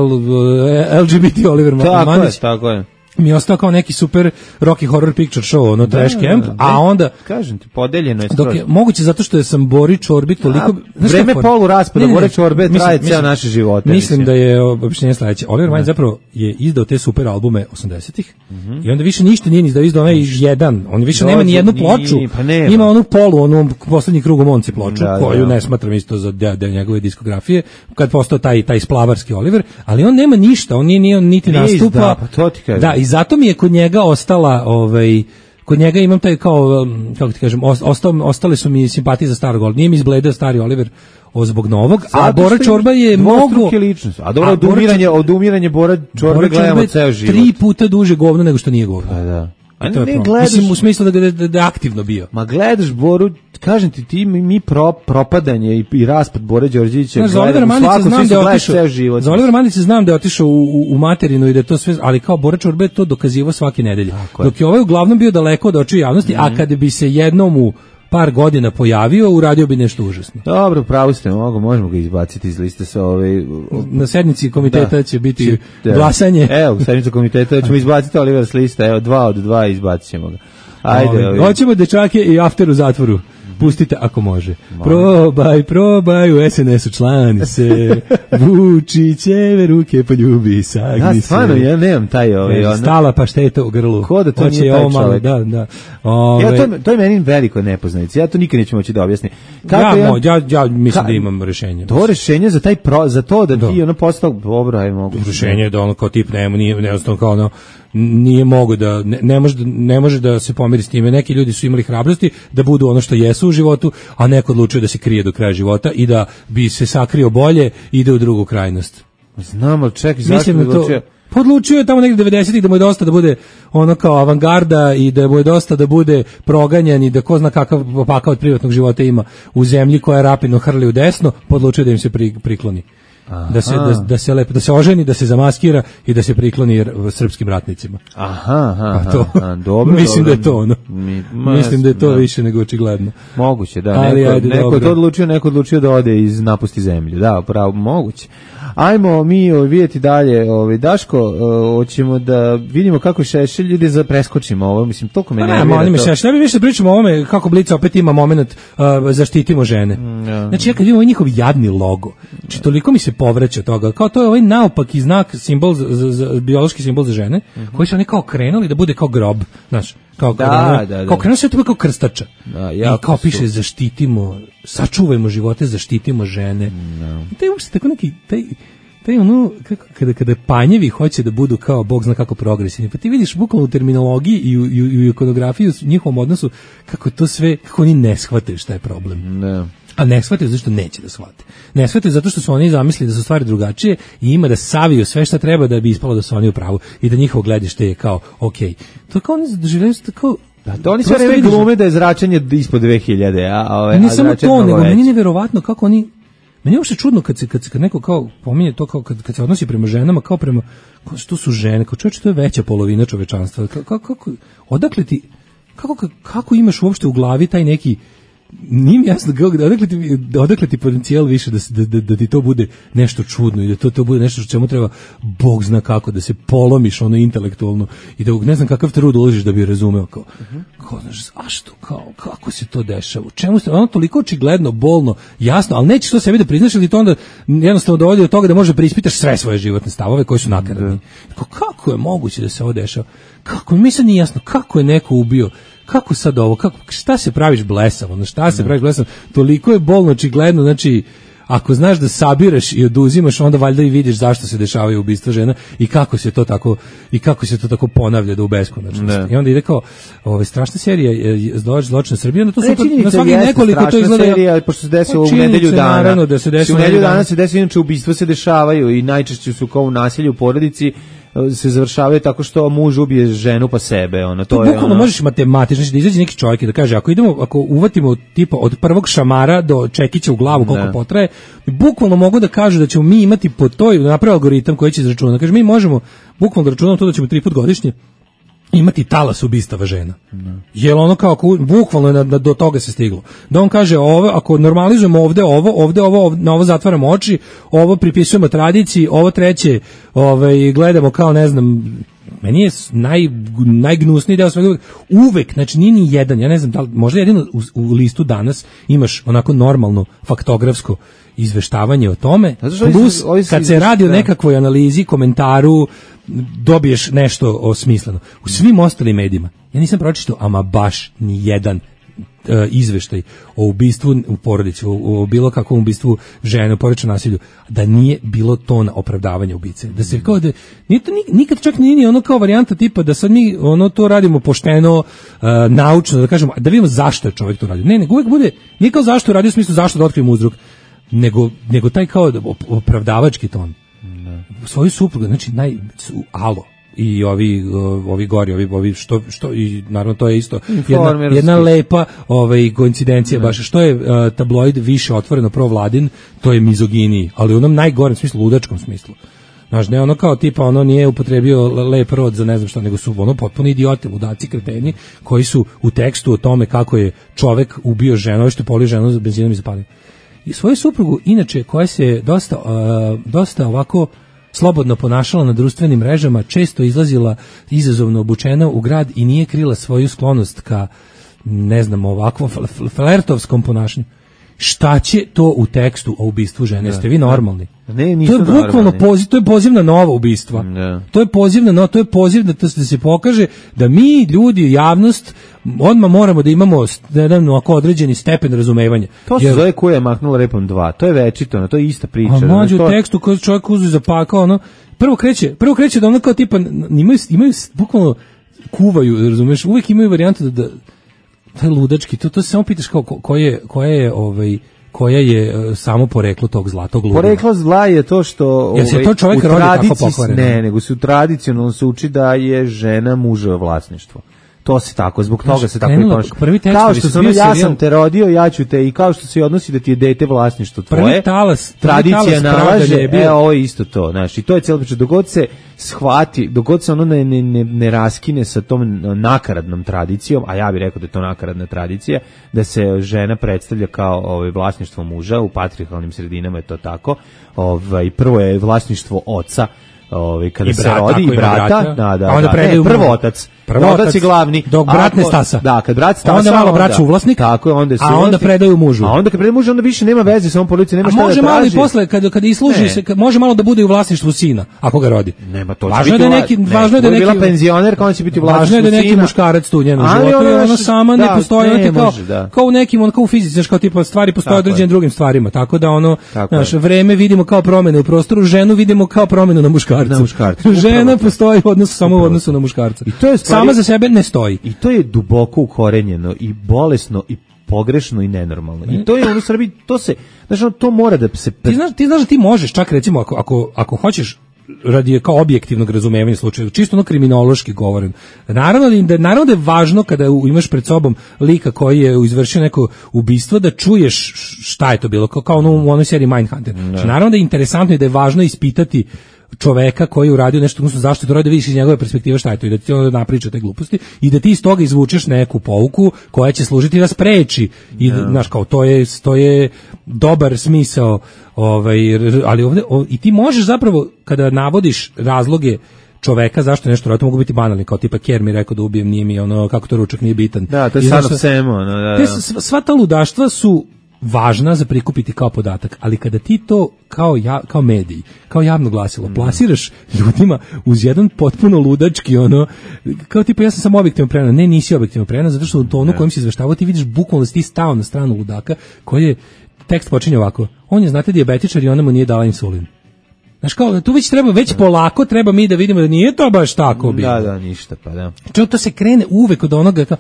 L G B T Oliver tako Mandić. Je, tako je. Mi je ostao kao neki super Rocky Horror Picture Show, ono trash da, camp, da, a onda kažem ti, podeljeno je dok je moguće zato što je sam Bori Čorbi toliko vreme polu raspada Bori Čorbe traje ceo naše živote. Mislim, mislim da je objašnjenje sledeće. Oliver Mandić zapravo je izdao te super albume osamdesetih mm-hmm. i onda više ništa nije izdao, izdao onaj jedan. On više Dođu, nema ni jednu ploču. Ni, pa ima onu polu, onu poslednji krug u Monci ploču, da, koju da. ne smatram isto za deo de njegove diskografije, kad postao taj taj splavarski Oliver, ali on nema ništa, on nije ni on niti nije nastupa. Izda, pa to ti kažem. Da, i zato mi je kod njega ostala, ovaj, kod njega imam taj kao, kako ti kažem, ostao, ostale su mi simpatije za starog Olivera. Nije mi izbledeo stari Oliver o zbog novog, zato a Bora Čorba je mnogo... A dobro, odumiranje, odumiranje Bora Čorbe gledamo ceo život. Tri puta duže govno nego što nije govno. A da. A ne, ne gledaš, mislim u smislu da ga da, da aktivno bio. Ma gledaš Boru, kažem ti, ti mi pro, propadanje i, i raspad Bore Đorđevića gledamo. Za Olivera Mandića znam da je otišao. Za Olivera Mandića znam da je otišao u, u, u materinu i da je to sve, ali kao Bora Čorbe to dokazivao svake nedelje. Dok je ovaj uglavnom bio daleko od očiju javnosti, mm-hmm. a kad bi se jednom u par godina pojavio, uradio bi nešto užasno. Dobro, pravo ste, mogu, možemo ga izbaciti iz liste sa ove... Na sednici komiteta da. će biti da. glasanje. Evo, u sednici komiteta ćemo izbaciti Oliver s liste, evo, dva od dva izbacit ćemo ga. Ajde, Ove, hoćemo dečake i after u zatvoru. Pustite ako može. Probaj, probaj, u es en es u člani se, Vučićeve ruke poljubi, sagni se. Ja, stvarno, ja nemam taj ovaj... Ne, stala pašteta u grlu. Ko da to Hoće nije taj ovo malo, čovjek? da, da. Ove, Ja, to, je- to je meni veliko nepoznanica, ja to nikad neću moći da objasnim. Kako ja, ja, mo- ja, ja mislim Ka- da imam rešenje. to rešenje za taj pro, za to da, Da. ti ono postao, dobro, aj mogu. Rešenje je da ono kao tip nema, nije, jednostavno kao ono, nije mogu da, ne, ne, može da, ne može da se pomiri s time. Neki ljudi su imali hrabrosti da budu ono što jesu u životu, a neko odlučuje da se krije do kraja života i da bi se sakrio bolje i ide u drugu krajnost. Znam, ali čekaj, zašto Mislim bi da to... odlučio? Pa odlučio je tamo negde devedesetih da mu je dosta da bude ono kao avangarda i da mu je dosta da bude proganjan i da ko zna kakav pakao od privatnog života ima u zemlji koja rapidno hrli u desno, podlučio da im se pri, prikloni. Da se, da, da, se lepo, da se oženi, da se zamaskira i da se prikloni r- srpskim ratnicima. Aha, aha, Pa to, aha, dobro, mislim dobro. da je to ono. Mi- ma, Mislim da je to da. više nego očigledno. Moguće, da. Ali neko, ajde, neko je dobro. to odlučio, neko je odlučio da ode iz napusti zemlju. Da, pravo, moguće. Ajmo mi ovaj, vidjeti dalje. Ovaj, Daško, o, hoćemo da vidimo kako Šešelj ljudi za preskočimo ovo. Mislim, toliko me Pa nervira ne, oni mi to. se, šta bi više pričamo o ovome, kako Blic opet ima moment uh, zaštitimo žene. ja. Znači, ja kad vidim ovaj njihov jadni logo, znači, toliko mi se povraća toga, kao to je ovaj naopaki znak, simbol, za, za, za, biološki simbol za žene, koji su oni kao krenuli da bude kao grob, znaš, kao, Da, kao, da, da. kao krenuo se to kao krstača. Da, I jako kao su. piše, zaštitimo, sačuvajmo živote, zaštitimo žene. I taj uopšte tako neki, taj, taj ono, kako, kada, kada panjevi hoće da budu kao, Bog zna kako progresivni, pa ti vidiš bukvalno u terminologiji i u, i u, i u ikonografiji, u njihovom odnosu, kako to sve, kako oni ne shvataju šta je problem. Da. A ne shvataju zato što neće da shvate. Ne shvataju zato što su oni zamislili da su stvari drugačije i ima da saviju sve šta treba da bi ispalo da su oni u pravu i da njihovo gledište je kao, okej. To kao oni doživljaju to kao... Da, to oni sve Prosto vreme vidiš- glume da je zračenje ispod dve hiljade, a, a, ove, Ne a samo zračenje to, mnogo nego meni veće. je neverovatno kako oni, meni je uopšte čudno kad se, kad se kad neko kao pominje to kao kad, kad se odnosi prema ženama kao prema, kao što su žene, kao čovječe, to je veća polovina čovečanstva. Kako, kako, odakle ti, kako, kako imaš uopšte u glavi taj neki, nije mi jasno kako, odakle ti, odakle ti potencijal više da, se- da, da, da ti to bude nešto čudno i da to, to bude nešto što čemu treba Bog zna kako da se polomiš ono intelektualno i da ne znam kakav trud uložiš da bi razumeo kao, kao znaš, zašto, kao, kako se to dešava, u čemu se, ono toliko očigledno, bolno, jasno, ali nećeš to sebi da priznaš ili to onda jednostavno dovodi do toga da možeš da preispitaš sve svoje životne stavove koji su nakaradni. Kao, kako je moguće da se ovo dešava? Kako, mi sad nije jasno, kako je neko ubio, kako sad ovo, kako, šta se praviš blesav, ono, šta se praviš blesav, toliko je bolno očigledno, znači, ako znaš da sabiraš i oduzimaš, onda valjda i vidiš zašto se dešavaju ubistva žena i kako se to tako i kako se to tako ponavlja do beskonačnosti. Ne. I onda ide kao, ovaj strašna serija je zločin zločin Srbije, onda to su Ne, to, činjenica na svaki jeste nekoliko to strašna izgleda serija, pošto se desilo Pa u činjenica nedelju je, dana. naravno da se desi u nedelju dana se desi, inače ubistva se dešavaju i najčešće su kao u nasilju u porodici e, se završavaju tako što muž ubije ženu pa sebe, ono to To je bukvalno ono. možeš matematično, znači da izađe neki čovjek i da kaže ako idemo, ako uvatimo tipa od prvog šamara do čekića u glavu koliko Ne. potraje, bukvalno mogu da kažu da ćemo mi imati po toj, da napravi algoritam koji će izračunati. Kaže mi možemo bukvalno da računamo to da ćemo tri put godišnje imati talas ubistava žena. Jel ono kao ako, bukvalno je na, na- do toga se stiglo. Da on kaže ovo, ako normalizujemo ovde ovo, ovde ovo, ovde, na ovo zatvaramo oči, ovo pripisujemo tradiciji, ovo treće, ovaj gledamo kao ne znam, meni je s- naj, najgnusniji deo svega uvek, znači nije ni jedan, ja ne znam da li, možda jedino u, u listu danas imaš onako normalno faktografsko izveštavanje o tome, Zato što ovi su- plus ovi su kad se radi o da. nekakvoj analizi, komentaru, dobiješ nešto osmisleno. U svim ostalim medijima, ja nisam pročitao ama baš ni jedan e, izveštaj o ubistvu u porodici, o, o bilo kakvom ubistvu žene, o porodičnom nasilju, da nije bilo tona opravdavanja ubice. Da se kao da, nije to ni- nikad čak nije ni ono kao varijanta tipa da sad mi ono to radimo pošteno, e, naučno, da kažemo, da vidimo zašto je čovjek to radio. Ne, nego uvijek bude, nije kao zašto je radio u smislu zašto da otkrijemo uzrok, nego, nego taj kao da op- opravdavački ton. Svoju suprugu, znači naj su, alo i ovi uh, ovi gori, ovi ovi što što i naravno to je isto jedna, Informerski. jedna lepa ovaj koincidencija baš što je uh, tabloid više otvoreno provladin, to je mizoginiji, ali u onom najgorem smislu, ludačkom smislu. Znaš, ne ono kao tipa, ono nije upotrebio lep rod za ne znam šta, nego su ono potpuno idioti, ludaci, kreteni, koji su u tekstu o tome kako je čovek ubio ženu, što je polio ženu za benzinom i zapalio. I svoju suprugu, inače, koja se dosta, uh, dosta ovako slobodno ponašala na društvenim mrežama, često izlazila izazovno obučena u grad i nije krila svoju sklonost ka, ne znam, ovakvom flertovskom ponašanju. Šta će to u tekstu o ubistvu žene? Jeste vi normalni? Ne, nisu to je bukvalno poziv, to je poziv na nova ubistva. Ne. To je poziv na no, to je poziv da, to, da se pokaže da mi ljudi, javnost, odmah moramo da imamo jedan ovako određeni stepen razumevanja. To se zove Koja je mahnula repom dva. To je večito, no, to je ista priča. A mlađe to... u tekstu koji čovjek uzeo zapakao, ono, prvo kreće, prvo kreće da ono kao tipa imaju, imaju bukvalno kuvaju, razumeš, uvijek imaju varijantu da, da taj ludački, to, to se samo pitaš kao ko, ko je, koja je ovaj koja je uh, samo poreklo tog zlatog luda. Poreklo zla je to što ovaj, se to čovjek rodi tako pokvareno? Ne, nego se u tradicionalno se uči da je žena muževo vlasništvo. To se tako, zbog toga Znaš, se tako i ponaša. Kao što sam ja sam te rodio, ja ću te, i kao što se odnosi da ti je dete vlasništvo tvoje. Prvi talas, tradicija nalaže, je bio. E, ovo je isto to, znači, to je cijela priča. Dogod se shvati, dogod se ono ne, ne, ne, ne raskine sa tom nakaradnom tradicijom, a ja bih rekao da je to nakaradna tradicija, da se žena predstavlja kao ovaj, vlasništvo muža, u patrijarhalnim sredinama je to tako. Ovaj, prvo je vlasništvo oca, ovaj, kada I se brat, rodi, i brata, brata, da, da, a onda da. Ne, prvo otac. Prvo otac je glavni, dok brat ne stasa. Da, kad brat stasa, onda malo brat suvlasnik, tako je, onda je a onda predaju mužu. A onda kad predaju mužu, onda više nema veze sa ovom policijom, nema a šta da može traži. malo i posle kad kad isluži se, može malo da bude u vlasništvu sina, ako ga rodi. Nema to. Važno je da neki, ne, važno je da neki bila penzionerka, on će biti u vlasništvu sina. Važno je da neki muškarac tu u njenom životu, ona, ona sama ne postoji, ona kao da. kao u nekim, on kao u fizici, znači kao tipa stvari postoje određenim drugim stvarima, tako da ono, naše vreme vidimo kao promene u prostoru, ženu vidimo kao promenu na muškarcu. Na muškarcu. Žena postoji u odnosu samo u odnosu na muškarca. I to je sama za sebe ne stoji. I to je duboko ukorenjeno i bolesno i pogrešno i nenormalno. I to je ono u Srbiji, to se, znači to mora da se... Ti znaš, ti znaš da ti možeš, čak recimo, ako, ako, ako hoćeš radi kao objektivnog razumevanja slučaja, čisto ono kriminološki govorim. Naravno da, naravno da je važno kada imaš pred sobom lika koji je izvršio neko ubistvo da čuješ šta je to bilo, kao, kao ono u onoj seriji Mindhunter. Znači, naravno da je interesantno i da je važno ispitati čoveka koji je uradio nešto, odnosno zašto je to radio, da vidiš iz njegove perspektive šta je to i da ti onda napriča te gluposti i da ti iz toga izvučeš neku pouku koja će služiti da spreči i no. Znaš, kao to je, to je dobar smisao, ovaj, ali ovde, o, i ti možeš zapravo kada navodiš razloge čoveka zašto nešto radi, to mogu biti banalni, kao tipa Ker mi rekao da ubijem, nije mi ono, kako to ručak nije bitan. Da, to je sad of Semo. No, da, da. Sva, sva ta ludaštva su važna za prikupiti kao podatak, ali kada ti to kao, ja, kao mediji, kao javno glasilo, plasiraš ljudima uz jedan potpuno ludački, ono, kao tipa ja sam samo objektivno prena, ne nisi objektivno prena, zato što u tonu kojem si izveštavao ti vidiš bukvalno da si ti stao na stranu ludaka, koji je, tekst počinje ovako, on je, znate, dijabetičar i ona mu nije dala insulin. Znaš kao, tu već treba, već polako treba mi da vidimo da nije to baš tako bilo. Da, da, ništa, pa da. Čo, to se krene uvek od onoga, kao,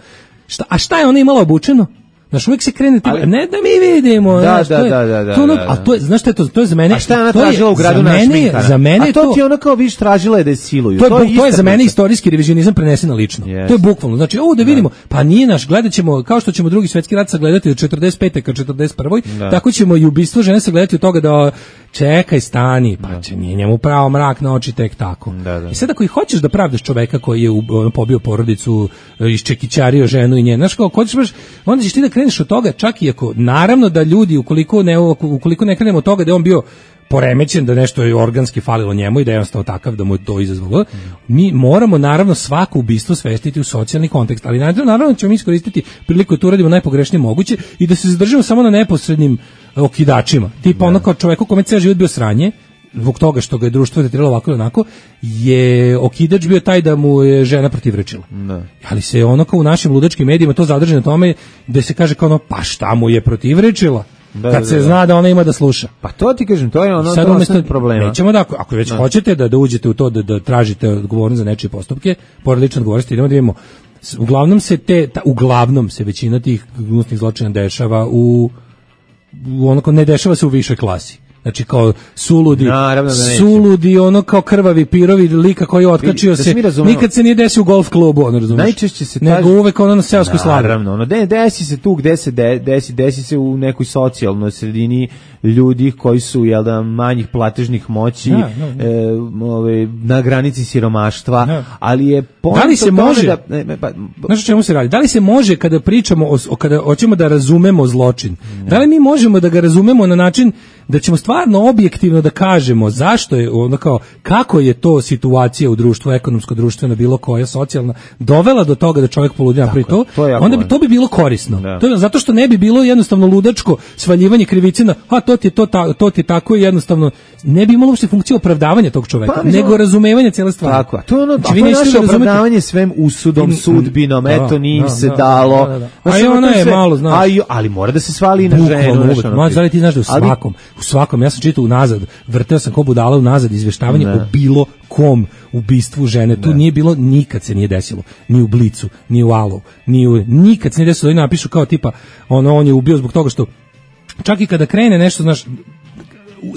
šta, a šta je ona imala obučeno? Znaš, uvijek se krene, ali, ne da mi vidimo. Da, znaš, da, to je, da, da, da, to ono, da, da. A to je, znaš šta je to, to je za mene... A šta je ona tražila u gradu na šminkara? Za mene a to, to ti ona kao viš tražila je da je siluju. To je, to je, to je za mene istorijski revizionizam prenesen na lično. Yes. To je bukvalno. Znači, ovo da vidimo, pa nije naš, gledat ćemo, kao što ćemo drugi svjetski rat sagledati od četrdeset pete ka četrdeset prvoj Da. Tako ćemo i ubistvo žene sagledati od toga da čekaj, stani, pa će nije njemu pravo mrak na oči tek tako. Da, da. I sad ako i hoćeš da pravdaš čoveka koji je ono, pobio porodicu, iščekićario ženu i nje, znaš kao, hoćeš baš, onda ćeš ti da kreneš od toga, čak i ako, naravno da ljudi, ukoliko ne, ukoliko ne krenemo od toga da je on bio poremećen, da nešto je organski falilo njemu i da je jednostavno takav da mu je to izazvalo. Mi moramo naravno svako ubistvo svestiti u socijalni kontekst, ali naravno ćemo mi iskoristiti priliku da to uradimo najpogrešnije moguće i da se zadržimo samo na neposrednim okidačima. Tipa ono kao čoveku kome ceo život bio sranje, zbog toga što ga je društvo tretiralo ovako i onako, je okidač bio taj da mu je žena protivrečila. Da. Ali se ono kao u našim ludačkim medijima to zadrži na tome da se kaže kao ono, pa šta mu je protivrečila? Da, kad da, se da. Zna da ona ima da sluša. Pa to ti kažem, to je ono sad umjesto problema. Nećemo da, ako već da. hoćete da, da uđete u to, da, da tražite odgovornost za nečije postupke, pored lične odgovornosti, idemo da vidimo. Uglavnom se te, ta, uglavnom se većina tih gnusnih zločina dešava u, u onako, ne dešava se u višoj klasi. Znači kao suludi, da suludi, ono kao krvavi pirovi lika koji je otkačio da se, nikad se nije desio u golf klubu, ono razumiješ. Najčešće se nego taži, uvek ono na seoskoj slavi. Naravno, ono, de, desi se tu gde se de, desi, desi se u nekoj socijalnoj sredini ljudi koji su jel da manjih platežnih moći, Da, da, da. e, ove, na granici siromaštva, Da. ali je Da li se može? Da, ne, ne, pa, Znaš o čemu se radi? Da li se može kada pričamo o, o kada hoćemo da razumemo zločin? Da li mi možemo da ga razumemo na način da ćemo stvarno objektivno da kažemo zašto je ono kao kako je to situacija u društvu, ekonomsko, društveno, bilo koja, socijalna, dovela do toga da čovjek poludi napravi to, to je jako onda bi važno. to bi bilo korisno. Da. To je zato što ne bi bilo jednostavno ludačko svaljivanje krivice na a to ti je to ta, to ti je tako i jednostavno ne bi imalo uopšte funkciju opravdavanja tog čoveka, Pa, nego no, razumevanja cele stvari. tako, a to je ono, Znači, a vi to je nećete naše da razumete- opravdavanje svem usudom, Mm, sudbinom, da, eto, nije im da, se da, dalo. da, da, da. Znaš, A i ono, ona to je sve- malo, znaš. a i- ali mora da se svali i na Bukvalno ženu. znaš, uvek. ono, Ma, ti- da li ti znaš da u ali- svakom, u svakom, ja sam čitao unazad, vrteo sam ko budala unazad izveštavanje Ne. o bilo kom ubistvu žene. Tu nije bilo, nikad se nije desilo. Ni u Blicu, ni u Alu, ni u, nikad se nije desilo. Oni napišu kao tipa, ono, on je ubio zbog toga što, čak i kada krene nešto, znaš,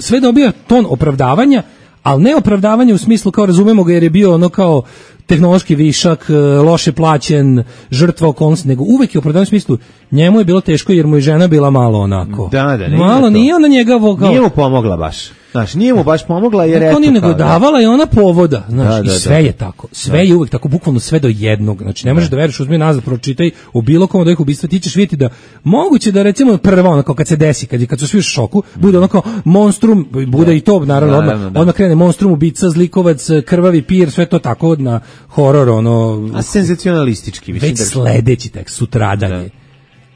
sve dobija ton opravdavanja, ali ne opravdavanje u smislu kao razumemo ga jer je bio ono kao tehnološki višak, e, loše plaćen, žrtva okolnosti, nego uvek je opravdavanje u smislu njemu je bilo teško jer mu je žena bila malo onako. Da, da, nije malo to. nije ona njega vogao. Nije mu pomogla baš. Znaš, nije mu baš pomogla jer Neko eto nije nego kao da- davala je ona povoda, znaš, Da, da, i sve da. je tako. Sve je uvek tako, bukvalno sve do jednog. Znači, ne možeš da veruješ, uzmi nazad, pročitaj o bilo kom od ovih ubistva, ti ćeš vidjeti da moguće da recimo prva, ono kao kad se desi, kad, je- kad su svi u šoku, bude ono kao monstrum, bude i to, naravno, odmah, Naravno, da. odmah krene monstrum, ubica, zlikovac, krvavi pir, sve to tako na horor, ono, A senzacionalistički, mislim već da... sledeći tekst, sutradanje.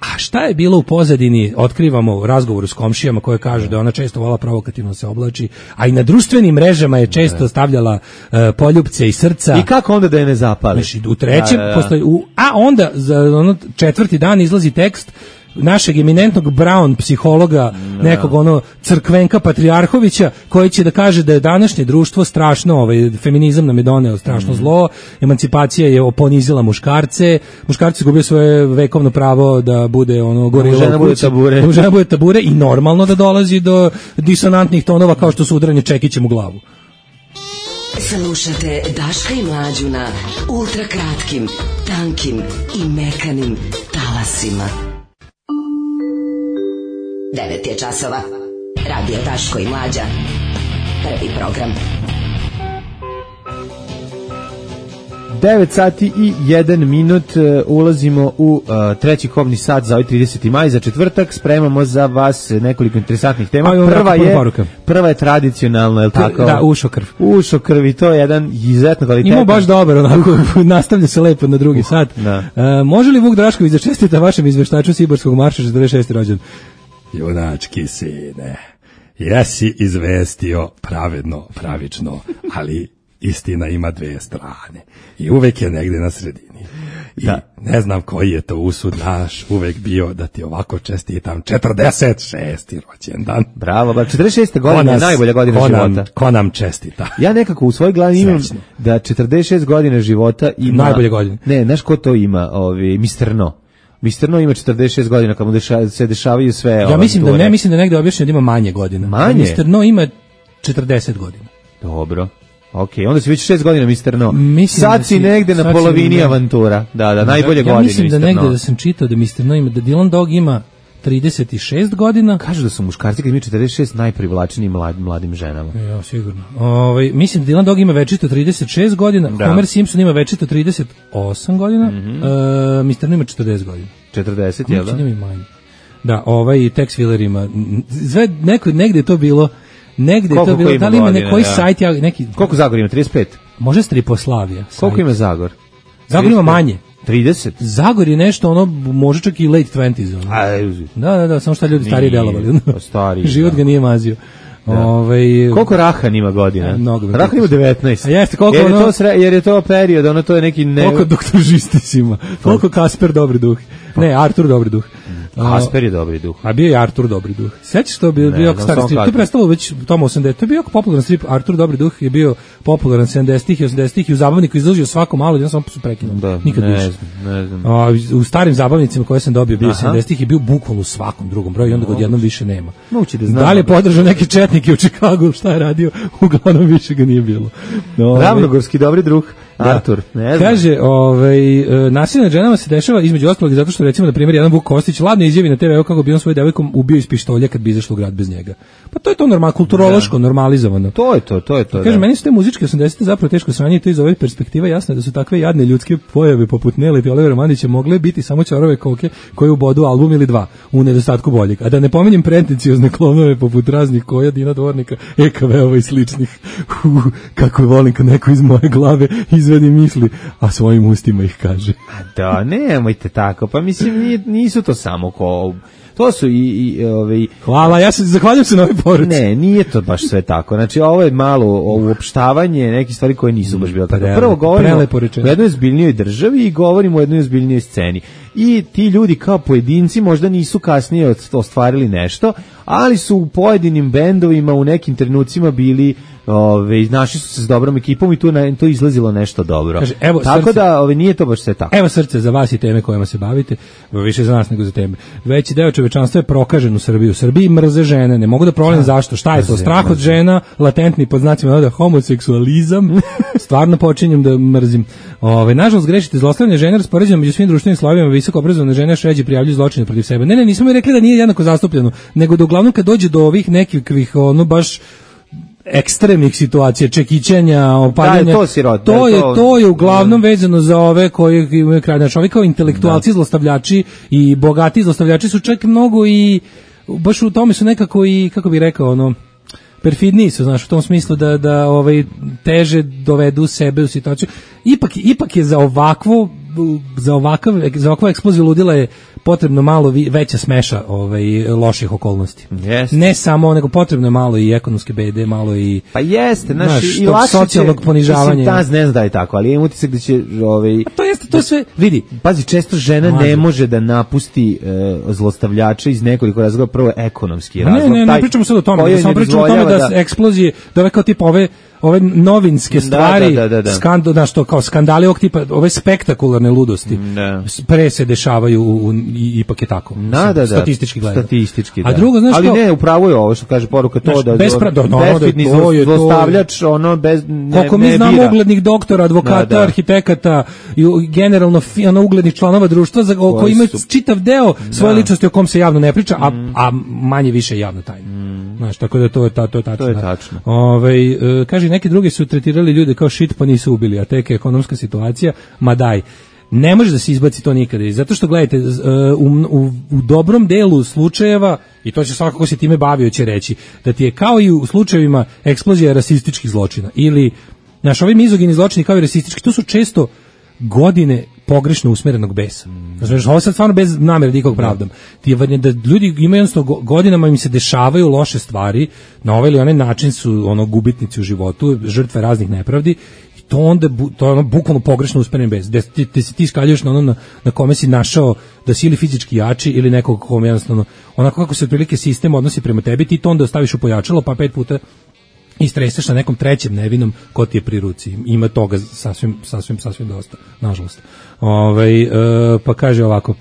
A šta je bilo u pozadini, otkrivamo u razgovoru s komšijama koje kažu da ona često vola provokativno se oblači, a i na društvenim mrežama je često stavljala e, poljupce i srca. I kako onda da je ne zapali? Znači, u trećem, Da, da, da. postoji, u, a onda za ono četvrti dan izlazi tekst našeg eminentnog Brown psihologa, nekog ono crkvenka Patrijarhovića, koji će da kaže da je današnje društvo strašno, ovaj feminizam nam je doneo strašno zlo, emancipacija je ponizila muškarce, muškarci su gubili svoje vekovno pravo da bude ono gorila žena u bude kući, tabure. da mu žena bude tabure i normalno da dolazi do disonantnih tonova kao što su udaranje čekićem u glavu. Slušate Daška i Mlađu na ultra kratkim, tankim i mekanim talasima. devet je časova. Radio Daško i Mlađa. Prvi program. devet sati i jedan minut, e, ulazimo u uh, treći kobni sat za ovaj trideseti maj, za četvrtak. Spremamo za vas nekoliko interesantnih tema. Ajmo, Prva jako puno je, poruka. prva je tradicionalno, je li tako? Da, ušo krv. Ušo krvi, to je jedan izuzetno kvalitetan. Imamo baš dobar, onako, nastavlja se lepo na drugi sat. da. E, može li Vuk Drašković da čestita vašem izveštaču Siborskog marša četrdeset šesti rođen? Junački sine, jesi izvestio pravedno, pravično, ali istina ima dve strane i uvek je negde na sredini. I ne znam koji je to usud naš uvek bio da ti ovako čestitam četrdeset šesti rođendan. Bravo, ba, četrdeset šesta godina je najbolja godina ko nam, života. Ko nam čestita? Ja nekako u svojoj glavi imam Srećno. da četrdeset šest godina života ima... Najbolje godine. Ne, znaš ko to ima? Ovi, mister No. mister No ima četrdeset šest godina, kad mu deša, se dešavaju sve Ja mislim da avanture. ne, mislim da negde objašnjeno da ima manje godina. Manje? mister No ima četrdeset godina. Dobro. Ok, onda si već šest godina mister No. Mislim Sad da si si- negde na sad si polovini ne- avantura. Da, da, najbolje ja, godine ja mislim da mister negde No. da sam čitao da mister No ima, da Dylan Dog ima trideset šest godina. Kažu da su muškarci kad imaju četrdeset šest najprivlačniji mlad, mladim ženama. Ja, sigurno. Ovaj mislim da Dylan Dog ima večito trideset šest godina, Da. Homer Simpson ima večito trideset osam godina, e, mister No ima četrdeset godina. četrdeset, jel da? Mislim da ima i manje. Da, ovaj Tex Willer ima, sve, neko, negde je to bilo, negde je Koliko to bilo, ko ima da li ima godina, neki da. sajt, ja, neki, Koliko Zagor ima? trideset pet? može Striposlavija. Koliko sajt. ima Zagor? Zagor ima trideset pet? manje. trideset? Zagor je nešto, ono, može čak i late dvadeset. Ono. A, Da, da, da, samo što ljudi stariji Nije, delovali. pa stariji, Život da. ga nije mazio. Ovaj koliko Rahan ima godina? E, mnogo me Rahan ima devetnaest. A jeste, koliko jer, je ono- to sre, jer je to period, ono to je neki... Ne... koliko doktor Žistis ima? Koliko Kasper dobri duh? Ne, Artur dobri duh. Kasper je dobri duh. A bio je Artur dobri duh. Sećaš to bio Ne, bio jako znam stari samo strip. To je kako. prestalo već u tom osamdesetim. To je bio jako popularan strip. Artur dobri duh je bio popularan sedamdesetih i osamdesetih i u zabavniku izlazio svako malo, jedan samo su prekinuli. Da, Nikad ne više. znam, ne znam. A, u starim zabavnicima koje sam dobio bio Aha. sedamdesetih je bio bukvalno u svakom drugom broju i onda ga odjednom više nema. Moguće da znam. Da li je podržao neke četnike u Čikagu, šta je radio, uglavnom više ga nije bilo. No, Ravnogorski dobri druh. Artur, ne znam. Kaže, ovaj, e, nasilje nad ženama se dešava između ostalog i zato što recimo na primjer jedan Vuk Kostić ladno izjavi na te ve kako bi on svoju devojkom ubio iz pištolja kad bi izašao u grad bez njega. Pa to je to normalno, kulturološko, normalizovano. To je to, to je to. Kaže, meni su te muzičke osamdesete zapravo teško sranje i to iz ove perspektive jasno da su takve jadne ljudske pojave poput Nele i Olivera Mandića mogle biti samo ćorove koke koje ubodu album ili dva u nedostatku boljeg. A da ne pominjem pretenciozne klonove poput raznih Koja, Dina Dvornika, E K V-ova i sličnih. Uh, kako volim kad neko iz moje glave izvedi misli, a svojim ustima ih kaže. A da, nemojte tako. Pa mislim, nije, nisu to samo ko... To su i, i ovaj hvala, ja se zahvaljujem se na ovoj poruci. Ne, nije to baš sve tako. Znači ovo je malo uopštavanje nekih stvari koje nisu baš bile tako. Prvo govorimo o jednoj ozbiljnijoj državi i govorimo o jednoj ozbiljnijoj sceni. I ti ljudi kao pojedinci možda nisu kasnije ostvarili nešto, ali su u pojedinim bendovima u nekim trenucima bili, ove, našli su se s dobrom ekipom i tu na, to izlazilo nešto dobro. Kaže, evo, tako srce, da ove, nije to baš sve tako. Evo srce za vas i teme kojima se bavite, više za nas nego za teme. Veći deo čovečanstva je prokažen u Srbiji. U Srbiji mrze žene, ne mogu da provalim zašto. Šta je to? Strah od žena, latentni pod znacima navoda homoseksualizam. Stvarno počinjem da mrzim. Ove, nažalost grešite, zlostavljanje žena raspoređeno među svim društvenim slojevima, visoko obrazovane žene šeđe prijavljuju zločine protiv sebe. Ne, ne, nismo mi rekli da nije jednako zastupljeno, nego da uglavnom kad dođe do ovih nekih ono baš ekstremnih situacija, čekićenja, opaljanja, da, to, sirot, to, je, to, to je uglavnom vezano za ove koji imaju kraj. Znači, ovi kao intelektualci, da. Zlostavljači i bogati zlostavljači su čak mnogo i baš u tome su nekako i, kako bih rekao, ono, perfidniji su, znaš, u tom smislu da, da ovaj, teže dovedu sebe u situaciju. Ipak, ipak je za ovakvu za ovakav za ovakvu eksploziju ludila je potrebno malo veća smeša ovaj loših okolnosti. Jeste. Ne samo, nego potrebno je malo i ekonomske bede, malo i pa jeste, znači i lakše socijalnog ponižavanja. Mislim, ne znam da je tako, ali imam utisak da će ovaj a to jeste, to sve vidi. Pazi, često žena Mazi. ne može da napusti e, zlostavljača iz nekoliko razloga, prvo ekonomski razlog. Ne, ne, ne pričamo sad o tome, da samo pričamo o tome da, da eksplozije, da ove kao tip ove ove novinske stvari, da, da, da, da. skando, da što kao skandali ovog tipa, ove spektakularne ludosti, da. Pre se dešavaju u, u, i, ipak je tako. Da, da, da. Statistički gledano. Statistički, da. A drugo, znaš ali kao, ne, upravo je ovo što kaže poruka to znaš, da bespra, do, no, bezbedni to je, zlostavljač, ono bez ne, koliko mi ne znamo bira. uglednih doktora, advokata, da, da. arhitekata i generalno ono uglednih članova društva za koji, koji imaju čitav deo svoje da. ličnosti o kom se javno ne priča, a, mm. a manje više javno tajno. Mm. Znaš, tako da to je, ta, to je tačno. To je tačno. Ove, e, kaže, neki drugi su tretirali ljude kao shit pa nisu ubili, a tek je ekonomska situacija, ma daj. Ne može da se izbaci to nikada. Zato što, gledajte, u, u, u dobrom delu slučajeva, i to će svakako se time bavio će reći, da ti je kao i u slučajevima eksplozija rasističkih zločina. Ili, znaš, ovi mizogini zločini kao i rasistički, to su često godine pogrešno usmerenog besa. Znači, ovo sad stvarno bez namere da ikog pravdam. Ti je da ljudi imaju jednostavno godinama im se dešavaju loše stvari, na ovaj ili onaj način su ono gubitnici u životu, žrtve raznih nepravdi, i to onda to je ono bukvalno pogrešno usmeren bes. Da ti, ti se ti skaljuješ na ono na, na kome si našao da si ili fizički jači ili nekog kome jednostavno onako kako se otprilike sistem odnosi prema tebi, ti to onda ostaviš u pojačalo pa pet puta i streseš na nekom trećem nevinom ko ti je pri ruci. Ima toga sasvim, sasvim, sasvim dosta, nažalost. Ove, e, pa kaže ovako,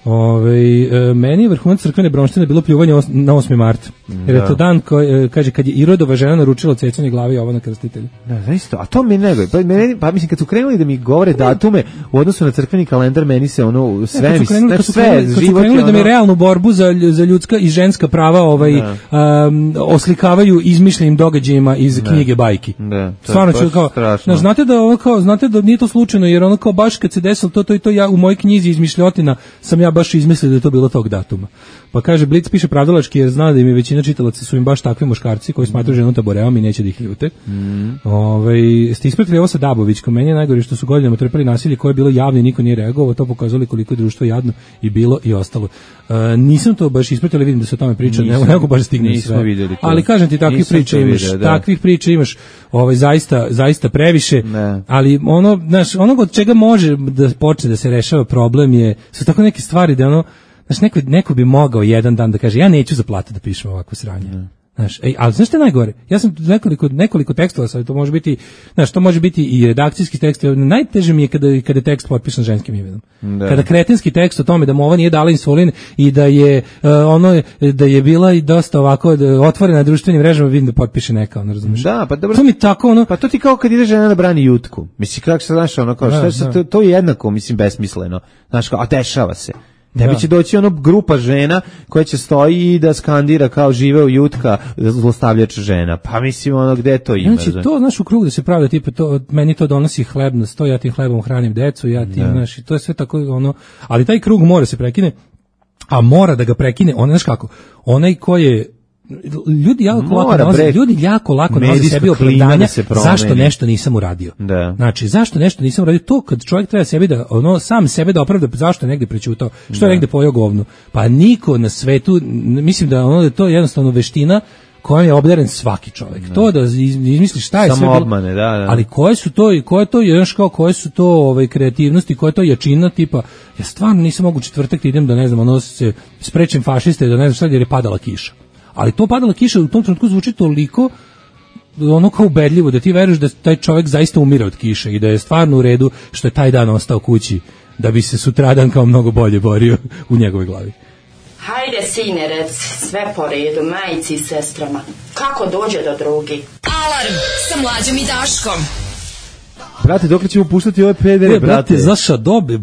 ove, e, meni je vrhunac crkvene bronštine bilo pljuvanje os, na osmi mart. Jer je to dan koji, kaže, kad je Irodova žena naručila cecanje glave Jovana Krstitelja. Da, zaista, a to mi nego, pa, meni, pa mislim, kad su krenuli da mi govore datume u odnosu na crkveni kalendar, meni se ono, sve, ne, kad su krenuli, znači, kad su sve, krenuli, kad su život krenuli je ono... da mi realnu borbu za, za ljudska i ženska prava ovaj, um, oslikavaju izmišljenim događajima iz da. knjige bajki. Da, to, stvarno to ću kao, strašno. znate da ono kao, znate da nije to slučajno, jer ono kao baš kad se desilo to, to i to, ja u mojoj knjizi izmišljotina sam ja baš izmislio da je to bilo tog datuma. Pa kaže, Blic piše pravdalački jer zna da im je većina čitalaca su im baš takvi muškarci koji smatraju ženu taboreom i neće da ih ljute. Mm. Ove, ste ispratili ovo sa Dabovićkom, meni je najgore što su godinama trpeli nasilje koje je bilo javno i niko nije reagovao, to pokazali koliko je društvo jadno i bilo i ostalo. Uh, nisam to baš ispratili, vidim da se o tome priča, ne mogu baš stignem sve. Vidjeli to. Ali kažem ti, takvih priča imaš, vidio, da. takvih priča imaš, ovaj zaista zaista previše, ne. Ali ono, znaš, onog od čega može da počne da se rešava problem je su tako neke stvari da ono, znaš, neko, neko bi mogao jedan dan da kaže, ja neću za platu da pišem ovako sranje. Ne. Znaš, ej, ali znaš što je najgore? Ja sam nekoliko, nekoliko tekstova, sad to može biti, znaš, to može biti i redakcijski tekst, najteže mi je kada, kada je tekst potpisan ženskim imenom. Da. Kada kretenski tekst o tome da mu ova nije dala insulin i da je uh, ono, da je bila i dosta ovako da, otvorena na društvenim mrežama, vidim da potpiše neka, ono, razumiješ? Da, pa dobro. To mi tako, ono... Pa to ti kao kad ide žena da brani jutku. Mislim, kako se znaš, ono, kao, da, šta, to, to je jednako, mislim, besmisleno. Znaš, kao, a dešava se. Tebi će doći ono grupa žena koja će stoji i da skandira kao žive u jutka zlostavljač žena. Pa mislim ono gde to ima. Znači to znaš u krug da se pravda tipa to meni to donosi hleb na sto, ja tim hlebom hranim decu, ja tim znaš, to je sve tako ono, ali taj krug mora se prekine, a mora da ga prekine, on znaš kako, onaj ko je ljudi jako lako nalaze, ljudi jako lako nalaze sebi opravdanja zašto nešto nisam uradio. Da. Znači, zašto nešto nisam uradio, to kad čovjek treba sebi da, ono, sam sebe da opravda zašto je negde prećutao, što je negde pojeo govno. Pa niko na svetu, mislim da ono da to je jednostavno veština kojom je obdaren svaki čovjek. Da. To da izmisli šta je sve obmane, da, da. Ali koje su to i koje to je kao koje su to ovaj kreativnosti, koje to jačina tipa ja stvarno nisam mogu četvrtak da idem da ne znam, ono se sprečim fašiste da ne znam šta jer je padala kiša. Ali to padala kiša u tom trenutku zvuči toliko ono kao ubedljivo da ti veruješ da taj čovjek zaista umire od kiše i da je stvarno u redu što je taj dan ostao kući da bi se sutradan kao mnogo bolje borio u njegovoj glavi. Hajde sine rec, sve po redu, majici i sestrama. Kako dođe do drugi? Alarm sa Mlađom i Daškom. Brate, dok ćemo puštati ove pedere, e, brate? Zaša dobe,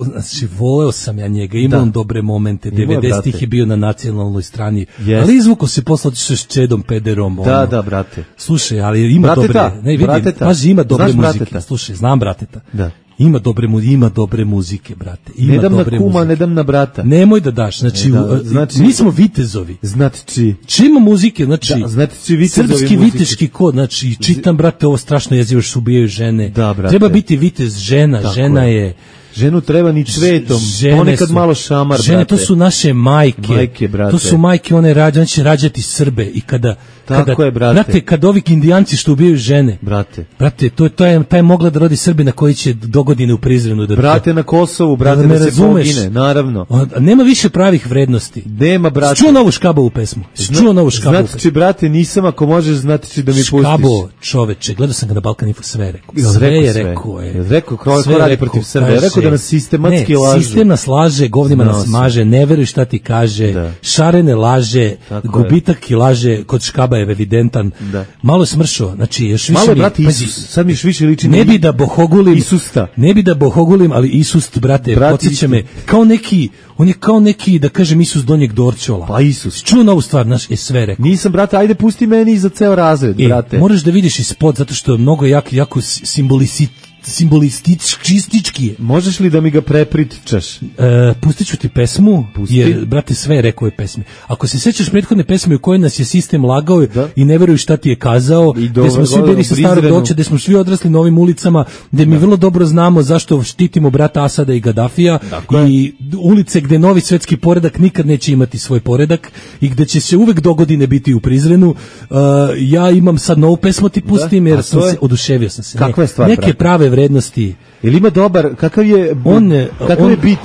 znači, voleo sam ja njega, imao on dobre momente, devedesetih je bio na nacionalnoj strani, yes. Ali izvuko se posle otišao s Čedom pederom. Da, ono. Da, brate. Slušaj, ali ima brateta, dobre, ne vidim, paži, ima dobre znaš muzike. Brateta? Slušaj, znam brateta. Da. Ima dobre mu ima dobre muzike, brate. Ima ne dam dobre na kuma, muzike. Ne dam na brata. Nemoj da daš, znači, da, znači mi smo vitezovi. Znači, čima muzike, znači, da, znači vitezovi srpski muzike. Viteški kod, znači, čitam, brate, ovo strašno jezivo što ubijaju žene. Da, brate. Treba biti vitez žena, tako žena je. je ženu treba ni cvetom, ponekad su, malo šamar, žene, brate. To su naše majke, majke brate. To su majke, one rađa, on će rađati Srbe i kada, tako kada je, brate. Brate, kad ovi indijanci što ubijaju žene, brate, brate, to, to je, taj mogla da rodi Srbina koji će dogodine u Prizrenu. Da, brate, na Kosovu, brate, da, da se razumeš, pogine, naravno. A, nema više pravih vrednosti. Nema, brate. Čuo novu Škabovu pesmu. Čuo novu Škabovu pesmu. Znači, brate, nisam, ako možeš, znači da mi pustiš. Škabo, čoveče, gledao sam ga na Balkan Info, sve rekao. Sve je rekao. Je. Rekao, ko radi protiv Srbije. Rekao da nas sistematski Ne, lažu. Sistem nas laže, govnima no, nas maže, ne veruj šta ti kaže, da. Šarene laže, tako gubitak i laže, kod Škaba je evidentan. Da. Malo je smršao, znači još više malo je, mi, brate, Isus, sad mi još više liči ne bi da bohogulim, Isusta. Ne bi da bohogulim, ali Isus, brate, podsjeća me, kao neki, on je kao neki, da kažem, Isus donjeg Dorčola. Pa Isus. Čuo novu stvar, naš, je sve rekao. Nisam, brate, ajde pusti meni za ceo razred, e, brate. Moraš da vidiš ispod, zato što je mnogo jak, jako simbolicit, simbolistički je. Možeš li da mi ga prepričaš? E, pustit ću ti pesmu, Pusti. Jer, brate, sve je rekao je pesme. Ako se sećaš prethodne pesme u kojoj nas je sistem lagao da? I ne veruju šta ti je kazao, gde smo svi bili sa starog doća, gde smo svi odrasli na ovim ulicama, gde mi da. Vrlo dobro znamo zašto štitimo brata Asada i Gadafija dakle. I ulice gde novi svetski poredak nikad neće imati svoj poredak i gde će se uvek dogodine biti u Prizrenu. Uh, ja imam sad novu pesmu ti pustim, da? Jer sam je... se, oduševio sam se. Kakva je stvar, neke brate? Prave vrednosti. Jel ima dobar, kakav je on je, kakav on, je bit?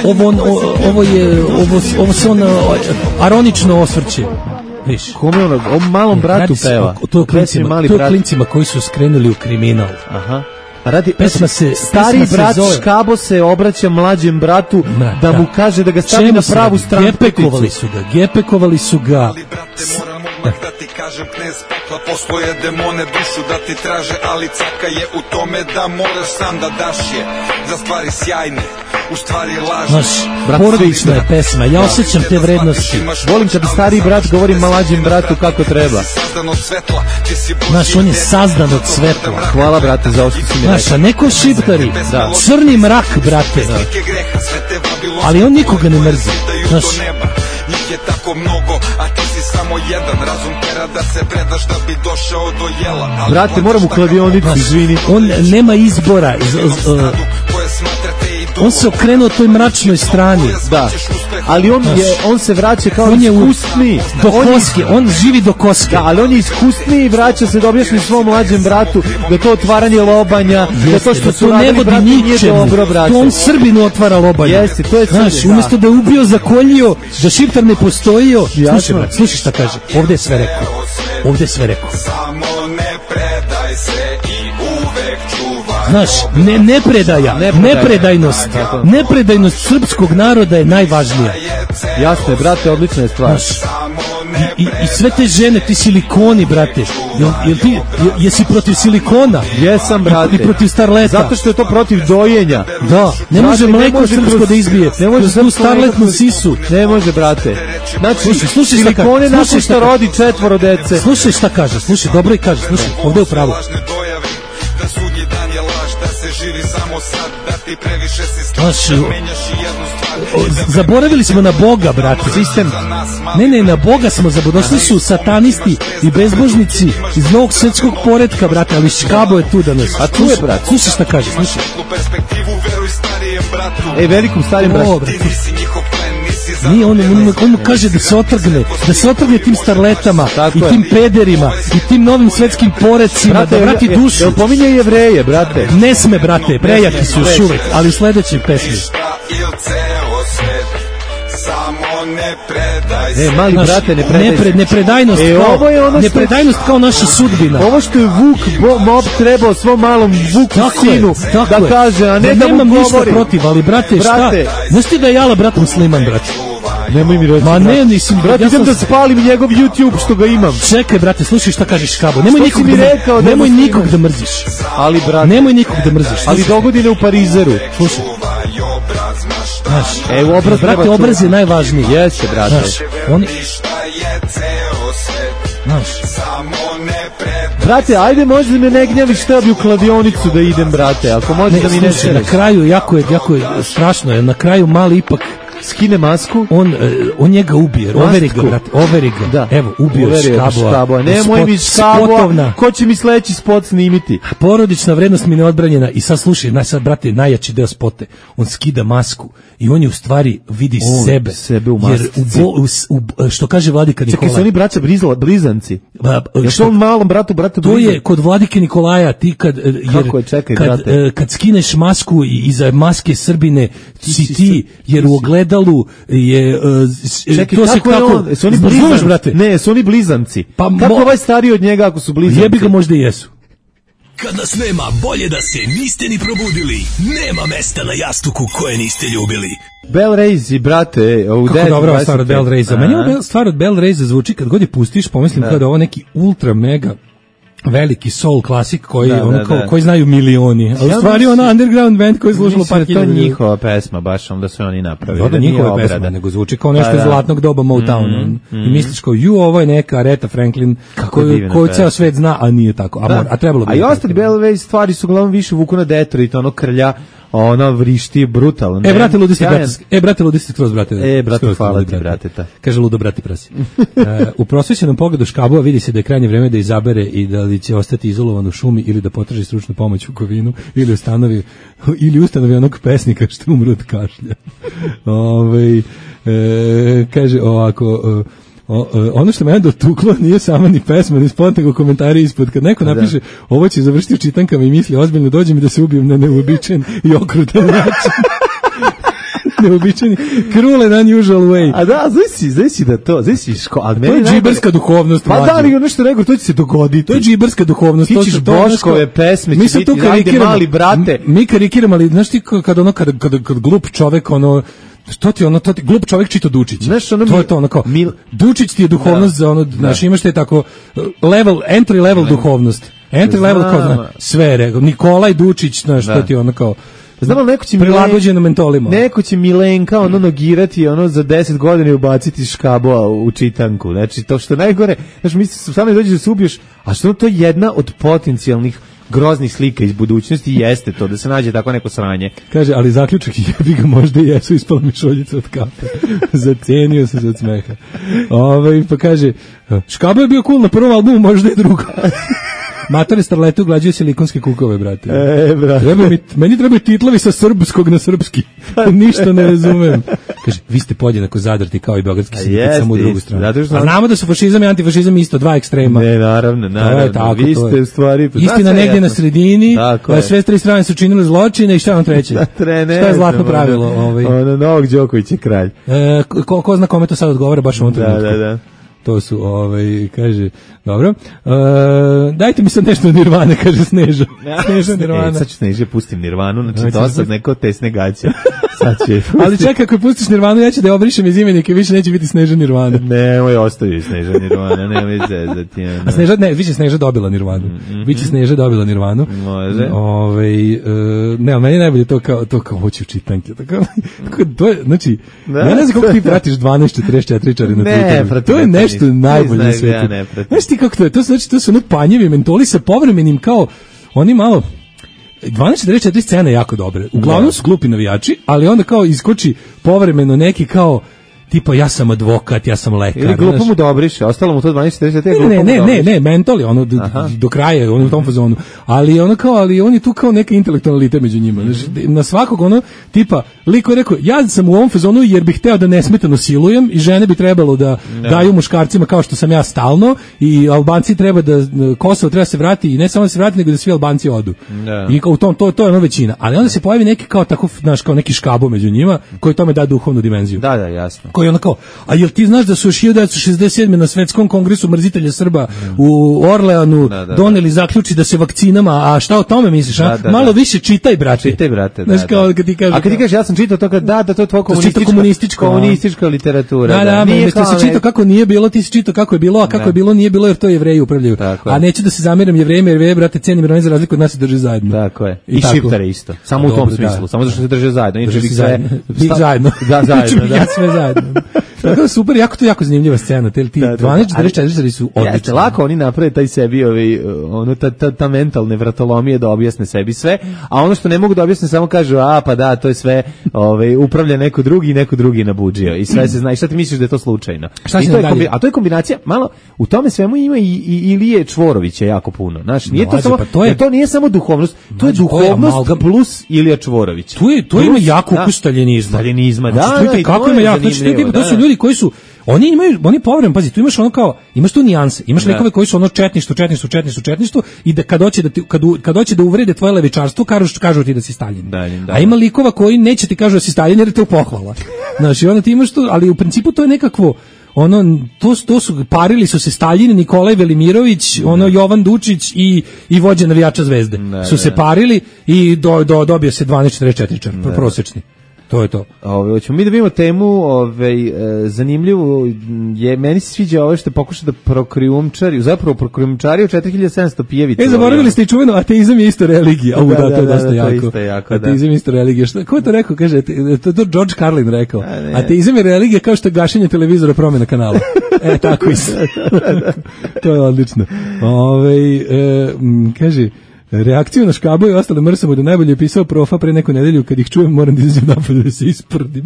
Ovo, on, ovo je ovo, ovo se on aronično osvrće. Viš. Kome ono, o malom bratu peva. To je klincima, to je klincima koji su skrenuli u kriminal. Aha. Radi, pesma se, stari pesma brat se Škabo se obraća mlađem bratu Mra, da, da mu kaže da ga stavi Čemu na pravu stranu. Gepekovali su ga, gepekovali su ga. Ali brate, moram odmah da ti kažem, knez pekla, postoje demone dušu da ti traže, ali caka je u tome da moraš sam da daš je za stvari sjajne. U stvari lažno. Naš, porodična je pesma, ja osjećam te vrednosti. Volim kad stari brat govori mlađem bratu kako treba. Naš, on je sazdan od svetla. Hvala, brate, za ovo što si mi rekao. Naš, a neko šiptari, da. Crni mrak, brate. Da. Ali on nikoga ne mrzi. Naš, njih je tako mnogo, a ti si samo jedan. Razum tera da se predaš da bi došao do jela. Ali brate, moram u kladionicu, izvini. On nema izbora. Z, z, uh, on se okrenuo toj mračnoj strani. Da. ali on je on se vraća kao on je iskusniji. Do on koske, je, on živi do koske. Da, ali on je iskusniji i vraća se da objasni svom mlađem bratu da to otvaranje lobanja, da to što da su to ne radili vodi bratu nije ničemu. dobro, brate. To on Srbinu otvara lobanje. Jeste, to je Znaš, Srbin, umjesto da je ubio, zakoljio, da Šiptar ne postojio. Slušaj, brat, slušaj šta kaže. Ovde je sve rekao. Ovde je sve rekao. Samo ne predaj se i uvek čuvaj. Znaš, ne, nepredaja, nepredajnost, nepredajnost srpskog naroda je najvažnija. Jasno je, brate, odlična je stvar. Znaš, i, i, i sve te žene, ti silikoni, brate, jel, jel ti, jel, jesi protiv silikona? Jesam, brate. I protiv starleta. Zato što je to protiv dojenja. Da, ne može brate, mleko ne može srpsko kroz, da izbije. Ne može kroz tu starletnu sisu. Ne može, brate. Znači, slušaj, slušaj šta silikone kaže, nakon slušaj što šta rodi četvoro dece. Slušaj šta kaže, slušaj, dobro i kaže, slušaj, ovde je u pravu. Da sudnji dan je laž, da se živi samo sad, da ti previše si Znaš, stvar, da menjaš i jednu stvar. zaboravili smo na Boga, brate. Sistem. Ne, ne, na Boga smo zaboravili. Došli su satanisti i bezbožnici iz novog svetskog poretka, brate, ali Škabo je tu danas. A tu je, brate. Slušaj šta kaže, slušaj. Ej, velikom starim bratu. Nije, on, on, on mu kaže da se otrgne, da se otrgne tim starletama tako i je. tim pederima i tim novim svetskim porecima, Brate, da vrati je- dušu. Jel pominje Jevreje, brate? Ne sme, brate, prejaki su još uvek, ali u sledećoj pesmi. E, mali Znaš, brate, ne predaj. nepre, nepredajnost, E, kao, ovo je ono što- nepredajnost kao naša sudbina. Ovo što je Vuk bo, mob trebao svom malom Vuku Tako je, sinu tako da je. kaže, a ne Ja da mu nemam ništa govori. protiv, ali brate, Brate. šta? Znaš ti da je Jala brat musliman, brate? Nemoj mi reći. Ma brate. ne, nisam. Brate, ja idem sam- da spalim njegov YouTube što ga imam. Čekaj, brate, slušaj šta kažeš Škabo. Nemoj Što nikog si mi da, rekao da je nemoj musliman? nikog da mrziš. Ali, brate, Nemoj nikog da mrziš. ali Slušaj, dogodine u Parizeru. slušaj. Znaš, E, u obraz brate, treba čuvati. obraz je najvažniji. Jeste, brate. Znaš, oni, znaš, Brate, ajde možda me ne gnjaviš, šta bi u kladionicu da idem, brate, ako može ne, da mi ne slušaj, na šereš. kraju, jako je, jako je strašno, je, na kraju mali ipak, Skine masku. on, e, on njega ubije, overi ga, Masku. brate, overi ga. Da. Evo, ubio je Uverio je Škaboa. Škaboa. Nemoj Spot- mi Škaboa, spotovna. ko će mi sledeći spot snimiti? Porodična vrednost mi neodbranjena i sad slušaj, naj sad brate najjači deo spote. On skida masku i on je u stvari vidi On sebe. sebe u Jer masci. u, bo- u, s- u, što kaže Vladika Čekaj, su Nikolaj. oni braća Brizla, blizanci? ba- Je što- to on malom bratu, bratu To blizan? je kod Vladike Nikolaja, ti kad, e, jer, Kako je, čekaj, kad, brate. e, kad skineš masku i iza maske Srbine si ti, jer u ogledalu je, e, s- Čekaj, to se kako je kako, on? Su oni razumeš, blizanci? brate? Ne, su oni blizanci. Pa Kako mo- ovaj stariji od njega ako su blizanci? Jebi ga, možda i jesu. Kad nas nema, bolje da se niste ni probudili. Nema mesta na jastuku koje niste ljubili. Bell Rays, brate, u Kako devet dobra ova dvadeset stvar od pet. Bell Raysa. Meni ova Bell- stvar od Bell Raysa zvuči kad god je pustiš, pomislim kao da je ovo neki ultra mega veliki soul klasik koji Da, ono da, kao, da. koji znaju milioni. A u Ja stvari mislim- ona underground band koji je slušalo Mislim par da je to hiljada ljudi. njihova pesma, baš onda su oni napravili. Da, da, nije njihove obrada. pesme, nego zvuči kao nešto Pa iz da. zlatnog doba Motowna. Mm, I misliš kao, ju, ovo je neka Aretha Franklin Kako je koju, divna koju pesma. ceo svet zna, a nije tako. A, Da. mora- a trebalo bi. A i da je ostali tako. Bell Rays stvari su uglavnom više vuku na Detroit, ono krlja, ono vrišti brutalno. E, brate, ludi ste, Sjajan. brate, e, brate, ludi ste skroz, brate. E, brate, Skroz hvala ludi, ti, brate, ta. Kaže ludo, brate, prasi. E, u prosvećenom pogledu Škabova vidi se da je krajnje vreme da izabere i da li će ostati izolovan u šumi ili da potraži stručnu pomoć u Kovinu ili ustanovi, ili ustanovi onog pesnika što umre od kašlja. Ove, e, kaže ovako... e, O, e, ono što me je dotuklo nije sama ni pesma, ni spot, nego komentari ispod. Kad neko napiše ovo će završiti u čitankama i misli ozbiljno, dođe mi da se ubijem na neuobičajen i okrutan način. Neuobičajeni, cruel and unusual way. A da, znaš si, znaš si da to, znaš si ško, ali To meni je najbolje- džiberska duhovnost. Pa mlađe. da, ali nešto nego, to će se dogoditi. To je džiberska duhovnost. Ti to ćeš su- to je Boškove nešto- pesme, će mi sad biti, tu ajde, karikiramo, mali brate. m- Mi karikiramo, ali znaš ti kad kad ono kad kad kad glup čovek ono što ti ono to ti glup čovek čita Dučić. Znaš, ono to mi- je to ono kao mil- Dučić ti je duhovnost za ono, znaš, imaš te tako uh, level entry level duhovnost. Entry level kao Znam. zna, sve je rekao Nikolaj Dučić, znaš, Da. to ti je ono kao Znam, ali neko će prilagođeno mentolima. Neko će Milenka ono nogirati ono za deset godina i ubaciti Škaboa u čitanku. Znači, to što je najgore, znači, misli, samo dođeš da se ubiješ, a što to je jedna od potencijalnih groznih slika iz budućnosti jeste to, da se nađe tako neko sranje. Kaže, ali zaključak jebi ga možda i jesu, ispala mi šoljica od kape. Zacenio sam se od smeha. Ove, pa kaže, Škabo je bio cool na prvom albumu, možda i drugo. Matore starlete uglađuje silikonske kukove, brate. E, brate. Treba mi, meni trebaju titlovi sa srpskog na srpski. Ništa ne razumem. Kaže, vi ste podjednako zadrti kao i beogradski sindikat, samo u drugu stranu. Zato što A znamo da su fašizam i antifašizam isto dva ekstrema. Ne, naravno, naravno. Tako, vi ste u stvari... Istina negdje na sredini, sve tri strane su činile zločine i šta vam treće? Šta je zlatno pravilo? Ovaj? Ono, Novak Đoković je kralj. E, ko, ko zna kome to sad odgovara baš u ovom trenutku. Da, da, da. To su, ovaj, kaže, dobro. E, dajte mi sad nešto od Nirvane, kaže Sneža. Sneža Nirvana. E, sad ću Sneža, pustim Nirvanu, znači to sad neko tesne gaće. Sad će... Ali čekaj, ako pustiš Nirvanu, ja ću da je obrišem iz imenike, više neće biti Sneža Nirvana. Ne, moj ostavi Sneža Nirvana, nemoj zezati. A Sneža, ne, više Sneža dobila Nirvanu. Mm-hmm. Biće Sneža dobila Nirvanu. Može. Ove, uh, ne, ali meni je najbolje to kao, to kao hoću čitanke. To, kao, to je, znači, da. Ja ne znam kako ti pratiš dvanaest četrdeset četiri čari na Twitteru. To je nešto najbolje na svijetu. Ja znaš ti kako to je? To, znači, to su ono panjevi mentoli sa povremenim kao, oni malo... dvanaest četrdeset četiri scene je jako dobre. Uglavnom su glupi navijači, ali onda kao iskoči povremeno neki kao tipa ja sam advokat, ja sam lekar. Ili glupo mu dobriše, ostalo mu to dvanaest četrdeset četiri. Ne, ne, ne, ne, mentoli, ono do, do kraja, ono u tom fazonu. Ali ono kao, ali on je tu kao neka intelektualita među njima. Mm-hmm. Znači, na svakog ono tipa, liko je rekao, ja sam u ovom fazonu jer bih hteo da nesmetano silujem i žene bi trebalo da ne. daju muškarcima kao što sam ja stalno i Albanci treba da, Kosovo treba se vrati i ne samo da se vrati, nego da svi Albanci odu. Ne. I kao u tom, to, to je ono većina. Ali onda se pojavi neki kao tako, znaš, kao neki škabo među njima koji tome da duhovnu dimenziju. Da, da, jasno. Koji ono kao, a jel ti znaš da su još hiljadu devetsto šezdeset sedme na svetskom kongresu mrzitelja Srba mm. u Orleanu da, da, doneli da. zaključi da se vakcinama, a šta o tome misliš, a? Da, da, malo da. više čitaj, brate. Čitaj, brate, znaš, da, kao, da. Kad ti kaže, a kad ti kažeš, ja sam čitao to, kad, da, da, to je tvoja komunistička, komunistička, komunistička literatura. Da, da, da nije kao, si čitao kako nije bilo, ti si čitao kako je bilo, a kako da. je bilo nije bilo, jer to Jevreji upravljaju. Tako a neću da se zamjeram Jevrejima, jer Jevreji, brate, cenim, jer oni za razliku od nas se drže zajedno. Tako je. I, I Šiptare isto. Samo u tom smislu, samo zato što se drže zajedno. Drže se zajedno. Zajedno. Da, zajedno, da. Sve zajedno. Tako super, jako to jako zanimljiva scena, te ti dvanaest četrdeset četiri su odlični. Lako oni naprave taj sebi, ovaj, ono, ta, ta, ta mentalne vratolomije da objasne sebi sve, a ono što ne mogu da objasne samo kažu, a pa da, to je sve ovaj, upravlja neko drugi i neko drugi nabuđio i sve se zna. I šta ti misliš da je to slučajno? Šta I to je kombi, a to je kombinacija, malo, u tome svemu ima i, i Ilije Čvorovića jako puno. Znaš, nije to, samo, pa to, je, to nije samo duhovnost, to je duhovnost to je plus Ilija Čvorović. To, je, to plus, ima jako ukus staljenizma. Staljenizma, da, znači, da, da, kako ima jako, znači, to su ljudi koji su oni imaju, oni povremeno, pazi, tu imaš ono kao, imaš tu nijanse, imaš likove koji su ono četništvo, četništvo, četništvo, četništvo i da kad hoće da ti, kad, kad hoće da uvrede tvoje levičarstvo, kažu, kažu ti da si Staljin. Da, da. A ima likova koji neće ti kažu da si Staljin jer je to pohvala. Znaš, i onda ti imaš to, ali u principu to je nekakvo, ono, to, to su, parili su se Staljin, Nikolaj Velimirović, ne. ono, Jovan Dučić i, i vođa navijača Zvezde. Ne, su se ne. parili i do, do, dobio se dvanaest četrdeset četiri čar, prosječni. To je to. Ove, hoćemo mi da vidimo temu, ovaj e, zanimljivu je, meni se sviđa ovo što pokuša da prokrijumčari, zapravo prokrijumčari u četiri hiljade sedamsto pijevica. E, zaboravili ste i čuveno, ateizam je isto religija. Da, da, da, to je dosta da, jako. To isto jako, da. Ateizam je isto religija. Šta, ko je to rekao? Kaže, to je to George Carlin rekao. A, ateizam je religija kao što je gašenje televizora, promjena kanala. E, tako isto. To je odlično. Ove, e, m, kaže, reakciju na škabu i ostale mrsamo da najbolje je pisao profa pre neku nedelju, kad ih čujem moram da izađem napolje da se isprdim.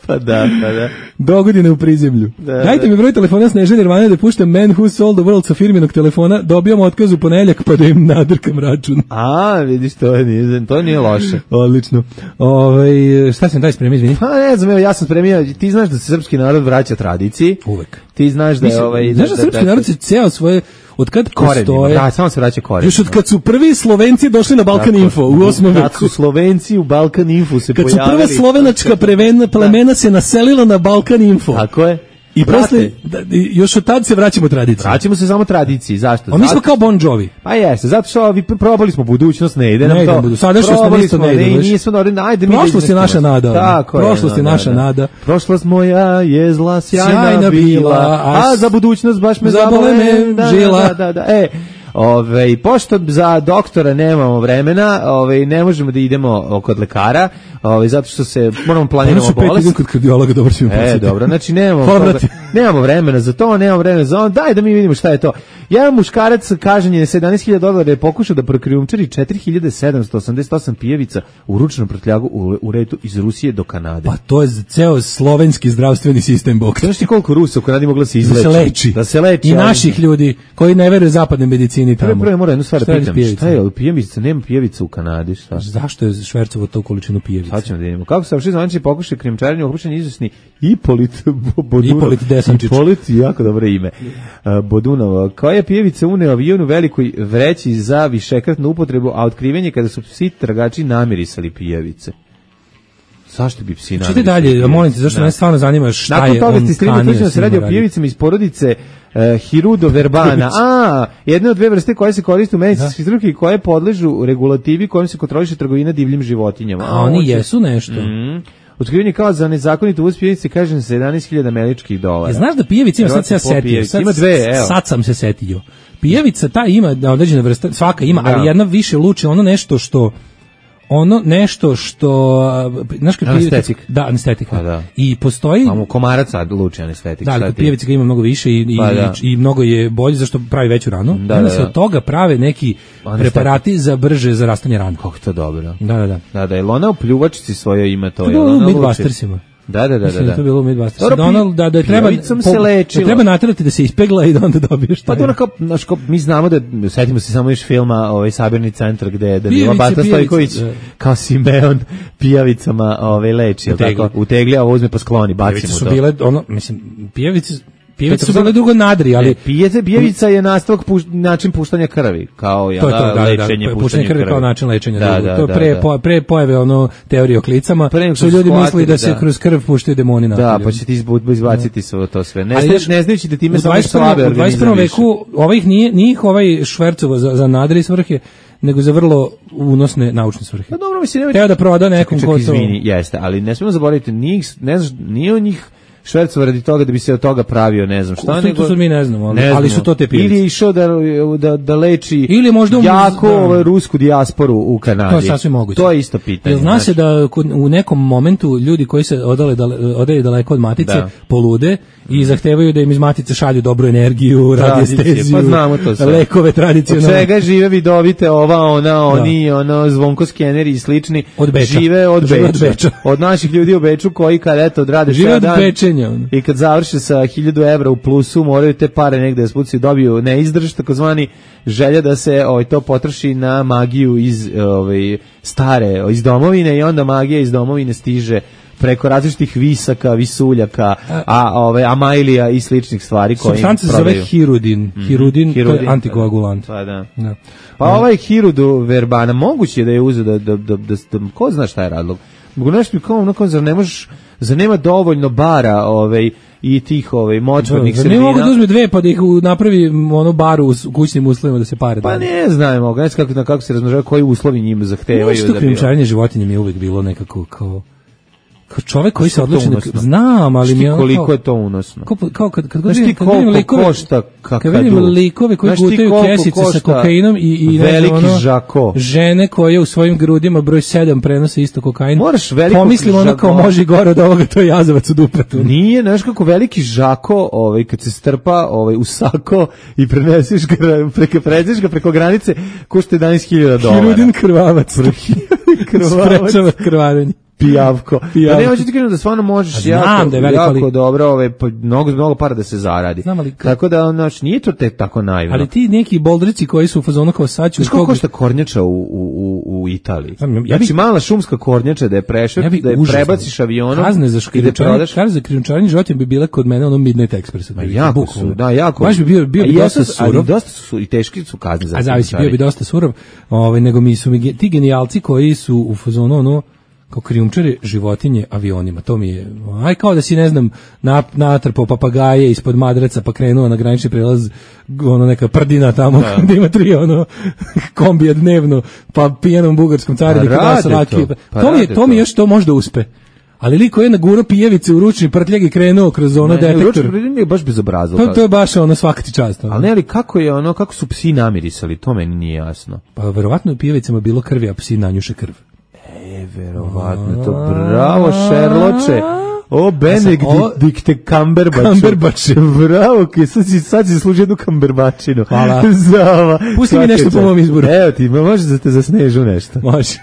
Pa da, pa da. Dogodine u prizemlju. Da, dajte da. mi broj telefona Snežane Nirvane da puštam Man Who Sold the World sa firminog telefona, dobijamo otkaz u ponedeljak pa da im nadrkam račun. A, vidiš, to nije, to nije loše. Odlično. Ove, šta sam daj spremio, izvini? Pa ne znam, evo ja sam spremio, ti znaš da se srpski narod vraća tradiciji. Uvek. Ti znaš da je ovaj... Znaš da, da srpski da, narod se ceo svoje... Od kad postoje... Da, samo se vraća korenima. Još od kad su prvi Slovenci došli na Balkan tako, Info u osmom veku. Kad su Slovenci u Balkan Info se kad pojavili... Kad su prva slovenačka prevena, plemena se naselila na Balkan Info. Tako je. I posle, da, još od tad se vraćamo tradiciji. Vraćamo se samo tradiciji, zašto? A mi smo kao Bon Jovi. Pa jeste, zato što vi probali smo budućnost, ne ide nam ne to. Sadašnjost nam isto ne ide. Ne, nismo, ajde mi prošlost je naša nada. Tako je. Prošlost je naša nada. Prošlost moja je zla, sjajna bila, a za budućnost baš me zabole me žila. Da, da, da, e. Ove, pošto za doktora nemamo vremena, ove, ne možemo da idemo kod lekara, ove, zato što se moramo planiramo bolest. Idem kod kardiologa, dobro ćemo E, dobro, znači nemamo, nemamo vremena za to, nemamo vremena za on, daj da mi vidimo šta je to. Jedan muškarac kažnjen je sedamnaest hiljada dolara da je pokušao da prokrijumčari četiri hiljade sedamsto osamdeset osam pijevica u ručnom prtljagu u, u redu iz Rusije do Kanade. Pa to je ceo slovenski zdravstveni sistem, bok. Znaš ti koliko Rusa u Kanadi mogla se izleči? Da se leči. Da se leči. I naših ljudi koji ne veruju zapadnoj medicini tamo. Prvo, prvo moram jednu stvar da pitam. Šta je, šta je pijevica? Nema pijevica u Kanadi, šta? Zašto je švercovo to količinu pijevica? Sad ćemo da vidimo. Kako se vrši zvanični pokušaj krijumčarenja, uhapšen izvesni Ipolit Bodunov. Ipolit Desančić. Ipolit, jako dobro ime. Uh, Bodunova. Koja je pijevica uneo avion u velikoj vreći za višekratnu upotrebu, a otkrivenje kada su psi tragači namirisali pijevice. Zašto bi psi namirisali? Čite dalje, molim te, zašto me stvarno zanima šta Nakon je toga on ti kanio da se radi o pijevicama iz porodice uh, Hirudo verbana. A, jedna od dve vrste koje se koriste u medicinskoj struki i koje podležu regulativi kojom se kontroliše trgovina divljim životinjama. A oni jesu nešto. Mm. Otkriveni kao za nezakonito uvoz pijevice kažem sedamnaest hiljada američkih dolara. Ja, znaš da pijevica ima, sad se ja setio, sad, ima dve, evo. Sad sam se setio. Pijevica ta ima određena vrsta, svaka ima, da. Ali jedna više luči, ono nešto što ono nešto što znaš kad anestetik. Da, anestetika. Pa da. I postoji a mu komaraca luči anestetik. Da, ali pijevica ga ima mnogo više i, pa da. i, i mnogo je bolje zašto pravi veću ranu. Da, onda da, se da. od toga prave neki anestetik. Preparati za brže zarastanje rana. Kako to dobro. Da, da, da. Da, da, je ona u pljuvačici svojoj ima to. To je bilo u Midbustersima. Da, da, da, Mislim, da. To je bilo u Midbustersima. Da, ono, da, da treba, po, se da treba naterati da se ispegla i da onda dobiješ taj. Pa to kao, znaš, kao, mi znamo da, setimo se samo još filma, ovaj, Sabirni centar, gde da bila Bata Stojković kao Simeon pijavicama ovaj, leči, tako, utegli, a ovo uzme pa skloni, bacimo to. Pijavice su bile, ono, mislim, pijavice Pijevice su bile drugo nadri, ali... Pijevica, pijevica je nastavak puš, način puštanja krvi, kao ja, to je to, da, lečenje, da, puštanje, puštanje krvi. Kao način lečenja. Da, da, to da, pre, da. Po, pre pojave ono teorije o klicama, pre su ljudi mislili da se da. kroz krv puštaju demoni na. Da, pa će ti izbaciti sve to sve. Ne, znaš, ne znajući da time samo slabe organizam. U dvadeset prvom veku ovih nije, nije ih ovaj švercovo za, za nadri svrhe, nego za vrlo unosne naučne svrhe. Pa dobro, mislim, treba da proda nekom ko to... Izvini, jeste, ali ne smemo zaboraviti, njih, ne znaš, nije od njih švercova radi toga da bi se od toga pravio, ne znam šta, to, nego... To su mi ne znamo, ali, ne znamo. ali su to te pijevice. Ili je išao da, da, da leči ili možda um, jako da. ovaj, rusku dijasporu u Kanadi. To je sasvim moguće. To je isto pitanje. Jer zna se da u nekom momentu ljudi koji se odale, dale, odale daleko od matice da. polude i zahtevaju da im iz matice šalju dobru energiju, radiesteziju, pa znamo to sve. Lekove tradicionalne. Od svega žive vidovite ova, ona, oni, da. ono, zvonko skeneri i slični. Od Beča. Žive od žive Beča. Od, Beča. Od naših ljudi u Beču koji kad eto odrade žive od dan Bečenja. Ono. I kad završe sa hiljadu evra u plusu, moraju te pare negde da spucaju, dobiju neizdrž, takozvani želja da se ovaj, to potroši na magiju iz ovaj, stare, iz domovine i onda magija iz domovine stiže preko različitih visaka, visuljaka, a ove amajlija i sličnih stvari koje im prodaju. Supstanca se zove hirudin. Mm-hmm. Hirudin, hirudin, to je antikoagulant. Pa da. da. Pa da. Ovaj hirudu verbana, moguće je da je uzeo da, da, da, da, da, ko zna šta je razlog? Mogu nešto mi kao onako, zar ne možeš, zar nema dovoljno bara ovaj, i tih ovaj, močvarnih da, sredina? Ne mogu da uzme dve pa da ih napravi ono baru u kućnim uslovima da se pare pa ne znamo, ne znam kako, kako se razmnožava, koji uslovi njima zahtevaju. Nešto krijumčarenje životinja mi je uvijek bilo nekako kao... Kao čovjek koji se odluči da znam, ali mi je koliko kao, je to unosno. Kao, kao kad kad znaš ti koliko likove, košta kakadu. Kad vidim likove koji gutaju kesice sa kokainom i i veliki ono, žako. Žene koje u svojim grudima broj sedam prenose isto kokain. Moraš veliko. Pomislim ono kao može gore od ovoga, to je jazavac u dupetu. Nije, znaš kako veliki žako, ovaj kad se strpa, ovaj u sako i preneseš ga preko pređeš ga preko granice, košta jedanaest hiljada dolara. Hirudin krvavac. Krvavac. Krvarenje. Pijavko. Pijavko. Da ne hoćeš ti kažem da stvarno možeš jako, da je veliko, jako ali... dobro, ove, mnogo, mnogo para da se zaradi. Znam, ali... Tako da, ono, nije to tek tako naivno. Ali ti neki boldrici koji su u fazonu kao sad ću... Znaš koliko košta kornjača u, u, u Italiji? Znam, ja znači, bi... mala šumska kornjača da je prešao, ja da je užasno. Prebaciš avionom kazne za i da prodaš. Kazne za krijumčarenje životinja bi bile kod mene ono Midnight Express. Ma jako su, da, jako. Baš bi bio, bio bi dosta surov. Ali dosta su i teški su kazne za krijumčarenje. A zavisi, bio bi dosta surov, ovaj, nego mi su mi ti genijalci koji su u fazonu ono kao krijumčare životinje avionima, to mi je, aj kao da si, ne znam, natrpao papagaje ispod madraca pa krenuo na granični prelaz, ono neka prdina tamo, da. Gde ima tri, ono, kombija dnevno, pa pijenom bugarskom cariniku, pa da salaki, to, pa to mi je, to mi još to možda uspe. Ali liko je na guro pijevice u ručni prtljag i krenuo kroz ono ne, detektor. Ručni prtljag je baš bezobrazno. To, to je baš ono svaka ti čast. Ono. Ali ne, ali kako je ono, kako su psi namirisali, to meni nije jasno. Pa verovatno je pijevicama bilo krvi, a psi nanjuše krv. E, verovatno, to bravo, Šerloče. O, Benedict ovo- Dikte Kamberbač. Kamberbač. Bravo, ki sad si, sad si služi jednu kamberbačinu. Hvala. Za ova. Pusti mi nešto po mom izboru. Evo ti, ma može da te za Snežu nešto. Može.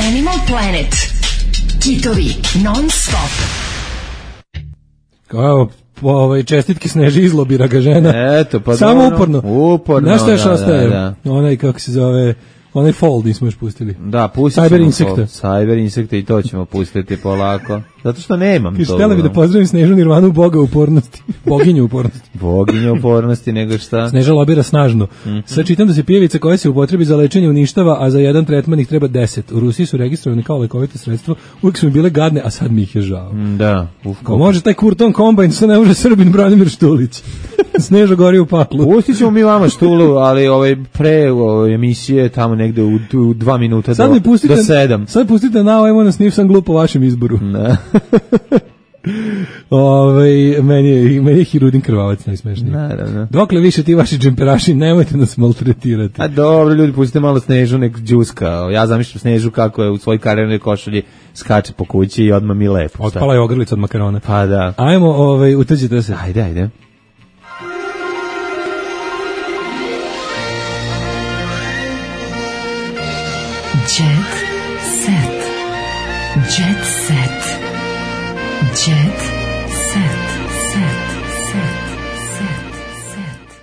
Animal Planet. Kitovi non stop. Kao, po, ovaj, čestitki Sneži izlobira ga žena. Eto, pa Samo dobro. uporno. Uporno, Znaš što još da, ostaje? da, Onaj, kako se zove, onaj fold nismo još pustili. Da, pustit Cyber ćemo insekta. to. Cyber insekte i to ćemo pustiti polako. Zato što nemam Kaže, to. htjela bi da ono. pozdravim Snežu Nirvanu, boga upornosti. Boginju upornosti. Boginja upornosti, nego šta? Sneža lobira snažno. Mm-hmm. Sad čitam da se pijevica koja se upotrebi za lečenje uništava, a za jedan tretman ih treba deset. U Rusiji su registrovani kao lekovito sredstvo, uvijek su mi bile gadne, a sad mi ih je žao. Da. Uf, Ko može taj Kurton kombajn, što ne može Srbin Branimir Štulić. Sneža gori u paklu. Pustit ćemo mi vama Štulu, ali ovaj pre ovaj, emisije tamo negde u, u dva minuta Sad do, mi pustite, do sedam. Sad pustite na ovo, na snif sam glup po vašem izboru. Da. Ove, meni, je, meni je Hirudin krvavac najsmešniji. Naravno. Dokle više ti vaši džemperaši, nemojte nas maltretirati. A dobro, ljudi, pustite malo Snežu, nek džuska. Ja zamišljam Snežu kako je u svojoj karijernoj košulji skače po kući i odmah mi lepo. Otpala je ogrlica od makarona. Pa da. Ajmo, ovaj, utrđite se. Ajde, ajde. Jet set. Jet set. Jet set. Set. Set. Set. Set.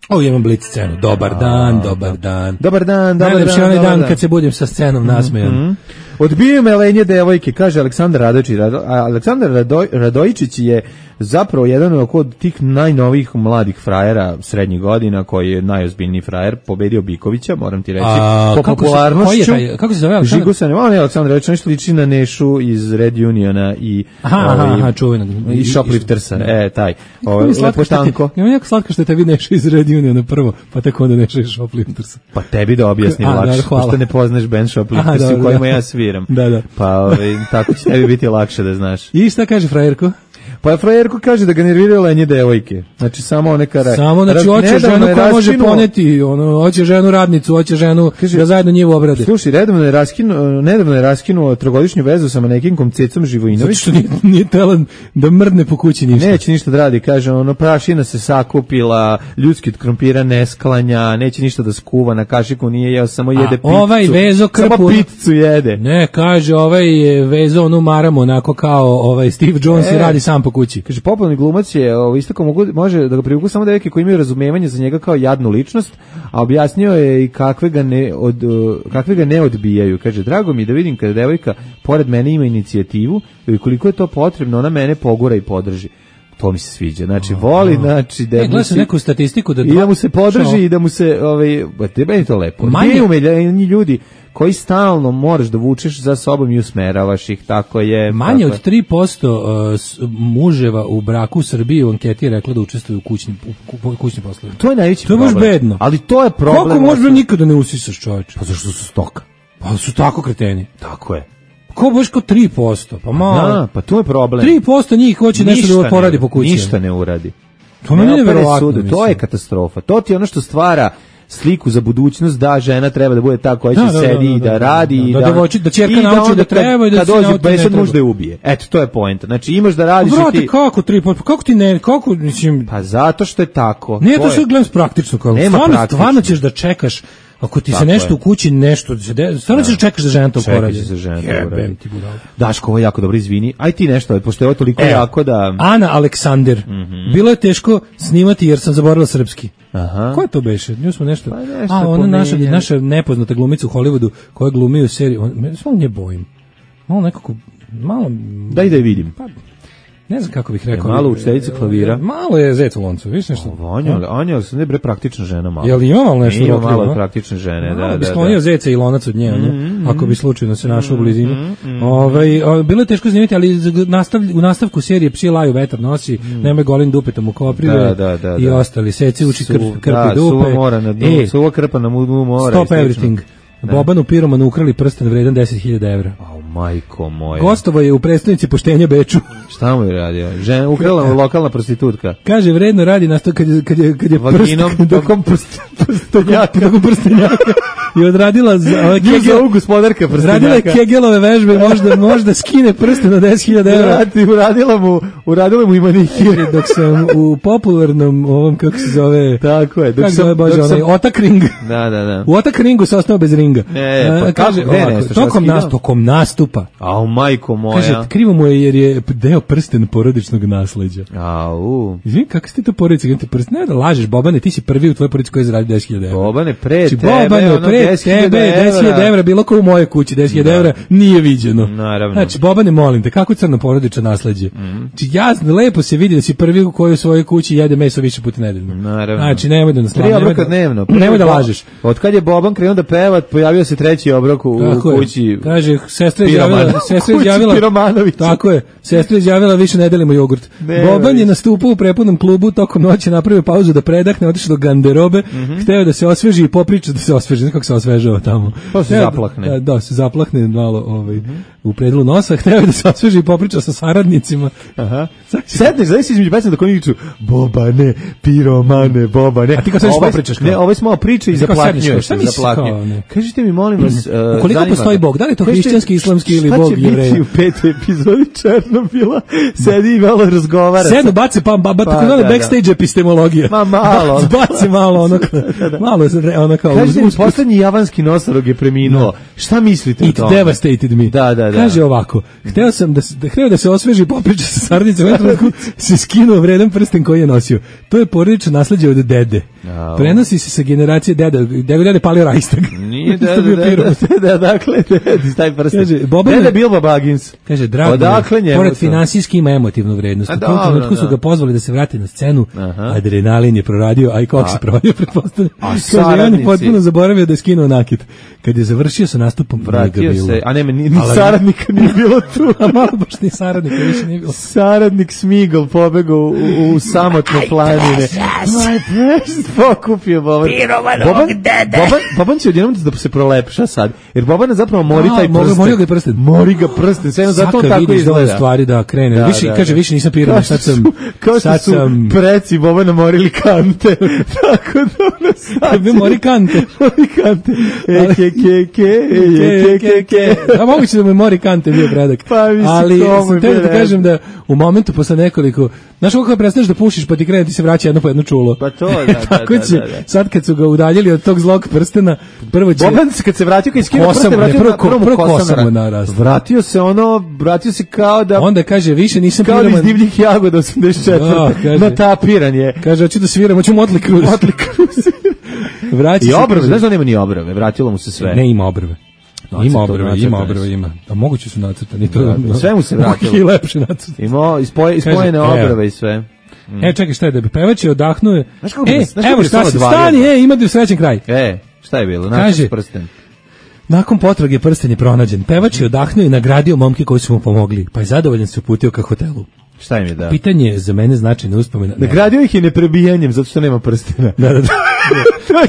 O, imam blic scenu. Dobar dan, dobar dan. Dobar dan, dobar Najlepši dan, onaj dobar dan dan. kad se budim sa scenom nasmejan. Mm-hmm. Odbijaju me lenje devojke, kaže Aleksandar Radojičić. Rado, a Aleksandar Radoj, Radojičić je zapravo jedan od tih najnovijih mladih frajera srednjih godina, koji je najozbiljniji frajer, pobedio Bikovića, moram ti reći, A, po kako se- popularnošću. koji je taj- kako se zove Aleksandar? Žigusan, on je Aleksandar Radojičić, nešto liči na Nešu iz Red Uniona i Aha, aha, ovaj, aha, čuvenog. i Shopliftersa, Da. e, taj. Ovo Ovaj, mi je slatko što lepotanko. te, ima jako slatko što te vi Neša iz Red Uniona prvo, pa tako onda Neša iz Shopliftersa. Pa tebi da objasnim A, lakše, dobro, hvala. pošto ne poznaš band Aha, Shoplifters u dobro, kojima da. ja sviram. Da, da. Pa ovaj, tako će tebi biti lakše da znaš. I šta kaže frajerko? Pa frajerko kaže da ga nerviraju lenje devojke. Znači samo one kara. Samo znači Raz- hoće nedavno ženu je koja može raskinuo- poneti, ono, hoće ženu radnicu, hoće ženu Kaže- da zajedno njivu obrade. Slušaj, redovno je raskinuo, nedavno je raskinuo trogodišnju vezu sa manekinkom Cecom Zato Živojinović. što nije, nije tela da mrdne po kući ništa. Neće ništa da radi, kaže, ono, prašina se sakupila, ljudski od krompira ne sklanja, neće ništa da skuva, na kašiku nije jeo, samo jede picu. ovaj vezo krpu- Samo picu jede. Ne, kaže, ovaj je vezo onu maramu, onako kao ovaj Steve Jones E. i radi sam po kući. Kaže, popularni glumac je ovo, isto kao mogu, može da ga privuku samo devojke koji imaju razumevanje za njega kao jadnu ličnost, a objasnio je i kakve ga ne, od, uh, kakve ga ne odbijaju. Kaže, drago mi je da vidim kada devojka pored mene ima inicijativu i koliko je to potrebno, ona mene pogura i podrži. To mi se sviđa. Znači, voli, znači, da E, mu gledao sam se- neku statistiku da i da dva- mu se podrži Što? i da mu se, ovaj, ba, tebe je to lepo. Manje- Manje umeljeni ljudi koji stalno moraš da vučeš za sobom i usmeravaš ih, tako je. Manje tako od tri posto uh, s- muževa u braku u Srbiji u anketi je rekla da učestvuju u kućnim, u ku- kućnim poslovima. To je najveći To je baš problem. bedno. Ali to je problem. Kako možda osnovni. nikada ne usisaš, čoveče? Pa zašto su stoka? Pa su tako kreteni. Tako je. Ko baš kao tri posto? Pa malo. Da, pa to je problem. tri posto njih hoće nešto Ništa da ne poradi uradi, po kući. Ništa ne uradi. To meni je Ne opere neverovatno, sude, To mislim. je katastrofa. To ti je ono što stvara sliku za budućnost da žena treba da bude ta koja će Da, da, sedi da, i da, da radi da, i da da devojči- da ćerka i nauči da onda treba i da kad sin dođe nauči da ne besed treba. može da je ubije. Eto, to je poenta. Znači imaš da radiš i Vrate, ti kako tri posto? Kako ti ne, kako, mislim, pa zato što je tako. nije to je- sve gledam praktično, kao, Nema stvarno, praktično. stvarno ćeš da čekaš, ako ti se Tako nešto je. u kući, nešto, se de- stvarno ćeš da čekaš da žena to Čekaj poradi. će se žena to Jebem uradi. ti budalo. Daško, ovo je jako dobro, izvini. Aj ti nešto, pošto je ovo toliko Evo, jako da... Ana Aleksander. Bilo je teško snimati jer sam zaboravila srpski. Aha. Ko je to beše? Nju smo nešto... Pa nešto A, ona naša, pominjali. naša nepoznata glumica u Hollywoodu koja glumi u seriji. On, me samo nje bojim. Malo nekako... Malo... Daj da je vidim. Pa, ne znam kako bih rekao. Je malo učiteljica klavira? Malo je zec u loncu, vidiš nešto? Anja, Anja, sam ne bre praktična žena malo. Jel ima malo nešto Ima rokljivo, malo a? praktične žene, da, Malo bi da, sklonio da. zeca i lonac od nje, ono, ako bi slučajno se našao u blizini. Ovaj, o, bilo je teško snimati, ali z- nastav, u nastavku serije Psi laju, vetar nosi, nemoj golim dupetom u koprive Da, da, da, i da. ostali. Seci uči krp, Su- krpi da, dupe. suva mora na dnu, E, suva krpa na dnu mora. Stop i slično. everything. Da. Bobanu piromanu ukrali prsten vredan deset hiljada evra. A u Majko moja. Gostovo je u prestonici poštenja Beču. Šta mu je radio? Žena, ukrala mu lokalna prostitutka. Kaže, vredno radi na sto kad je, kad je, kad je Vaginom, prst, dokom prst, prstenjaka. Dokom prstenjaka. I odradila za, ovaj, Kegel, gospodarka prstenjaka. Radila je Kegelove vežbe, možda, možda skine prste na deset hiljada evra. Uradila mu, uradila mu i manikir. Dok sam u popularnom, ovom, kako se zove... Tako je. Dok kako sam, zove, Bože, dok onaj, sam, Otak ring. Da, da, da. U Otak ringu se ostao bez ringa. E, pa kaže, kako, ovako, nešto, tokom, nas, tokom nastupa. Au, majko moja. Kaže, krivo mu je jer je deo prsten porodičnog nasleđa. Au. Izvini, kako si ti to porodica? Ti prsten, ne da lažeš, Bobane, ti si prvi u tvojoj porodici koji je zaradio deset hiljada evra. Bobane, pre znači, tebe, Bobane, ono, pre deset hiljada tebe, deset hiljada evra, bilo kao u moje kući, deset hiljada evra nije viđeno. Naravno. Znači, Bobane, molim te, kako crno porodično nasleđe? Mm. Znači, jasno, lepo se vidi da si prvi u kojoj u svojoj kući jede meso više puta nedeljno. Naravno. Znači, nemoj da nas Tri obroka dnevno. Nemoj da lažeš. Od kad je Boban krenuo da peva, pojavio se treći obrok u tako kući. Je. Kaže, sestra je izjavila, sestra je izjavila, tako je, sestra je izjavila više ne delimo jogurt. Ne, Boban je nastupao u prepodnom klubu, tokom noći napravio pauzu da predahne, otišao do garderobe, mm -hmm. hteo da se osveži i popriča da se osveži, ne kako se osvežava tamo. Pa se zaplahne. Da, da, se zaplahne malo ovaj, mm -hmm. u predelu nosa, hteo da se osveži i popriča sa saradnicima. Aha. Sedneš, zavis si između pesma da koniču Bobane, piromane, Bobane. A ti kao sedneš popričaš? Ne, ovo je malo priče i zaplaknjuješ. Zaplaknjuješ. Kažite mi, molim vas, uh, koliko postoji Bog? Da li je to hrišćanski, islamski ili Bog Jevreja? Šta će biti u petoj epizodi Černobila? Sedi i malo razgovara. Sedno, baci, pa, ba, ba, pa, tako da, backstage da. Epistemologija. Ma malo. Baci malo, ono, da, da. malo, ono kao... Kažete mi, poslednji javanski nosorog je preminuo. Šta mislite o tome? It devastated me. Da, da, da. Kaže ovako, hteo sam da, da, hteo da se osveži popriča sa saradnicima, se skinuo vredan prsten koji je nosio. To je porodično nasleđe od dede. Oh. Prenosi se sa generacije deda, deda dede palio Rajstag. Nije deda, deda, deda, dakle, deda, taj prsten. Kaže, Boban, deda Bilbo Baggins. Kaže, drago, odakle njemu pored finansijski ima emotivnu vrednost. U tom trenutku su ga pozvali da se vrati na scenu, aha. Adrenalin je proradio, a i kog se proradio, pretpostavljam. Kaže, on je potpuno zaboravio da je skinuo nakit. Kad je završio sa nastupom, vratio se, a nema, ni, ni saradnika nije bilo tu. A malo baš ni saradnika više nije bilo. Saradnik Smigol pobegao u, u, u samotne planine. My precious, pokupio Boban. Boban, Boban, Boban će odjednom da se prolepša sad, jer Boban zapravo mori taj prsten. Mori ga prsten. Mori ga prsten, sve jedno zato tako izgleda. Stvari da krene. Da, više, da, kaže, više nisam piroman, sad sam... Kao što su sam... preci Bobana morili kante. Tako da ono sad... Bi mori kante. Mori kante. E, ke, ke, ke, e, ke, ke, ke. A moguće da mu mori kante bio predak. Pa mi se ali sam te da kažem da u momentu posle nekoliko... Znaš kako prestaneš da pušiš pa ti krene ti se vraća jedno po jedno čulo. Pa to, da, da, tako da, će, da, da. sad kad su ga udaljili od tog zlog prstena, prvo će... Boban se kad se vratio, kad iskino prste, vratio prvo, na prvom prvo kosam mu narastao. Vratio se ono, vratio se kao da... Onda kaže, više nisam kao piroman. Kao iz divljih jagoda osamdeset četvrte Natapiran je. Kaže, hoću da sviram, hoću Motley Crue. Motley Crue. Vraća I obrve, znaš da nema ni obrve, vratilo mu se sve. Ne, ima obrve. No, ima obrve, ima obrve, ima. A moguće su nacrtani. To, da, da, sve mu se vratilo. I lepše nacrtani. Imao ispoje, ispojene obrve i sve. Mm. E, čekaj, šta je da bi pevač je odahnuo? Znaš kako e, bi, znaš evo šta si, stani, e, ima da srećen kraj. E, šta je bilo? Kaže, prsten. Nakon potrage prsten je pronađen. Pevač je odahnuo i nagradio momke koji su mu pomogli, pa je zadovoljan se uputio ka hotelu. Šta im je dao? Pitanje je za mene značajna uspomena. Nagradio ih je neprebijanjem, zato što nema prstena. Da, da, da.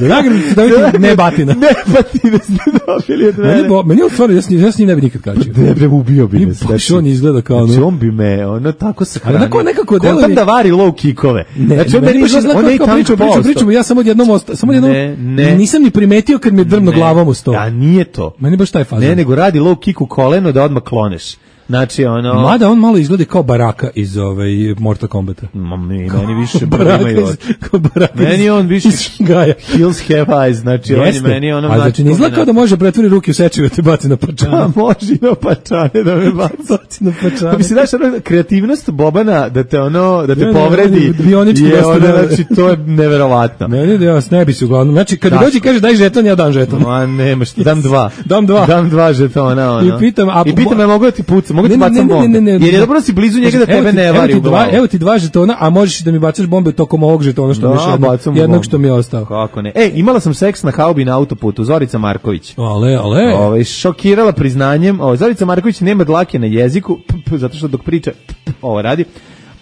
Nagradu su dobiti ne batina. Ne batine ste dobili od mene. Meni, meni on stvarno, ja s njim ne bi nikad kačio. Ne bre, ubio bi me. Znači, on izgleda kao ono. Znači, on bi me, ono, tako se hrani. Onako, nekako deluje. Kontam da vari low kickove. Ne, znači, on meni izgleda, on je i tanko pričamo, pričamo, pričamo, ja samo odjednom, samo odjednom, ne, ne. nisam ni primetio kad mi je drvno glavom u sto. A nije to. Meni baš taj fazon. Ne, nego radi low kick u koleno da odmah kloneš. Znači, ono... Mada on malo izgleda kao Baraka iz ovaj Mortal Kombata. Ma, meni, meni više Baraka iz, kao Baraka meni on više iz Gaja. Hills have eyes, znači on je meni ono... A znači, ne izgleda kao da može pretvori ruke u sečive da te baci na pačane. Pa može na pačane da me baci na pačane. Pa mi se daš ono, kreativnost Bobana da te ono, da te ja, povredi ne, je ono, znači, to je neverovatno. Meni da ja ne bi se uglavnom. Znači, kad dođe kaže daj žeton, ja dam žeton. Ma nema što, dam dva. Dam dva. Dam dva žetona, ono. I pitam, a I pitam, ja mogu da ti pucam, mogu ti bacam bombe. Jer je dobro da si blizu njega da tebe ne vari u glavu. Evo ti dva žetona, a možeš da mi bacaš bombe tokom ovog žetona što mi je jednog, jednog što mi je ostao. Kako ne. E, imala sam seks na haubi na autoputu, Zorica Marković. Ale, ale. Ovaj šokirala priznanjem. Ovaj Zorica Marković nema dlake na jeziku, p, p, zato što dok priča p, p, ovo radi.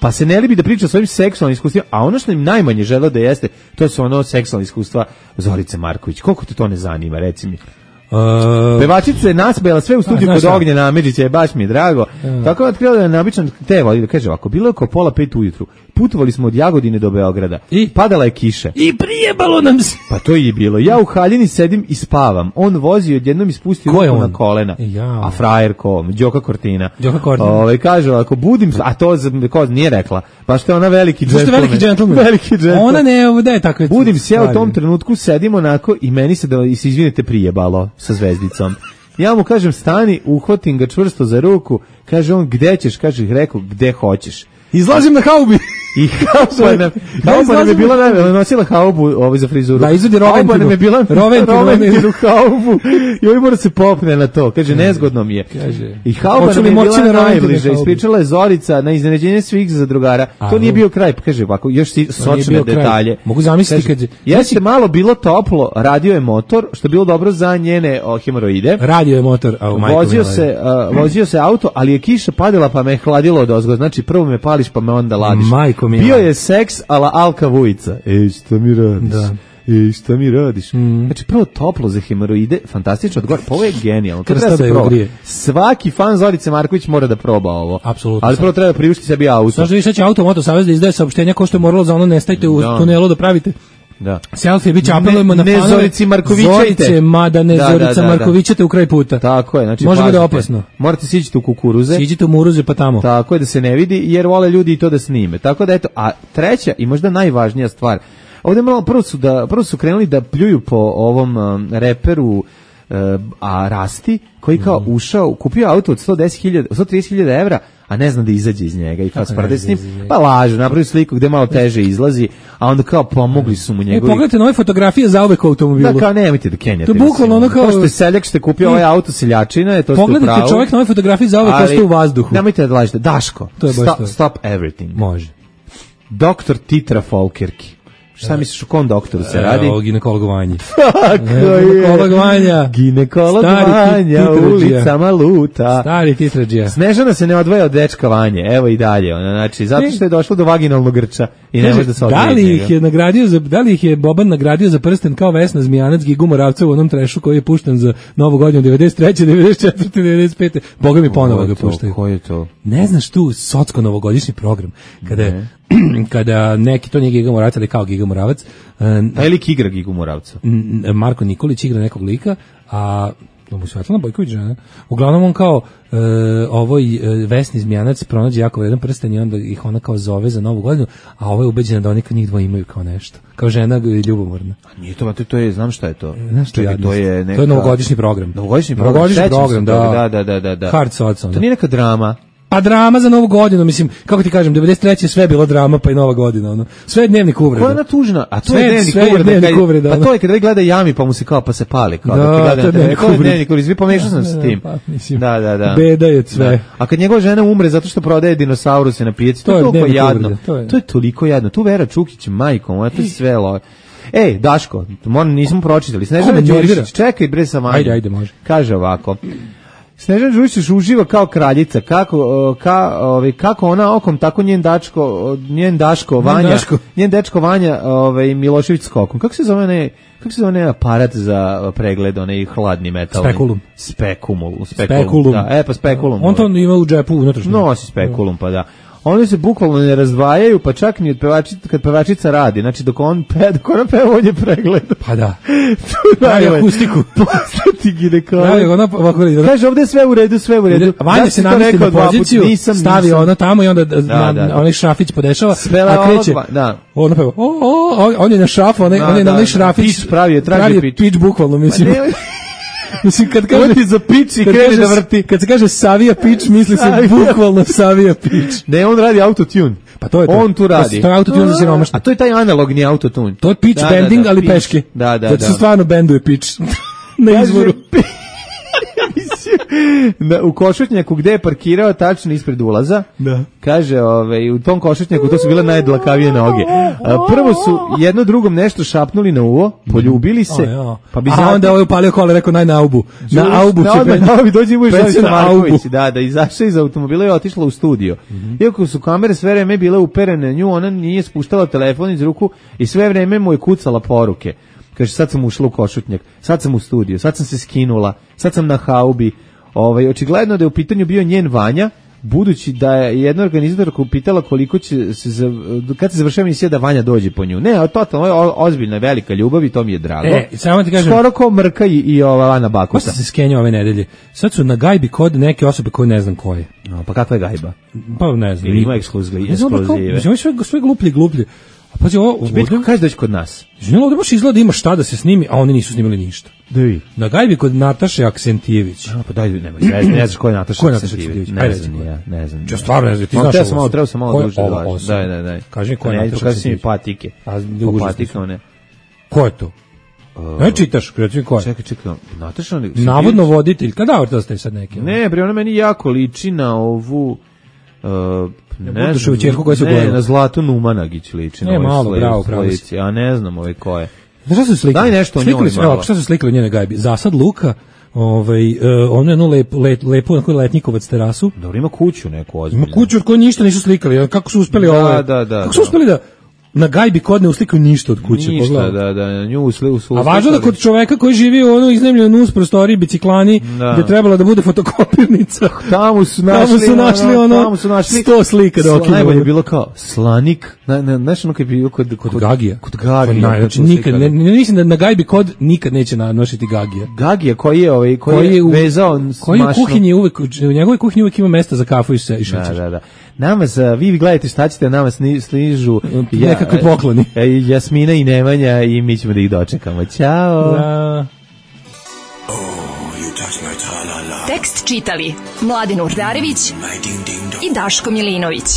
Pa se ne libi da priča o svojim seksualnim iskustvima, a ono što im najmanje žele da jeste, to su ono seksualne iskustva Zorice Marković. Koliko te to ne zanima, reci mi? Uh, Pevačica je nasmejala sve u studiju kod Ognjena Amidžića, je baš mi je drago. Uh. Tako je otkrila da je naobičan te voli, da kaže ovako, bilo je oko pola pet ujutru, putovali smo od Jagodine do Beograda, i padala je kiša. I prijebalo nam se. Pa to je bilo. Ja u haljini sedim i spavam. On vozi, odjednom ispustio ruku na kolena. Ja. A frajer ko? Đoka Kortina. Đoka Kortina. Ove, kaže, ako budim, a to ko nije rekla, pa što je ona veliki džentlmen. veliki džentlmen. Veliki džentlmen. Ona ne, da je tako. Budim se ja u tom trenutku, sedim onako i meni se, da se izvinite, prijebalo sa zvezdicom. Ja mu kažem stani, uhvatim ga čvrsto za ruku, kaže on gde ćeš, kaže rekao gde hoćeš. Izlazim na haubi. I hauba nam, hauba nam je bila najbolja, nosila haubu ovaj za frizuru. Da, izvodi Roventinu. Hauba nam je bila Roventinu haubu i ovaj mora se popne na to. Kaže, nezgodno mi je. Kaže, I hauba nam je bila najbliže. Ispričala je Zorica na iznenađenje svih zadrugara. To nije bio kraj. Kaže, ovako, još si sočne detalje. Mogu zamisliti kad... Jeste malo bilo toplo, radio je motor, što je bilo dobro za njene hemoroide. Radio je motor. Vozio se, vozio se auto, ali je kiša padala pa me je hladilo od ozgo. Znači, prvo me pališ pa me onda ladiš. Bio je seks ala Alka Vujica. Ej, šta mi radiš? Da. Ej, šta mi radiš? Mm. Znači, prvo toplo za hemoroide, fantastično odgovor. Pa ovo je genijalno. Kad treba se proba. Svaki fan Zorice Marković mora da proba ovo. Apsolutno. Ali prvo treba priuštiti sebi auto. Znaš da vi sad će Auto Moto Savez da izdaje saopštenja ko što je moralo za ono nestajte u da. tunelu da pravite. Da. Selfie biće apelujemo na fanove. Ne Zorici Markovićajte. Zorice, mada ne da, Zorica da, da, Markovićate u kraj puta. Tako je. Znači, može biti opasno. Morate siđite u kukuruze. Siđite u muruze pa tamo. Tako je, da se ne vidi, jer vole ljudi i to da snime. Tako da eto, a treća i možda najvažnija stvar, ovdje malo prvo su, da, prvo su krenuli da pljuju po ovom um, reperu uh, a Rasti, koji kao mm. ušao, kupio auto od sto deset hiljada, sto trideset hiljada evra, a ne zna da izađe iz njega i kao sprde s njim, pa lažu, napravi sliku gde malo teže izlazi, a onda kao pomogli su mu njegovi. E, pogledajte nove fotografije za uvek u automobilu. Da, kao nemojte da kenjate. To je bukvalno ono kao... To što je seljak što je kupio ovaj auto seljačina, je to što je pravo. Pogledajte čovjek nove fotografije za uvek ostaje u vazduhu. Nemojte da lažete. Daško, to je stop, stop everything. Može. Doktor Titra Folkerki. Šta misliš, u kom doktoru se radi? O ginekolog Vanja. Tako je. Ginekolog Vanja. Ginekolog Vanja, ulicama luta. Stari titrađija. Snežana se ne odvaja od dečka Vanje, evo i dalje. Ona, znači, zato što je došlo do vaginalnog grča i ne može da se odvaja. Da li ih je nagradio za, da li ih je Boban nagradio za prsten kao Vesna Zmijanac, Gigu Moravca u onom trešu koji je pušten za Novu godinu devedeset treće, devedeset četvrte, devedeset pete. Boga mi ponovo ga puštaju. Ko je to? Ne znaš tu socko novogodišnji program kada je kada neki, to nije Giga Moravac, ali kao Giga Moravac. Taj lik igra Gigu Moravca. Marko Nikolić igra nekog lika, a mu Svetlana Bojković žena. Uglavnom on kao e, ovoj e, Vesni Zmijanac pronađe jako vredan prsten i onda ih ona kao zove za Novu godinu, a ovo je ubeđena da oni kad njih dva imaju kao nešto. Kao žena ljubomorna. A nije to, to je, znam šta je to. Znaš što to je neka... To je novogodišnji program. Novogodišnji program. Novogodišnji program, da. Da, da, da, da. Hard Sots. To nije neka drama. Pa drama za Novu godinu, mislim, kako ti kažem, devedeset treće sve je bilo drama, pa i Nova godina, ono. Sve je dnevnik uvreda. Koja je ona tužna? A to sve, je dnevnik sve uvreda. Dnevnik kad, uvreda pa to je kada gleda Jami, pa mu se kao, pa se pali. Kao, da, da, gleda, to je dnevnik uvreda. Dnevnik uvreda. Svi pomešao sam s tim. Pa, mislim, da, da, da. Beda je sve. Da. A kad njegova žena umre zato što prodaje dinosauruse na pijaci, to, to je toliko jadno. To je. to je toliko jadno. Tu Vera Čukić, majkom, to je sve lo... Ej, Daško, moram, nismo pročitali. Snežana Đurišić, čekaj bre sa manjom. Ajde, ajde, može. Kaže ovako. Snežana Đurišić uživa kao kraljica, kako ka, ovaj kako ona okom, tako njen dačko, njen Daško Vanja, Daško. njen dečko Vanja, ovaj Milošević skokom. Kako se zove ne, kako se zove ne aparat za pregled, onaj hladni metal? Spekulum. Spekumul, spekulum. spekulum. Da, e pa spekulum. On to ima u džepu unutrašnjem. Nosi spekulum, pa da. Oni se bukvalno ne razdvajaju, pa čak ni od pevačica, kad pevačica radi. Znači, dok on pe, dok ona peva, on je pregled. Pa da. Pravi akustiku. Postati ginekolog. Pravi, ona ovako... Kaže, ovde je sve u redu, sve u redu. Vanja se namesti na poziciju, nisam, stavi nisam. ono tamo i onda da, da, da, onaj šrafić podešava, Svela a kreće. Ovo, da. Ona peva, o, o, on je na šrafu, on je, on je na onaj šrafić. Pič pravi je, traži pravi pič. Pič, bukvalno, mislim. Mislim, kad kaže ti za pič i krene da vrti. Kad se kaže Savija pič, misli se bukvalno Savija pič. Ne, on radi autotune. Pa to je to. On tu radi. To je autotune za siromašne. A to je taj analogni autotune. To je pitch da, bending, da, da, ali pitch. Peške. Da, da, da. Da se stvarno benduje pitch. Na izvoru. Na, u košutnjaku gde je parkirao tačno ispred ulaza, da. Kaže, ovaj, u tom košutnjaku to su bile najdlakavije noge. A, prvo su jedno drugom nešto šapnuli na uvo, poljubili se, o, pa bi a zatim... onda ovaj upalio kola, rekao naj na aubu. Na aubu će ben... Na aubu dođe Ivo Žaljica Marković, aubu. da, da, izašla iz automobila i otišla u studio. Mm-hmm. Iako su kamere sve vreme bile uperene na nju, ona nije spuštala telefon iz ruku i sve vreme mu je kucala poruke. kaže sad sam ušla u Košutnjak, sad sam u studiju, sad sam se skinula, sad sam na haubi. Ovaj, očigledno da je u pitanju bio njen Vanja, budući da je jedna organizatorka upitala koliko će se za, kad se završava emisija da Vanja dođe po nju. Ne, totalno, ovo je ozbiljna velika ljubav i to mi je drago. E, samo ti kažem, skoro kao Mrka i, i ova Ana Bakuta. Ko se skenja ove nedelje? Sad su na gajbi kod neke osobe koje ne znam koje. No, pa kakva je gajba? Pa ne znam. Ili ima ekskluzive. Mislim, sve, sve gluplje i gluplje. A pazi, ovo... Biti kaže doći kod nas. Žena, ovdje baš izgleda ima šta da se snimi, a oni nisu snimili ništa. Da vi. Na gajbi kod Nataše Aksentijević. A, pa daj, nema, ne, ne znaš ko je Nataša Aksentijević. Ne znam, ja, ne znam. Ja stvarno ne znam, ti znaš ovo. Malo, treba sam malo duže da vaš. Daj, daj, daj. Kaži mi ko je Nataša Aksentijević. Kaži mi patike. A, patike one. Ko je to? Ne čitaš, kreći mi ko je. Čekaj, čekaj, Nataša... Navodno voditelj, kada vrta ste sad neki? Ne, bre, ona meni jako liči na ovu... Ne, ne znam, čerku koja se ne, na Zlatu Numanagić liči. Ne, malo, bravo, pravo. Ja ne znam ove ko je. Znaš šta su slikali? Daj nešto o njoj malo. Evo, šta su slikali njene gajbi? Zasad luka, ovaj, uh, ono je jednu lep, lep, lepu na koju letnikovac terasu. Dobro, ima kuću neku ozbiljnu. Ima kuću od koje ništa nisu slikali. Kako su uspeli da, ovo? Da, da, kako su uspeli da na gajbi kod ne uslikaju ništa od kuće. Ništa, pogledaj. da, da, na nju usli, usli, a važno da kod čoveka koji živi u ono iznajmljenoj nus prostoriji biciklani, da. Gde trebala da bude fotokopirnica. Tamo su našli, tamo su našli ono, tamo su našli sto slika da okinu. Najbolje je bilo kao slanik, na, na, znaš ono kad je bilo kod, kod, kod Gagija. Kod Gagija. Znači, nikad, ne, ne, mislim da na gajbi kod nikad neće nanositi Gagija. Gagija koji je, ovaj, koji, koji je u, vezao koji u kuhinji uvek, u njegovoj kuhinji uvek ima mesta za kafu i šećer. Da, da, da. Nama za, vi gledajte šta ćete, nama sližu ja, nekakvi pokloni. Jasmina i Nemanja i mi ćemo da ih dočekamo. Ćao. Da. Tekst čitali Mladin Urdarević i Daško Milinović.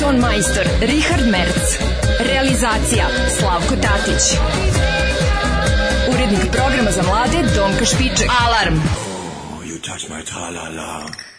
Ton majstor Richard Merc. Realizacija Slavko Tatić. Urednik programa za mlade Donka Špiček. Alarm! You touch my tra-la-la.